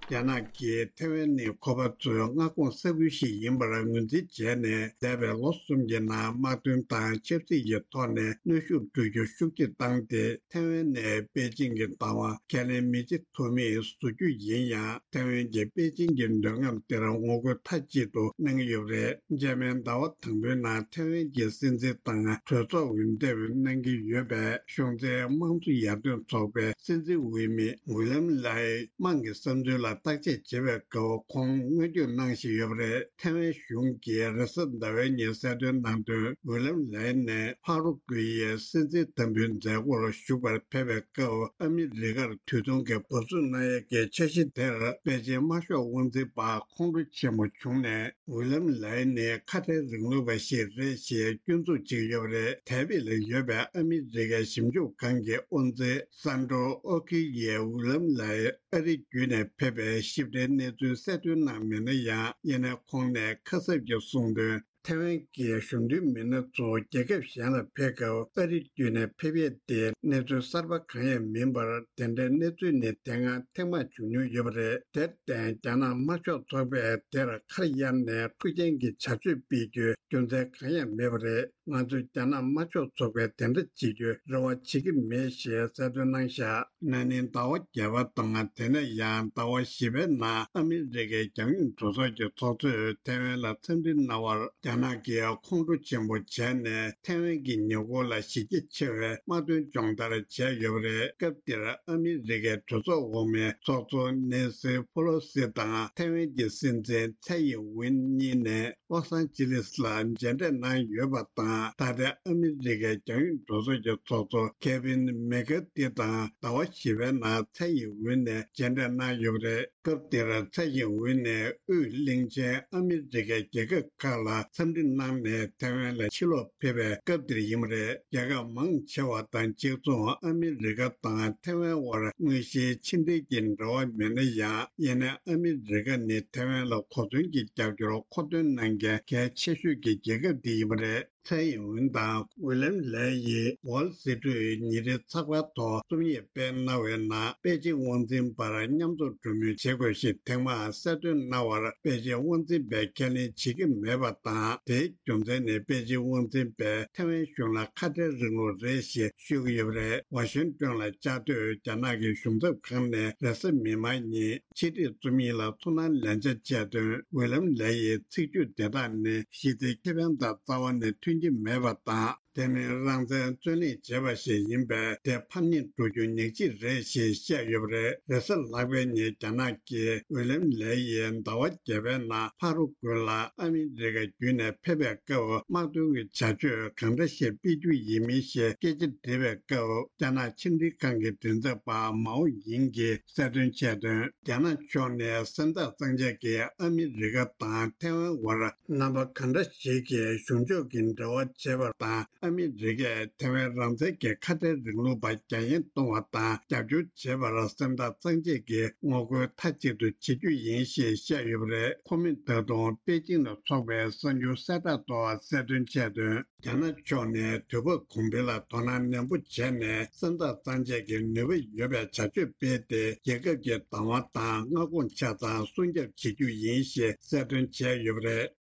རྒྱ་ནག་གིས་ཐའེ་ཝན་ནི་ཁོ་པ་ཚོའི་མངའ་ཁོངས་ས་ཁུལ་ཞིག་ཡིན་པར་ངོས་འཛིན་བྱས་ནས། འདས་པའི་ལོ་གསུམ་གྱི་ནང་དམག་དོན་དང་ཆབ་སྲིད་ཀྱི་ཐོག་ནས་གནོན་ཤུགས་སྤྲོད་རྒྱུ་ཤུགས་ཆེ་བཏང་སྟེ། ཐའེ་ཝན་ནས་པེ་ཅིང་གི་བདག་དབང་ཁས་ལེན་མི་བྱེད་ཐུབ་མིན་བཟོ་རྒྱུ་ཡིན་ཡང་། ཐའེ་ཝན་གྱིས་པེ་ཅིང་གི་འདོད་རྔམ་དེར་ངོ་རྒོལ་མཐའ་གཅིག་ཏུ་གནང་གི་ཡོད་པ་རེད། རྗེས་མའི་ཟླ་བ་དང་པོའི་ནང་ཐའེ་ཝན་གྱི་སྲིད་འཛིན་དང་གྲོས་ཚོགས་འོས་འདེམས་གནང་གི་ཡོད་པའི་གཞུང་འཛིན་དམངས་གཙོ་ཡར་ཐོན་ཚོགས་པའི་སྲིད་འཛིན་འོས་མི་ཝི་ལམ་ལའི་དམངས་ཀྱི་བསམ་ཚུལ་ལ་བརྟག་དཔྱད་བྱེད་པའི་སྐབས་ཁོང་མངོན་བསྟོད་གནང་བཞིན་ཡོད་པ་རེད། ཐའེ་ཝན་གཞུང་གིས་རེས་གཟའ་ཟླ་བའི་ཉིན་གསལ་སྟོན་གནང་དོན། ཝི་ལམ་ལའི་ནས་ཕ་རུ་ཀུའི་ཡའི་སྲིད་འཛིན་དམ་འབུལ་མཛད་སྒོར་ཞུགས་པར་ཕེབས་པའི་སྐབས། ཨ་མི་རི་ཀར་དུས་ཐུང་གི་འབབ་ཚུགས་གནང་ཡས་ཀྱི་འཆར་གཞི་དེར་པེ་ཅིན་དམར་ཤོག་དབང་འཛིན་པ་ཁོང་ཁྲོ་ཆེན་པོ་བྱུང་ནས། ཝི་ལམ་ལའི་ནི་ཁ་བྲལ་རིང་ལུགས་པ་ཞིག་རེད་ཅེས་སྐྱོན་འཛུགས་བྱེད་ཀྱི་ཡོད་པ་རེད། ཐའེ་པེ་ལ་ཡོད་པའི་ཨ་མི་རི་ཀའི་ཞིབ་འཇུག་ཁང་གི་དབུ་འཛིན་སན་ཏྲོ་ཨོ་ཁི་ཡིས་ཝི་ལམ་ལའི་ཨ་རི་བརྒྱུད་ནས་ཕེབས་པའི་ཞིབ་ཕྲའི་གནས་ཚུལ་གསལ་སྟོན་གནང་མེད་ན་ཡང་། ཡིན་ནའི་ཁོང་ནས་ཁ་གསབ་ཀྱིས་གསུངས་དོན། ཐའེ་ཝན་གྱི་གཞུང་འབྲེལ་མི་སྣ་ཚོ་རྒྱལ་ཁབ་གཞན་ལ་ཕེབས་སྐབས་ཨ་རི་བརྒྱུད་ནས་ཕེབས་ཡས་དེ་གནས་ཚུལ་གསར་པ་གང་ཡང་མིན་པར། དེ་འདྲའི་གནས་ཚུལ་ནི་དེ་སྔ་ཐེངས་མང་བྱུང་མྱོང་ཡོད་པ་རེད། དེར་བརྟེན། རྒྱ་ནག་དམར་ཤོག་ཚོགས་པས་དེར་ཁ་གཡར་ནས་འཁྲུག་རྐྱེན་གྱི་བྱ་སྤྱོད་སྤེལ་རྒྱུའི་རྒྱུ་མཚན་གང་ཡང་མེད་པ་རེད། ང་ཚོས་རྒྱ་ནག་དམར་ཤོག་ཚོགས་པས་དེ་འདྲ་བྱེད་རྒྱུའི་རེ་བ་བྱེད་ཀྱི་མེད་ཞེས་གསལ་སྟོན་གནང་བཞག་ན་ནིང་ཟླ་བ་བརྒྱད་པ་དང་། དེ་ནས་ཡང་ཟླ་བ་བཞི་པའི་ནང་ཨ་མི་རི་ཀའི་རྒྱལ་ཡོངས་གྲོས་ཚོགས་ཀྱི་ཚོགས་གཙོས་ཐའེ་ཝན་ལ་འཚམས་འདྲི་གནང་བར། རྒྱ་ ནག་གིས་ཁོང་ཁྲོ་ཆེན་པོ་བྱས་ནས་ཐའེ་ཝན་གྱི་ཉེ་འཁོར་ལ་གཞི་རྒྱ་ཆེ་བའི་དམག་དོན་སྦྱོང་བརྡར་བྱས་ཡོད་པ་རེད། སྐབས་དེར་ཨ་མི་རི་ཀའི་གྲོས་ཚོགས་འོག་མའི་ཚོགས་གཙོ་ནེན་སི་ཕོ་ལོ་སི་དང་ཐའེ་ཝན་གྱི་སྲིད་འཛིན་ཚའེ་ཡིན་ཝིན་གཉིས་ནས་ལོ་སང་ཅི་ལིས་ལ་མཇལ་འཕྲད་གནང་ཡོད་པ་དང་། ད་ལྟའི་ཨ་མི་རི་ཀའི་རྒྱང་ཡོད་གྲོས་ཚོགས་ཀྱི་ཚོགས་གཙོ་ཁེ་ཝིན་མེ་ཀར་ཐི་དང་ཟླ་བ་བཞི་པའི་ནང་ཚའེ་ཡིན་ཝིན་ནས་མཇལ་འཕྲད་གནང་ཡོད་པ་རེད། སྐབས་དེར་ཚའེ་ཡིན་ཝིན་ནས་དབུས་གླིང་ཆེན་ཨ་མི་རི་ཀའི་རྒྱལ་ཁབ་ཁག་ལ་འཚམས་འདྲི་གནང་ནས་ཐའེ་ཝན་ལ་ཕྱིར་ལོག་ཕེབས་པའི་སྐབས་དེར་ཡིན་པ་རེད། རྒྱལ་ཁབ་མང་ཆེ་བ་དང་གཅིག་མཚུངས་ཨ་མི་རི་ཀ་དང་ཐའེ་ཝན་དབར་དངོས་གཞིའི་ཕྱི་འབྲེལ་གྱི་འབྲེལ་བ་མེད་ན་ཡང་། ཡིན་ནའི་ཨ་མི་རི་ཀ་ནི་ཐའེ་ཝན་ལ་གོ་མཚོན་གྱི་རྒྱབ་སྐྱོར་མཁོ་འདོན་གནང་མཁན་གལ་ཆེ་ཤོས་ཀྱི་རྒྱལ་ཁབ་དེ་ཡིན་པ་རེད། ཚའེ་ཡིན་ཝིན་དང་ཝི་ལམ་ལེ་ཡིས་ཝོལ་སི་ཀྲུའི་ཉིན་རེའི་ཚགས་པར་ཐོག་རྩོམ་ཡིག་སྤེལ་གནང་བའི་ནང་པེ་ཅིང་དབང་འཛིན་བར་མཉམ་འཛོམས་གྲོས་མོལ་བྱེད་དགོས་ཞེས་ཐེངས་མང་གསལ་སྟོན་གནང་བར་པེ་ཅིང་དབང་འཛིན་པས་ཁས་ལེན་བྱེད་ཀྱི་མེད་པ་དང་། དེའི་རྒྱུ་མཚན་ནི་པེ་ཅིང་དབང་འཛིན་པས་ཐའེ་ཝན་གཞུང་ལ་ཁ་བྲལ་རིང་ལུགས་རེད་ཞེས་ཤོད་ཀྱི་ཡོད་པ་རེད། ཝ་ཤིང་ཏོན་ལ་བཅའ་སྡོད་རྒྱ་ནག་གི་གཞུང་ཚབ་ཁང་ནས་རེས་གཟའ་མིག་དམར་ཉིན་ཕྱི་དྲིལ་རྩོམ་ཡིག་ལ་ཐུགས་སྣང་ལན་ཆ་བྱས་དོན། ཝི་ལམ་ལེ་ཡི་ཚིག་བརྗོད་དེ་དག་ནི་གཞི་རྩའི་ཁེ་ཕན་དང་རྩ་བ་ནས་མཐུན་གྱི་མེད་པ་དང་། དེ་ནི་རང་བཙན་རྩོད་ལེན་བྱས་པ་ཞིག་ཡིན་པས་དེ་ཕམ་ཉེས་འགྲོ་རྒྱུ་ཉག་གཅིག་རེད་ཞེས་བཤད་ཡོད་པ་རེད། རེས་གཟའ་ལྷག་པའི་ཉིན་རྒྱ་ནག་གིས་ཝི་ལམ་ལེ་ཡིས་ཟླ་བ་བརྒྱད་པའི་ནང་ཕ་རུ་ཀུ་ལ་ཨ་མི་རི་ཀ་བརྒྱུད་ནས་ཕེབས་པའི་སྐབས་དམག་དོན་གྱི་བྱ་སྤྱོད་གང་འདྲ་ཞིག་སྤེལ་རྒྱུ་ཡིན་མིན་ཞེས་སྐད་ཆ་དྲིས་པའི་སྐབས། རྒྱ་ནག་ཕྱི་འབྲེལ་ཁང་གི་མགྲིན་ཚབ་པ་མའོ་ཡིང་གིས་གསལ་སྟོན་བྱས་དོན། རྒྱ་ནག་ཕྱོགས་ནས་སེམས་ཐག་གཙང་བཅད་ཀྱིས་ཨ་མི་རི་ཀ་དང་ཐའེ་ཝན་དབར་རྣམ་པ་གང་འདྲ་ཞིག་གིས་གཞུང་ཕྱོགས་ཀྱི་འབྲེལ་བ་བྱེད་པ་དང་། ཨ་མི་རི་ཀས་ཐའེ་ཝན་རང་བཙན་གྱི་ཁ་བྲལ་རིང་ལུགས་པ་རྒྱ་ཡན་གཏོང་བ་དང་རྒྱབ་སྐྱོར་བྱེད་པར་སེམས་ཐག་གཙང་བཅད་ཀྱིས་ངོ་རྒོལ་མཐའ་གཅིག་ཏུ་བྱེད་རྒྱུ་ཡིན་ཞེས་བཤད་ཡོད་པ་རེད། ཁོ་མོས་ད་དུང་པེ་ཅིང་ལ་འཚོགས་པའི་གསར་འགྱུར་གསལ་བསྒྲགས་ཐོག་གསལ་སྟོན་བྱས་དོན། རྒྱ་ནག་ཕྱོགས་ནས་དུས་བབ་གོང་འཕེལ་ལ་དོ་སྣང་ནན་པོ་བྱས་ནས་སེམས་ཐག་གཙང་བཅད་ཀྱི་ནུས་པ་ཡོད་པའི་བྱ་སྤྱོད་སྤེལ་ཏེ། རྒྱལ་ཁབ་ཀྱི་བདག་དབང་དང་མངའ་ཁོངས་ཆ་ཚང་སྲུང་སྐྱོབ་བྱེད་རྒྱུ་ཡིན་ཞེས་གསལ་སྟོན་བྱས་ཡོད་པ་རེད།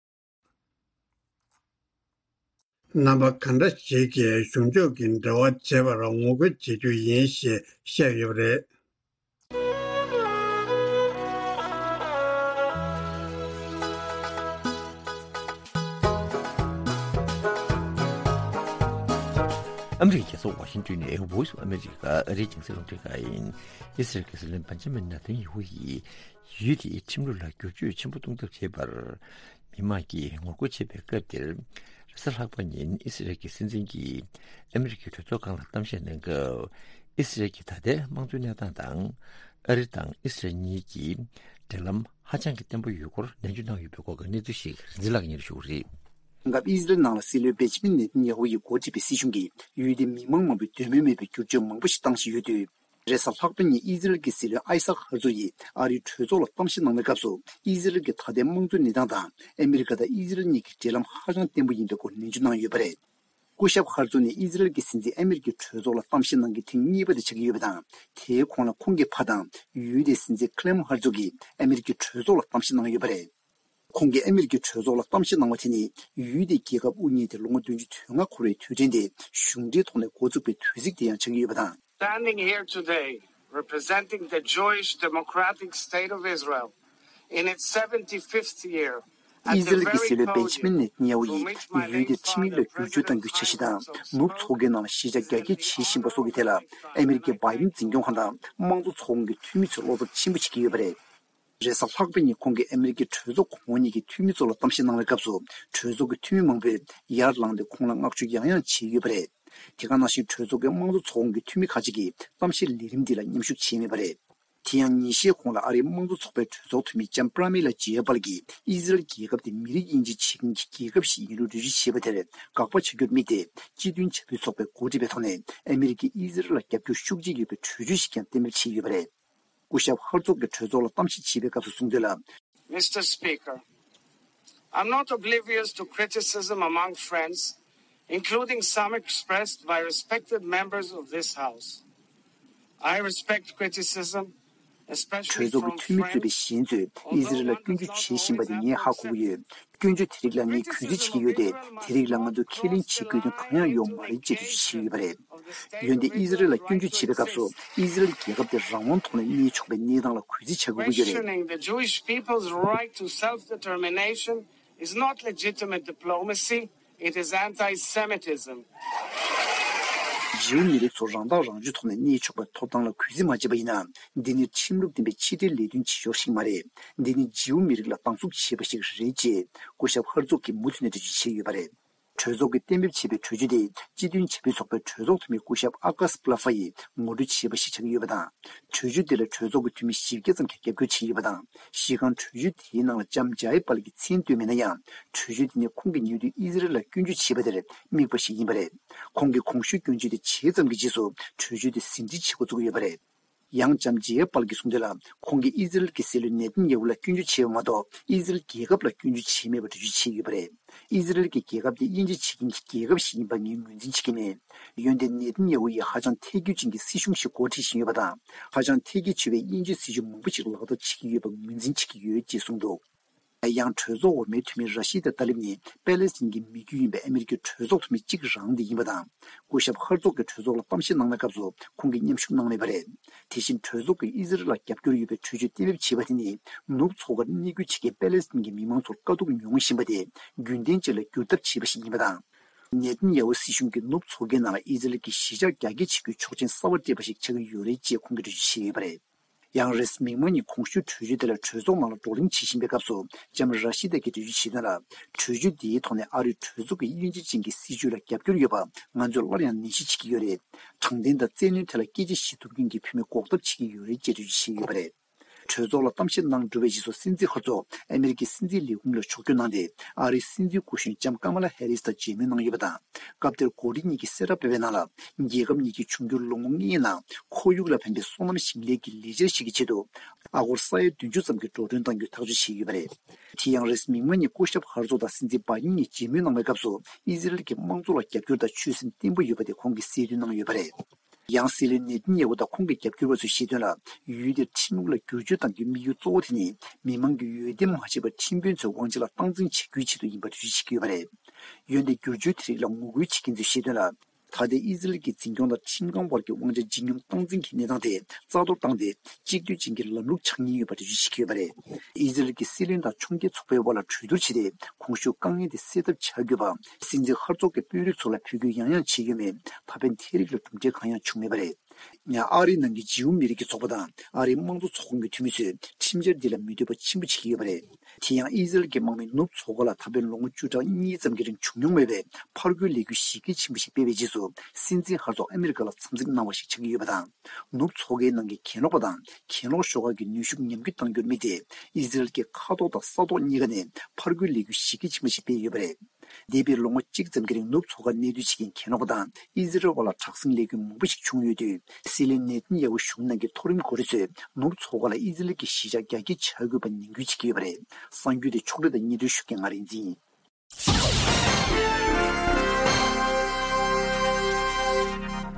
རྣམ་པ་གང་འདྲ་ཞིག་གིས་གཞུང་ཕྱོགས་ཀྱི་འབྲེལ་བ་བྱེད་པར་ངོ་རྒོལ་བྱེད་རྒྱུ་ཡིན་ཞེས་བཤད་ཡོད་པ་རེད། ཨ་མི་རི་ཀའི་རྒྱལ་ས་ཝ་ཤིང་ཏོན་ནས་Voice of America ཨ་རིའི་རྒྱང་སྲིང་རླུང་འཕྲིན་ཁང་ཡིན། ཨི་སི་རལ་གྱི་སྲིད་བློན་བན་ཇ་མིན་ནེ་ཐན་ཡ་ཧུ་ཡིས་ཡུལ་དེའི་ཁྲིམས་ལུགས་ལ་བསྒྱུར་བཅོས་ཆེན་པོ་གཏོང་ཐབས་བྱེད་པར་མི་མང་གིས་ངོ་རྒོལ་བྱེད་པའི་སྐབས་དེར། རེས་གཟའ་ལྷག་པ་ཉིན་ཨི་སི་རལ་གྱི་སྲིད་འཛིན་གྱིས་ཨ་མི་རི་ཀའི་གྲོས་ཚོགས་སྒང་ལ་གཏམ་བཤད་གནང་སྐབས། ཨི་སི་རལ་གྱི་ད་ལྟའི་དམངས་གཙོའི་གནས་སྟངས་དང་། ཨ་རི་དང་ཨི་སི་རལ་གཉིས་ཀྱི་འབྲེལ་ལམ་ཧ་ཅང་གི་བརྟན་པོ་ཡོད་སྐོར་ནན་བརྗོད་གནང་ཡོད་པའི་སྐོར་གྱི་གནས་ཚུལ་ཞིག་རིན་འཛིན་ལགས་ཉིད་ཞུ་གི་རེད། སྐབས་ཨི་སི་རལ་ནང་ལ་སྲིད་བློན་བེན་ཇ་མིན་ནེ་ཐན་ཡ་ཧུ་ཡིས་འགོ་ཁྲིད་པའི་སྲིད་གཞུང་གིས་ཡུལ་དེའི་མི་མང་མང་པོས་འདོད་མོས་མེད་པའི་བསྒྱུར་བཅོས་མང་པོ་ཞིག་བཏང་བཞིན་ཡོད་དུས། རེས་གཟའ་ལྷག་པ་ཉིན་ཨི་ཟི་རལ་གྱི་སྲིད་བློན་ཨའི་སཱག་ཧར་ཛོག་ཡིས་ཨ་རིའི་གྲོས་ཚོགས་ལ་གཏམ་བཤད་གནང་བའི་སྐབས་སུ། ཨི་ཟི་རལ་གྱི་ད་ལྟའི་དམངས་གཙོའི་གནས་སྟངས་དང་ཨ་མི་རི་ཀ་དང་ཨི་ཟི་རལ་གཉིས་ཀྱི་འབྲེལ་ལམ་ཧ་ཅང་བརྟན་པོ་ཡིན་པའི་སྐོར་ནན་བརྗོད་གནང་ཡོད་པ་རེད། སྐུ་ཞབས་ཧར་ཛོག་ནས་ཨི་ཟི་རལ་གྱི་སྲིད་འཛིན་ཨ་མི་རི་ཀའི་གྲོས་ཚོགས་ལ་གཏམ་བཤད་གནང་མཁན་ཐེངས་གཉིས་པ་དེ་ཆགས་ཀྱི་ཡོད་པ་དང་། དེའི་གོང་ལ་ཁོང་གི་ཕ་དང་ཡུལ་དེའི་སྲིད་འཛིན་ཁི་ལེམ་ཧར་ཛོག་གིས་ཨ་མི་རི་ཀའི་གྲོས་ཚོགས་ལ་གཏམ་བཤད་གནང་ཡོད་པ་རེད། ཁོང་གིས་ཨ་མི་རི་ཀའི་གྲོས་ཚོགས་ལ་གཏམ་བཤད་གནང་བ་དེ་ནི་ཡུལ་དེའི་རྒྱལ་ཁབ་དབུ་བརྙེས་ཏེ་ལོ་ངོ་བདུན་ཅུ་དོན་ལྔ་འཁོར་བའི་དུས་དྲན་དེ་གཞུང་འབྲེལ་ཐོག་ནས་འགོ་བཙུགས་པའི་དུས་ཚིགས་དེ་ཡང་ཆགས་ཀྱི་ཡོད་པ་དང་། Standing here today, representing the Jewish Democratic State of Israel in its seventy-fifth year, at the very podium from which my late father presided over the Knesset of Israel. ཨི་ཟི་རལ་གྱི་སྲིད་བློན་བེན་ཇ་མིན་ནེ་ཐན་ཡ་ཧུ་ཡིས་ཡུལ་དེར་ཁྲིམས་ཡིག་ལ་བསྒྱུར་བཅོས་གཏང་རྒྱུའི་འཆར་གཞི་དང་། ནུབ་མཚོ་ཁུལ་ནང་ལ་གཞིས་ཆགས་རྒྱ་སྐྱེད་བྱེད་བཞིན་པ་སོགས་ཀྱི་ཐད་ལ། ཨ་མི་རི་ཀའི་བྷའི་ཌེན་འཛིན་སྐྱོང་ཁང་དང་དམངས་གཙོ་ཚོགས་ཁོངས་ཀྱི་འཐུས་མི་ཚོས་བློ་འཚབ་ཆེན་པོ་བྱེད་ཀྱི་ཡོད་པ་རེད། རེས་གཟའ་ལྷག་པ་ཉིན་ཁོང་གིས་ཨ་མི་རི་ཀའི་གྲོས་ཚོགས་གོང་འོག་གཉིས་ཀྱི་འཐུས་མི་ཚོ་ལ་གཏམ་བཤད་གནང་བའི་སྐབས་སུ། གྲོས་ཚོགས་ཀྱི་འཐུས་མི་མང་པོས་ཡར་ལངས་ཏེ་ཁོང་ལ་བསྔགས་བརྗོད་ཡང་ཡང་བྱས་ཡོད་པ་རེད། དེ་ག་ནང་བཞིན་གྲོས་ཚོགས་ཀྱི་དམངས་གཙོ་ཚོགས་ཁོངས་ཀྱི་འཐུས་མི་ཁག་ཅིག་གིས་གཏམ་བཤད་ལས་རིམ་འདི་ལ་མཉམ་ཞུགས་བྱས་མེད་པ་རེད། དེ་ཡང་ཉིན་ཤས་གོང་ལ་ཨ་རིའི་དམངས་གཙོ་ཚོགས་པའི་གྲོས་ཚོགས་འཐུས་མི་ལྕམ་པྲ་མི་ལ་ཇེ་ཡ་པལ་གྱིས་ཨི་ཟི་རལ་རྒྱལ་ཁབ་དེ་མི་རིགས་དབྱེ་འབྱེད་བྱེད་མཁན་གྱི་རྒྱལ་ཁབ་ཞིག་ཡིན་ལུགས་འགྲེལ་བརྗོད་བྱས་པ་དེར་དགག་པ་བྱ་རྒྱུར་དམིགས་ཏེ། སྤྱི་མཐུན་བྱ་འཕུར་ཚོགས་པའི་འགོ་ཁྲིད་པའི་ཐོག་ནས་ཨ་མི་རི་ཀས་ཨི་ཟི་རལ་ལ་རྒྱབ་སྐྱོར་ཤུགས་ཆེ་ཡོད་པའི་གྲོས་ཆོད་ཞིག་ཀྱང་གཏན་འབེབས་བྱས་ཡོད་པ་རེད། སྐུ་ཞབས་ཧར་ཙོག་གིས་གྲོས་ཚོགས་ལ་གཏམ་བཤད་བྱེད་པའི་སྐབས་སུ་གསུངས་དོན་ལ། Mister Speaker, I'm not oblivious to criticism among friends, including some expressed by respected members of this House. I respect criticism, especially from friends on the one hand, གྲོས་ཚོགས་ཀྱི་འཐུས་མི་གཙོས་པའི་གཞན་ཚོས་ཨི་ཟི་རལ་ལ་སྐྱོན་བརྗོད་བྱེད་བཞིན་པ་དེ་ངས་ཧ་གོ་གི་ཡོད། སྐྱོན་བརྗོད་དེ་རིགས་ལ་ངས་གུས་བརྩི་བྱེད་ཀྱི་ཡོད་དེ། དེ་རིགས་ལ་ང་ཚོས་ཁས་ལེན་བྱེད་དགོས་དོན་གང་ཡང་ཡོད་མ་རེད་ཅེས་འགྲེལ་བརྗོད་བྱས་ཡོད་པ་རེད། འོན་ཏེ་ཨི་ཟི་རལ་ལ་སྐྱོན་བརྗོད་བྱེད་པའི་སྐབས་སུ་ཨི་ཟི་རལ་རྒྱལ་ཁབ་དེ་རང་དབང་ཐོག་ནས་གནས་ཆོག་པའི་གནས་སྟངས་ལ་གུས་བརྩི་བྱ་དགོས་ཀྱི་ཡོད་རེད། Questioning the Jewish people's right to self-determination It's not legitimate diplomacy, it is anti Semitism. འཇིའུ་མི་རིགས་ཚོ་རང་ཐག་རང་གཅོད་ཐོག་ནས་གནས་ཆོག་པའི་ཐོབ་ཐང་ལ་གུས་བརྩི་མ་བྱས་པ་ཡིན་ན། འདི་ནི་ཁྲིམས་ལུགས་ལྡན་པའི་ཕྱི་འབྲེལ་ལས་དོན་བྱེད་ཕྱོགས་ཤིག་མ་རེད། འདི་ནི་འཇིའུ་མི་རིགས་ལ་སྡང་ཟུག་བྱེད་པ་ཞིག་རེད་ཅེས་སྐུ་ཞབས་ཧར་ཙོག་གིས་མུ་མཐུད་ནས་འགྲེལ་བརྗོད་བྱས་ཡོད་པ་རེད། གྲོས་ཚོགས་ཀྱིས་གཏན་འབེབས་བྱས་པའི་གྲོས་ཆོད་དེ་སྤྱི་མཐུན་བྱ་འཕུར་ཚོགས་པའི་གྲོས་ཚོགས་འཐུས་མི་སྐུ་ཞབས་ཨ་ཀཱས་པ་ལ་ཧྥ་ཡིས་ངོ་སྤྲོད་བྱས་པ་ཞིག་ཆགས་ཀྱི་ཡོད་པ་དང་། གྲོས་ཆོད་དེ་ལ་གྲོས་ཚོགས་ཀྱི་འཐུས་མི་བཞི་བརྒྱ་ཙམ་གྱིས་རྒྱབ་སྐྱོར་བྱས་ཡོད་པ་དང་། གཞི་རྐང་གྲོས་ཆོད་དེའི་ནང་ལ་ལྕམ་ཇའི་པཱལ་གྱི་མཚན་བཏོན་མེད་ན་ཡང་། གྲོས་ཆོད་དེ་ནི་ཁོང་གིས་ཉེ་དུས་ཨི་ཟི་རལ་ལ་སྐྱོན་བརྗོད་བྱས་པ་དེར་དམིགས་པ་ཞིག་ཡིན་པ་རེད། ཁོང་གིས་གོང་ཞུས་སྐྱོན་བརྗོད་དེ་བྱས་ཙམ་གྱི་རྗེས་སུ་གྲོས་ཆོད་དེ་ཟིན་བྲིས་བྱེད་འགོ་བཙུགས་ཡོད་པ་རེད། ཡང་ལྕམ་ཇའི་པཱལ་གྱིས་གསུངས་དོན་ལ། ཁོང་གིས་ཨི་ཟི་རལ་གྱི་སྲིད་བློན་ནེ་ཐན་ཡ་ཧུ་ལ་སྐྱོན་བརྗོད་བྱས་པ་མ་གཏོགས། ཨི་ཟི་རལ་རྒྱལ་ཁབ་ལ་སྐྱོན་བརྗོད་བྱས་མེད་པར་འགྲེལ་བརྗོད་བྱས་ཡོད་པ་རེད། ཨི་ཟི་རལ་གྱི་རྒྱལ་ཁབ་དེ་དབྱེ་འབྱེད་བྱེད་མཁན་གྱི་རྒྱལ་ཁབ་ཞིག་ཡིན་པ་ངས་ངོས་འཛིན་བྱེད་ཀྱི་མེད། འོན་ཏེ་ནེ་ཐན་ཡ་ཧུ་ཡིས་ཧ་ཅང་ཐལ་འགྱུར་ཅན་གྱི་སྲིད་གཞུང་ཞིག་འགོ་ཁྲིད་བཞིན་ཡོད་པ་དང་། ཧ་ཅང་ཐལ་སྐྱེད་ཆེ་བའི་དབྱེ་འབྱེད་སྲིད་བྱུས་མང་པོ་ཞིག་ལག་བསྟར་བྱེད་ཀྱི་ཡོད་པ་ངོས་འཛིན་བྱེད་ཀྱི་ཡོད་ཅེས་གསུངས་འདུག། ཡང་གྲོས་ཚོགས་འོག་མའི་འཐུས་མི་ར་ཤི་ད་ཏཱ་ལིབ་ནི་པེ་ལེ་སི་ཐན་གྱི་མི་རྒྱུད་ཡིན་པའི་ཨ་མི་རི་ཀའི་གྲོས་ཚོགས་འཐུས་མི་གཅིག་རང་དེ་ཡིན་པ་དང་། སྐུ་ཞབས་ཧར་ཙོག་གིས་གྲོས་ཚོགས་ལ་གཏམ་བཤད་གནང་བའི་སྐབས་སུ་ཁོང་གིས་མཉམ་ཞུགས་གནང་མེད་པ་རེད། དེ་བཞིན་གྲོས་ཚོགས་ཀྱིས་ཨི་ཟི་རལ་ལ་རྒྱབ་སྐྱོར་ཡོད་པའི་གྲོས་ཆོད་གཏན་འབེབས་བྱས་པ་དེ་ནི་ནུབ་མཚོ་ཁར་གནས་སྐོར་བྱེད་མཁན་པེ་ལེ་སི་ཐན་གྱི་མི་མང་ཚོར་དཀའ་སྡུག་མྱོང་བཞིན་པ་དེ་རྒྱུན་ལྡན་ཅིག་ལ་བསྒྱུར་ཐབས་བྱས་པ་ཞིག་ཡིན་པ་དང་། ནེ་ཐན་ཡ་ཧུ་སྲིད་གཞུང་གིས་ནུབ་མཚོ་ཁའི་ནང་ལ་ཨི་ཟི་རལ་གྱི་གཞིས་ཆགས་རྒྱ་སྐྱེད་བྱེད་རྒྱུའི་ཆོག་མཆན་གསར་པ་སྤྲད་པ་ཞིག་ཆགས་ཀྱི་ཡོད་རེད་ཅེས་ཁོང་གིས་འགྲེལ་བརྗོད་བྱས་ཡོད་པ་རེད། ཡང་རེས་མིག་དམར་ཉིན་གོང་ཞུས་གྲོས་ཆོད་དེ་ལ་གྲོས་ཚོགས་ནང་ལ་བགྲོ་གླེང་བྱེད་བཞིན་པའི་སྐབས་སུ་ལྕམ་ར་ཤི་ད་གིས་འགྲེལ་བརྗོད་བྱས་དོན་ལ། གྲོས་ཆོད་འདིའི་ཐོག་ནས་ཨ་རིའི་གྲོས་ཚོགས་ཀྱི་དབྱེ་འབྱེད་ཅན་གྱི་སྲིད་བྱུས་ལ་རྒྱབ་སྐྱོར་ཡོད་པ་ང་ཚོས་སླར་ཡང་ནན་བཤད་བྱེད་ཀྱི་ཡོད་རེད། དྲང་བདེན་དང་བཙན་གནོན་ཐད་ལ་སྐད་ཆ་བཤད་ཐུབ་མཁན་གྱི་བུད་མེད་འགོག་ཐབས་བྱེད་ཀྱི་ཡོད་རེད་ཅེས་འགྲེལ་བརྗོད་བྱས་ཡོད་པ་རེད། གྲོས་ཚོགས་ལ་གཏམ་བཤད་གནང་གྲུབ་པའི་རྗེས་སུ་སྲིད་འཛིན་ཧར་ཙོག་ཨ་མི་རི་ཀའི་སྲིད་འཛིན་ལས་ཁུངས་ལ་ཕྱོགས་བསྐྱོད་གནང་སྟེ། ཨ་རིའི་སྲིད་འཛིན་སྐུ་གཞོན་ལྕམ་ཀ་མ་ལ་ཧེ་རིས་དང་མཇལ་མོལ་གནང་ཡོད་པ་དང་། སྐབས་དེར་འགོ་ཁྲིད་གཉིས་ཀྱིས་གསལ་བསྒྲགས་སྤེལ་བའི་ནང་ལ། རྒྱལ་ཁབ་གཉིས་ཀྱིས་འབྱུང་འགྱུར་ལོ་ངོ་ལྔའི་ནང་ཁོར་ཡུག་ལ་ཕན་པའི་སོ་ནམ་ཞིང་ལས་ཀྱི་ལས་འཆར་ཞིག་གི་ཆེད་དུ། ཨ་སྒོར་ས་ཡ་བདུན་ཅུ་ཙམ་གྱི་འགྲོ་གྲོན་གཏང་རྒྱུའི་ཐག་གཅོད་བྱས་ཡོད་པ་རེད། དེ་ཡང་རེས་མིག་དམར་ཉིན་སྐུ་ཞབས་ཧར་ཙོག་དང་སྲིད་འཛིན་བྷའི་ཌེན་གཉིས་མཇལ་མོལ་གནང་བའི་སྐབས་སུ་ཨི་ཟི་རལ་གྱི་དམངས་གཙོ་ལ་རྒྱབ་སྐྱོར་དང་ཆོད་སེམས་བརྟན་པོ་ཡོད་པ་དེ་ཁོང་གིས་གསལ་སྟོན་གནང་ཡོད་པ་རེད། ཡང་སྲིད་བློན་ནེ་ཐན་ཡ་ཧུ་དང་ཁོང་གི་རྒྱབ་སྐྱོར་བ་ཚོས་བཤད་དོན་ལ། ཡུལ་དེར་ཁྲིམས་ལུགས་ལ་བསྒྱུར་བཅོས་གཏང་རྒྱུའི་དམིགས་ཡུལ་གཙོ་བོ་དེ་ནི་མི་མང་གིས་འོས་འདེམས་མ་བྱས་པར་ཁྲིམས་དཔོན་ཚོའི་དབང་ཆ་ལ་སྟངས་འཛིན་བྱེད་རྒྱུའི་ཆེད་དུ་ཡིན་པར་འགྲེལ་བརྗོད་བྱེད་ཀྱི་ཡོད་པ་རེད། འོན་ཏེ་བསྒྱུར་བཅོས་དེ་རིགས་ལ་ངོ་རྒོལ་བྱེད་མཁན་ཚོས་བཤད་དོན་ལ། ད་ལྟའི་ཨི་ཟི་རལ་གྱི་འཛིན་སྐྱོང་དང་ཁྲིམས་ཁང་བར་གྱི་དབང་ཆ་ལྗིད་སྙོམས་སྟངས་འཛིན་གྱི་གནས་སྟངས་དེ་རྩ་གཏོར་བཏང་སྟེ། གཅིག་སྡུད་ཅན་གྱི་ལམ་ལུགས་ཆགས་ཉེན་ཡོད་པ་འགྲེལ་བརྗོད་བྱེད་ཀྱི་ཡོད་པ་རེད། ཨི་ཟི་རལ་གྱི་སྲིད་བློན་དང་ཕྱོགས་འགལ་ཚོགས་པའི་དབར་ལ་གྲོས་བསྡུར་བྱས་ཏེ། གོང་ཞུས་དཀའ་ངལ་དེ་སེལ་ཐབས་བྱ་དགོས་པ། སྲིད་འཛིན་ཧར་ཙོག་གིས་དཔོན་རིགས་ཚོ་ལ་འབོད་སྐུལ་ཡང་ཡང་བྱས་ཡོད་མོད། ད་ཕན་དེ་རིགས་ལ་གྲུབ་འབྲས་གང་ཡང་བྱུང་མེད་པ་རེད། ཡང་ཨ་རིའི་ནང་གི་འཇིའུ་མི་རིགས་ཀྱི་ཚོགས་པ་དང་ཨ་རིའི་དམངས་གཙོ་ཚོགས་ཁོངས་ཀྱི་འཐུས་མི་ཚོས་ཁྲིམས་འཆར་འདི་ལ་མི་འདོད་པ་ཆེན་པོ་བྱེད་ཀྱི་ཡོད་པ་རེད། དེ་ཡང་ཨི་ཟི་རལ་གྱི་དམག་མིས་ནུབ་མཚོ་ཁ་ལ་ད་ཕན་ལོ་ངོ་བཅུ་ཕྲག་གཉིས་ཙམ་གྱི་རིང་བྱུང་མྱོང་མེད་པའི་ཕར་རྒོལ་ལས་འགུལ་གཞི་རྒྱ་ཆེན་པོ་ཞིག་སྤེལ་བའི་རྗེས་སུ། སྲིད་འཛིན་ཧར་ཙོག་ཨ་མི་རི་ཀ་ལ་འཚམས་གཟིགས་གནང་བ་ཞིག་ཆགས་ཀྱི་ཡོད་པ་དང་། ནུབ་མཚོ་ཁའི་ནང་གི་གྱེན་ལོག་པ་དང་གྱེན་ལོག་ཤོག་ཁག་གི་ནུས་ཤུགས་ཉམས་རྒུད་གཏང་རྒྱུར་དམིགས་ཏེ། ཨི་ཟི་རལ་གྱི་མཁའ་ཐོག་དང་ས་ཐོག་གཉིས་ཀ་ནས་ཕར་རྒོལ་ལས་འགུལ་གཞི་རྒྱ་ཆེན་པོ་ཞིག་སྤེལ་ཡོད་པ་རེད། འདས་པའི་ལོ་ངོ་གཅིག་ཙམ་གྱི་རིང་ནུབ་མཚོ་ཁར་གནས་སྡོད་བྱེད་མཁན་གྱེན་ལོག་པ་དང་ཨི་ཟི་རལ་བར་ལ་དྲག་ཟིང་ལས་འགུལ་མང་པོ་ཞིག་བྱུང་ཡོད་དུས། སྲིད་བློན་ནེ་ཐན་ཡ་ཧུ་གཞུང་ནང་གི་མཐོ་རིམ་འགོ་ཁྲིད་ཚོས་ནུབ་མཚོ་ཁ་ལ་ཨི་ཟི་རལ་གྱི་གཞིས་ཆགས་རྒྱ་སྐྱེད་བྱ་དགོས་པ་ནན་སྐུལ་བྱེད་ཀྱི་ཡོད་པ་རེད། གསར་འགྱུར་དེ་ཕྱོགས་སྒྲིག་དང་སྙན་སྒྲོན་ཞུ་མཁན་ང་རིག་འཛིན་ཡིན།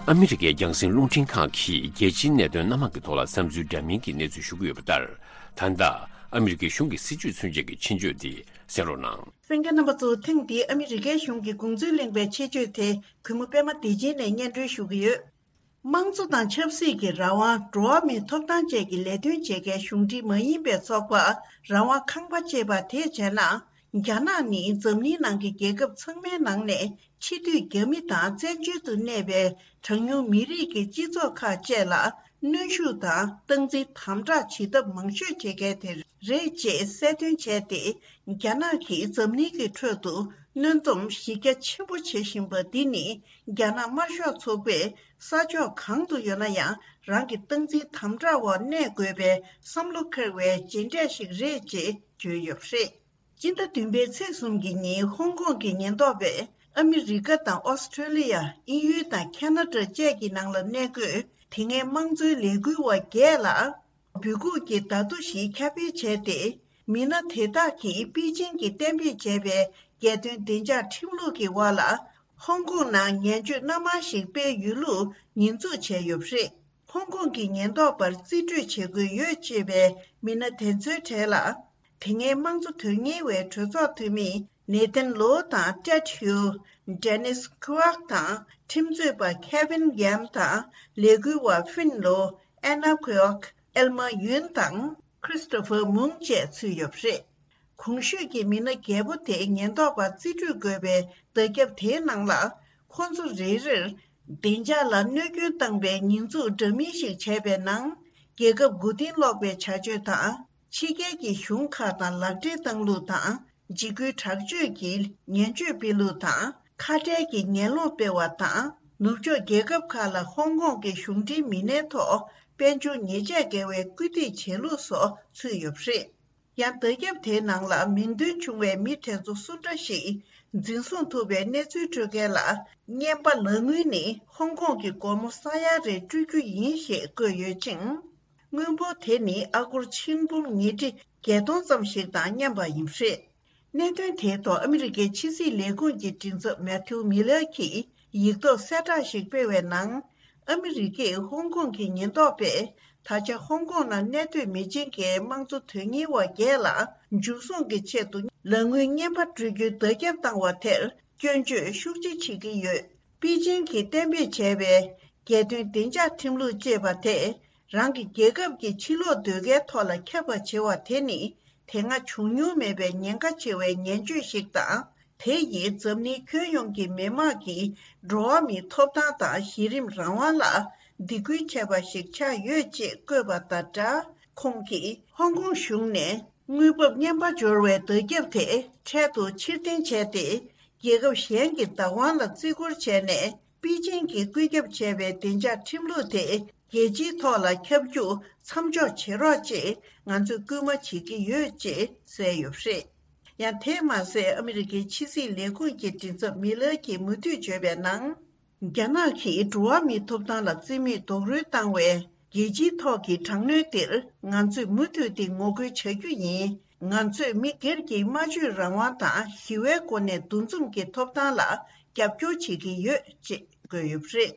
ཨ་མི་རི་ཀའི་རྒྱང་སྲིང་རླུང་འཕྲིན་ཁང་གིས་རྒྱལ་སྤྱིའི་གནད་དོན་སྣ་མང་གི་ཐོག་ལ་བསམ་ཚུལ་འདྲ་མིན་གྱི་གནས་ཚུལ་ཞུ་གི་ཡོད་པ་ལྟར། ད་ལྟ་ཨ་མི་རི་ཀའི་གཞུང་གི་སྲིད་བྱུས་མཚོན་ཆེད་ཀྱི་ཆེད་བརྗོད་དེ་གསན་རོགས་གནང་། གསན་མཁན་རྣམ་པ་ཚོ། ཐེངས་འདིའི་ཨ་མི་རི་ཀའི་གཞུང་གི་དགོངས་ཚུལ་གླེང་བའི་ཆེད་བརྗོད་དེ་གུས་མོ་པད་མ་བདེ་ཆེན་ནས་སྙན་སྒྲོན་ཞུ་གི་ཡོད། དམངས་གཙོ་དང་ཆབ་སྲིད་ཀྱི་རང་དབང་། འགྲོ་བ་མིའི་ཐོབ་ཐང་བཅས་ཀྱི་ལས་དོན་བྱེད་མཁན་གཞུང་འབྲེལ་མ་ཡིན་པའི་ཚོགས་པ་རང་དབང་ཁང་པ་ཅེས་པ་དེས་བྱས་ན། རྒྱ་ནག་ནི་འཛམ་གླིང་ནང་གི་རྒྱལ་ཁབ་ཚང་མའི་ནང་ནས་ཕྱི་སྡོད་རྒྱ་མི་དང་བཙན་བྱོལ་དུ་གནས་པའི་གྲངས་ཉུང་མི་རིགས་ཀྱི་སྤྱི་ཚོགས་ཁག་བཅས་ལ་གནོན་ཤུགས་དང་སྟངས་འཛིན་དམ་དྲག་བྱེད་ཐབས་མང་ཤོས་བྱེད་མཁན་དེ་རེད་ཅེས་གསལ་སྟོན་བྱས་ཏེ། རྒྱ་ནག་གིས་འཛམ་གླིང་གི་ཁྲོད་དུ་གནོན་སྡོམ་གཞི་རྒྱ་ཆེན་པོ་བྱེད་བཞིན་པ་འདི་ནི། རྒྱ་ནག་དམར་ཤོག་ཚོགས་པས་ས་ཕྱོགས་གང་དུ་ཡོད་ན་ཡང་རང་གི་སྟངས་འཛིན་དམ་དྲག་འོག་གནས་དགོས་པའི་བསམ་བློ་འཁོར་བའི་རྗེས་འབྲས་ཤིག་རེད་ཅེས་བརྗོད་ཡོད་པ་རེད། སྤྱི་ཟླ་བདུན་པའི་ཚེས་གསུམ་གྱི་ཉིན་ཧོང་ཀོང་གི་ཉེན་རྟོག་པས་ཨ་མི་རི་ཀ་དང་ཨོ་སི་ཁྲུ་ལི་ཡ། དབྱིན་ཡུལ་དང་ཁ་ན་ཌ་བཅས་ཀྱི་ནང་ལ་གནས་འཁོད་དེ་སྔའི་དམངས་གཙོའི་ལས་འགུལ་བ་བརྒྱད་ལ། འབོད་འགུག་གི་བརྡ་ཐོ་ཞིག་ཁྱབ་སྤེལ་བྱས་ཏེ། མི་སྣ་དེ་དག་གིས་པེ་ཅིང་གིས་གཏན་འབེབས་བྱས་པའི་རྒྱལ་དོན་བདེ་འཇགས་ཁྲིམས་ལུགས་ཀྱི་འོག་ལ། ཧོང་ཀོང་ནང་ངན་བྱུས་སྣ་མང་ཞིག་སྤེལ་ཡོད་ལུགས་ཉེས་འཛུགས་བྱས་ཡོད་པ་རེད། ཧོང་ཀོང་གི་ཉེན་རྟོག་པར་རྩིས་སྤྲོད་བྱེད་དགོས་ཡོད་ཅེས་པའི་མི་སྣ་དེ་ཚོའི་གྲས་ལ། དེ་སྔའི་དམངས་གཙོ་དོན་གཉེར་བའི་གྲོས་ཚོགས་འཐུས་མི་ནེ་ཐན་ལོ་དང་ཏྲེད་ཧིའུ། ཌེ་ནིས་ཁུ་ཝག་དང་ཁྲིམས་རྩོད་པ་ཁེ་ཝིན་ཡམ་དང་ལས་འགུལ་བ་ཧྥིན་ལོ། ཨེ་ན་ཁུ་ཝག་ཨེལ་མ་ཡུན་དང་ཁྲི་སི་ཏོ་ཕར་མུང་བཅས་ཚུད་ཡོད་པ་རེད། གོང་ཞུས་ཀྱི་མི་སྣ་བརྒྱད་པོ་དེ་ཉེན་རྟོག་པ་རྩིས་སྤྲོད་དགོས་པའི་བརྡ་ཁྱབ་དེའི་ནང་ལ། ཁོང་ཚོ་རེ་རེར་བདེ་འཇགས་ལ་གནོད་སྐྱོན་བཏང་པའི་ཉེས་འཛུགས་འདྲ་མིན་ཞིག་བྱས་པའི་ནང་། རྒྱལ་ཁབ་མགོ་རྟིང་སློག་པའི་བྱ་སྤྱོད་དང་། ཕྱི་རྒྱལ་གྱི་གཞུང་ཁག་དང་ལག་འབྲེལ་བཏང་ལུགས་དང་། འཇིགས་སྐུལ་དྲག་སྤྱོད་ཀྱི་ངན་སྤྱོད་སྤེལ་ལུགས་དང་། ཁ་བྲལ་གྱི་ངན་སློང་སྤེལ་བ་དང་། ནུབ་ཕྱོགས་རྒྱལ་ཁབ་ཁག་ལ་ཧོང་ཀོང་གི་གཞུང་འབྲེལ་མི་སྣའི་ཐོག་དཔལ་འབྱོར་ཉེས་ཆད་འགེལ་བའི་སྐུལ་འདེད་བྱེད་ལུགས་སོགས་ཚུད་ཡོད་པ་རེད། ཡང་། བརྡ་ཁྱབ་དེའི་ནང་ལ་མིང་འདོན་བྱུང་བའི་མི་དེ་ཚོ་སུ་འདྲ་ཞིག་འཛིན་བཟུང་ཐུབ་པའི་གནས་ཚུལ་སྤྲོད་མཁན་ལ། རྔན་པ་ལག་དངུལ་ནི་ཧོང་ཀོང་གི་སྒོར་མོ་ས་ཡ་རེ་སྤྲོད་རྒྱུ་ཡིན་ཞེས་བཀོད་ཡོད་ཅིང་། དངུལ་འབོར་དེ་ནི་ཨ་སྒོར་ཆིག་འབུམ་ཉིས་ཁྲི་བརྒྱད་སྟོང་ཙམ་ཞིག་དང་མཉམ་པ་ཡིན་པ་རེད། གནད་དོན་དེའི་ཐོག་ཨ་མི་རི་ཀའི་ཕྱི་སྲིད་ལས་ཁུངས་ཀྱི་མགྲིན་ཚབ་མེ་ཐིའུ་མི་ལར་གྱིས་ཡིག་ཐོག་གསལ་བསྒྲགས་ཤིག་སྤེལ་བའི་ནང་། ཨ་མི་རི་ཀས་ཧོང་ཀོང་གི་ཉེན་རྟོག་པས་ད་ཆ་ཧོང་ཀོང་ནང་གནས་སྡོད་མི་ཆེན་གྱི་དམངས་གཙོ་དོན་གཉེར་བ་བརྒྱད་ལ་འཇུ་བཟུང་གི་ཆེད་དུ་ལག་དངུལ་རྔན་པ་སྤྲོད་རྒྱུའི་བརྡ་ཁྱབ་བཏང་བ་དེར་སྐྱོན་བརྗོད་ཤུགས་ཆེ་བྱེད་ཀྱི་ཡོད། པེ་ཅིང་གིས་གཏན་འབེབས་བྱས་པའི་རྒྱལ་དོན་བདེ་འཇགས་ཁྲིམས་ལུགས་ཅེས་པ་དེས་རང་གི་རྒྱལ་ཁབ་ཀྱི་ཕྱིར་ལོག་སྡོད་མཁན་ཐོག་ལ་ཁྱབ་པ་བྱེད་པ་དེ་ནི་དེ་སྔ་བྱུང་མྱོང་མེད་པའི་ཉེན་ཁ་ཆེ་བའི་ངན་སྤྱོད་ཞིག་དང་། དེ་ཡིས་འཛམ་གླིང་ཁྱོན་ཡོངས་ཀྱི་མི་དམངས་ཀྱི་འགྲོ་བ་མིའི་ཐོབ་ཐང་དང་གཞི་རིམ་རང་དབང་ལ་སྡིགས་སྐུལ་བྱས་པ་ཞིག་ཆགས་ཡོད་ཅེས་བཀོད་པ་དང་སྦྲགས། ཁོང་གིས་ཧོང་ཀོང་གཞུང་ནས་དངུལ་འབབ་རྔན་པ་འབྱོར་བའི་བརྡ་ཁྱབ་དེ་འཕྲལ་དུ་ཕྱིར་འཐེན་བྱས་ཏེ། རྒྱལ་ཁབ་གཞན་གྱི་བདག་དབང་ལ་བརྩི་བཀུར་བྱས་ནས། པེ་ཅིང་གིས་བཀོད་ཁྱབ་བྱས་པའི་བདེ་འཇགས་ཁྲིམས་ལུགས་དེ་རྒྱལ་སྤྱིའི་ཐོག་ལ་ཁྱབ་རྒྱུ་མཚམས་འཇོག་བྱེད་རོགས་ཅེས་ང་ཚོས་སྐུལ་མ་བྱེད་ཀྱི་ཡོད་ཅེས་གསལ་ཡོད་པ་རེད། ཡང་། དེས་མ་ཟད། ཨ་མི་རི་ཀའི་ཕྱི་སྲིད་ལས་ཁུངས་ཀྱི་མགྲིན་ཚབ་མི་ལར་གྱིས་མུ་མཐུད་བརྗོད་པའི་ནང་། རྒྱ་ནག་གིས་འགྲོ་བ་མིའི་ཐོབ་ཐང་ལ་བརྩི་མེད་རྡོག་རོལ་བཏང་བའི་རྒྱལ་སྤྱིའི་ཐོག་གི་དྲག་གནོན་འདིར་ང་ཚོས་མུ་མཐུད་དེ་ངོ་རྒོལ་བྱ་རྒྱུ་ཡིན། ང་ཚོས་མི་སྒེར་གྱི་སྨྲ་བརྗོད་རང་དབང་དང་ཞི་བའི་སྒོ་ནས་འདུ་འཛོམས་ཀྱི་ཐོབ་ཐང་ལ་རྒྱབ་སྐྱོར་བྱེད་ཀྱི་ཡོད་ཅེས་བཀོད་ཡོད་པ་རེད།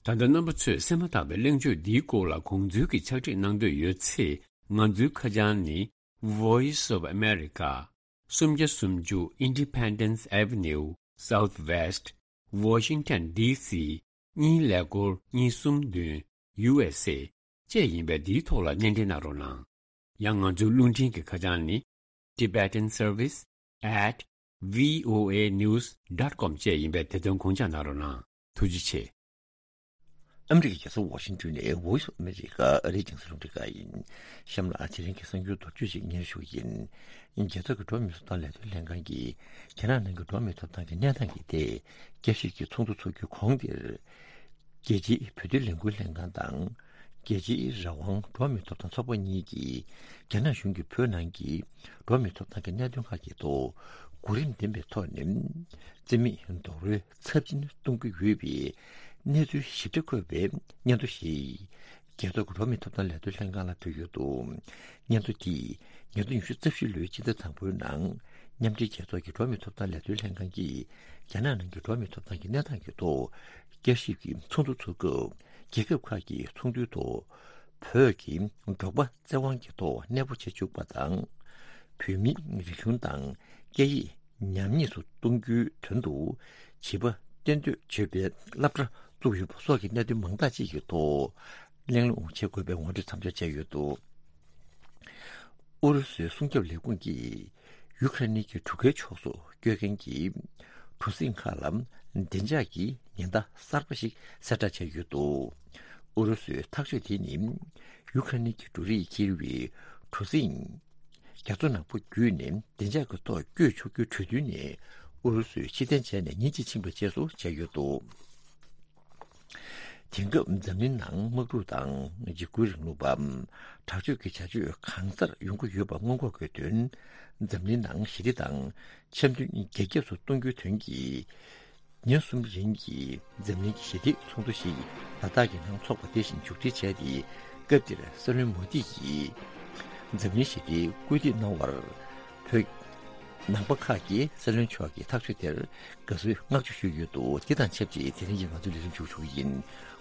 ད་ལྟ་རྣམ་པ་ཚོས་གསན་མ་ཐག་པའི་གླེང་བརྗོད་འདིའི་སྐོར་ལ་དགོངས་ཚུལ་གྱི་ཕྱག་བྲིས་གནང་འདོད་ཡོད་ཚེ། ང་ཚོའི་ཁ་བྱང་ནི། Voice of America། སུམ་བརྒྱ་སུམ་ཅུ་Independence Avenue Southwest Washington D C གཉིས་ཀླད་ཀོར་གཉིས་གསུམ་བདུན། U S A བཅས་ཡིན་པས། འདིའི་ཐོག་ལ་སྣེ་འདྲེན་གནང་རོགས་གནང་། ཡང་ང་ཚོའི་རླུང་འཕྲིན་གྱི་ཁ་བྱང་ནི། Tibetan Service at V O A News dot com བཅས་ཡིན་པས། དེ་དོན་དགོངས་འཇགས་གནང་རོགས་གནང་། ཐུགས་རྗེ་ཆེ། ཨ་མི་རི་ཀའི་རྒྱལ་ས་ཝ་ཤིང་ཏོན་ནས་Voice of America ཨ་རིའི་རྒྱང་སྲིང་རླུང་འཕྲིན་ཁང་ཡིན། གཤམ་ལ་དེ་རིང་གི་གསར་འགྱུར་མདོར་བསྡུས་ཤིག་སྙན་ཞུ་ཡིན། རྒྱལ་ཚོགས་ཀྱི་འགྲོ་བ་མིའི་ཐོབ་ཐང་ལས་དོན་ལྷན་ཁང་གིས་རྒྱ་ནག་ནང་གི་འགྲོ་བ་མིའི་ཐོབ་ཐང་གི་གནས་སྟངས་ཀྱི་ཐད་བསྐྱར་ཞིབ་ཀྱི་ཚོགས་འདུ་འཚོགས་རྒྱུའི་གོང་དེར། རྒྱལ་སྤྱིའི་བོད་དོན་ལས་འགུལ་ལྷན་ཁང་དང་། རྒྱལ་སྤྱིའི་རང་དབང་འགྲོ་བ་མིའི་ཐོབ་ཐང་ཚོགས་པ་གཉིས་ཀྱིས་རྒྱ་ནག་གཞུང་གིས་བོད་ནང་གི་འགྲོ་བ་མིའི་ཐོབ་ཐང་གི་གནད་དོན་ཁག་གི་ཐོག་གོ་རིམ་ལྡན་པའི་ཐོག་ནས་རྩིས་མེད་རྡོག་རོལ་ཚབས་ཆེན་གཏོང་གི་ཡོད་པའི་གནས་ཚུལ་ཞིབ་ཕྲ་འཁོད་པའི་སྙན་ཐོ་ཞིག་རྒྱལ་ཚོགས་ཀྱི་འགྲོ་བ་མིའི་ཐོབ་ཐང་ལས་དོན་ལྷན་ཁང་ལ་ཕུལ་ཡོད་འདུག། སྙན་ཐོ་དེས་ཉིས་སྟོང་ཉི་ཤུ་རྩ་བཞི་ལོའི་ཕྱི་ཟླ་དང་པོའི་ནང་མཉམ་འབྲེལ་རྒྱལ་ཚོགས་ཀྱི་འགྲོ་བ་མིའི་ཐོབ་ཐང་ལས་དོན་ལྷན་ཁང་གིས་རྒྱ་ནག་ནང་གི་འགྲོ་བ་མིའི་ཐོབ་ཐང་གི་གནས་སྟངས་ཀྱི་ཐོག་བསྐྱར་ཞིབ་ཀྱི་ཚོགས་འདུ་འཚོགས་སྐབས། རྒྱལ་ཁབ་ཁག་གི་ཚོགས་འདུའི་ཐོག་བོད་ཀྱི་འབྲོག་པ་བཙན་དབང་གི་ཐོག་གནས་སྤོ་བྱེད་བཅུག་པ་དང་། བོད་མིའི་རིག་གཞུང་དང་སྐད་ཡིག་ཉམས་ཉེས་སུ་གཏོང་རྒྱུའི་དོན་དུ་བྱིས་པ་གཏན་སྡོད་བྱེད་པའི་སློབ་གྲྭ་བཙུགས་ཡོད་པ་སོགས་ཀྱི་གནད་དོན་མང་དག་ཅིག་གི་ཐོག་གླེང་སློང་བྱེད་དགོས་པའི་ངོ་སྤྲོད་མཚམས་འཇོག་བྱས་ཡོད་འདུག། ཨུ་རུ་སུའི་སྲུང་སྐྱོབ་ལས་ཁུངས་ཀྱིས་ཡུ་ཁ་རེ་ནི་གྱི་གྲུ་ཁའི་ཕྱོགས་སུ་སྐྱོད་མཁན་གྱི་གྲུ་གཟིངས་ཁག་ལ་བདེ་འཇགས་ཀྱི་ཉེན་བརྡ་གསར་པ་ཞིག་གསལ་བསྒྲགས་བྱས་ཡོད་འདུག། ཨུ་རུ་སུའི་ཐག་གཅོད་དེ་ནི་ཡུ་ཁ་རེ་ནི་གྱི་འབྲུ་རིགས་འཁྱེར་བའི་གྲུ་གཟིངས་རྒྱ་མཚོ་ནག་པོ་བརྒྱུད་ནས་བདེ་འཇགས་ཀྱི་ཐོག་བསྐྱོད་ཆོག་རྒྱུའི་གྲོས་མཐུན་ནས་ཨུ་རུ་སུས་ཕྱིར་འཐེན་བྱས་ནས་ཉིན་གཅིག་ཕྱིན་པའི་རྗེས་སུ་བྱས་ཡོད་འདུག། དེང་སྐབས་འཛམ་གླིང་ནང་དམག་འཁྲུག་དང་འཇིགས་སྐུལ་རིང་ལུགས་པ། དྲག་སྤྱོད་ཀྱི་བྱ་སྤྱོད་གང་སར་ཡོང་གི་ཡོད་པ་སྔོན་འགོག་གི་དོན། འཛམ་གླིང་ནང་ཞི་བདེ་དང་འཆམ་མཐུན་རྒྱ་ཁྱབ་ཏུ་གཏོང་རྒྱུའི་དོན་གྱི་ཉིན་གསུམ་རིང་གི་འཛམ་གླིང་གི་ཞི་བདེའི་ཚོགས་འདུ་ཞིག་ལ་དྭགས་ཀྱི་ནང་འཚོགས་པ་དེ་བཞིན་མཇུག་སྒྲིལ་བྱས་ཏེ། སྐབས་འདིར་སྲིད་བློན་མོ་དི་ཡིས་འཛམ་གླིང་ཞི་བདེའི་སྐུལ་འདེད་གནང་བར། བོད། ནང་པ་ཁག་གིས་སྲིད་བློན་མཆོག་གི་ཐག་གཅོད་དེར་དགའ་བསུའི་བསྔགས་བརྗོད་ཞུས་ཡོད་འདུག། དེ་དང་ཆབས་ཅིག་དེ་རིང་གི་ང་ཚོའི་ལས་རིམ་མཇུག་ཞུ་གི་ཡིན།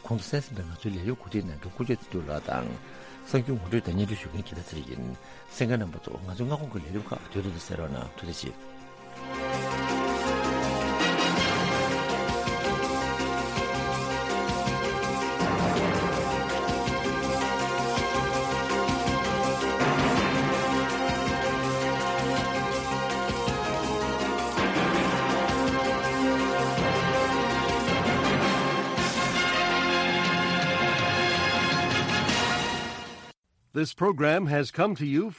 གོང་དུ་གསན་ཟིན་པའི་ང་ཚོའི་ལས་རིམ་གོ་སྒྲིག་གནང་མཁན་དཀོན་མཆོག་བདེ་སྡུག་ལགས་དང་། གསར་འགྱུར་ངོ་སྤྲོད་དང་སྙན་སྒྲོན་ཞུ་མཁན་དགེ་ལྡན་ཚེ་རིང་ཡིན། གསན་མཁན་རྣམ་པ་ཚོ། ང་ཚོའི་སྔ་དགོང་གི་ལས་རིམ་ཁག་དུས་ཐོག་ཏུ་གསན་རོགས་གནང་། ཐུགས་རྗེ་ཆེ། This program has come to you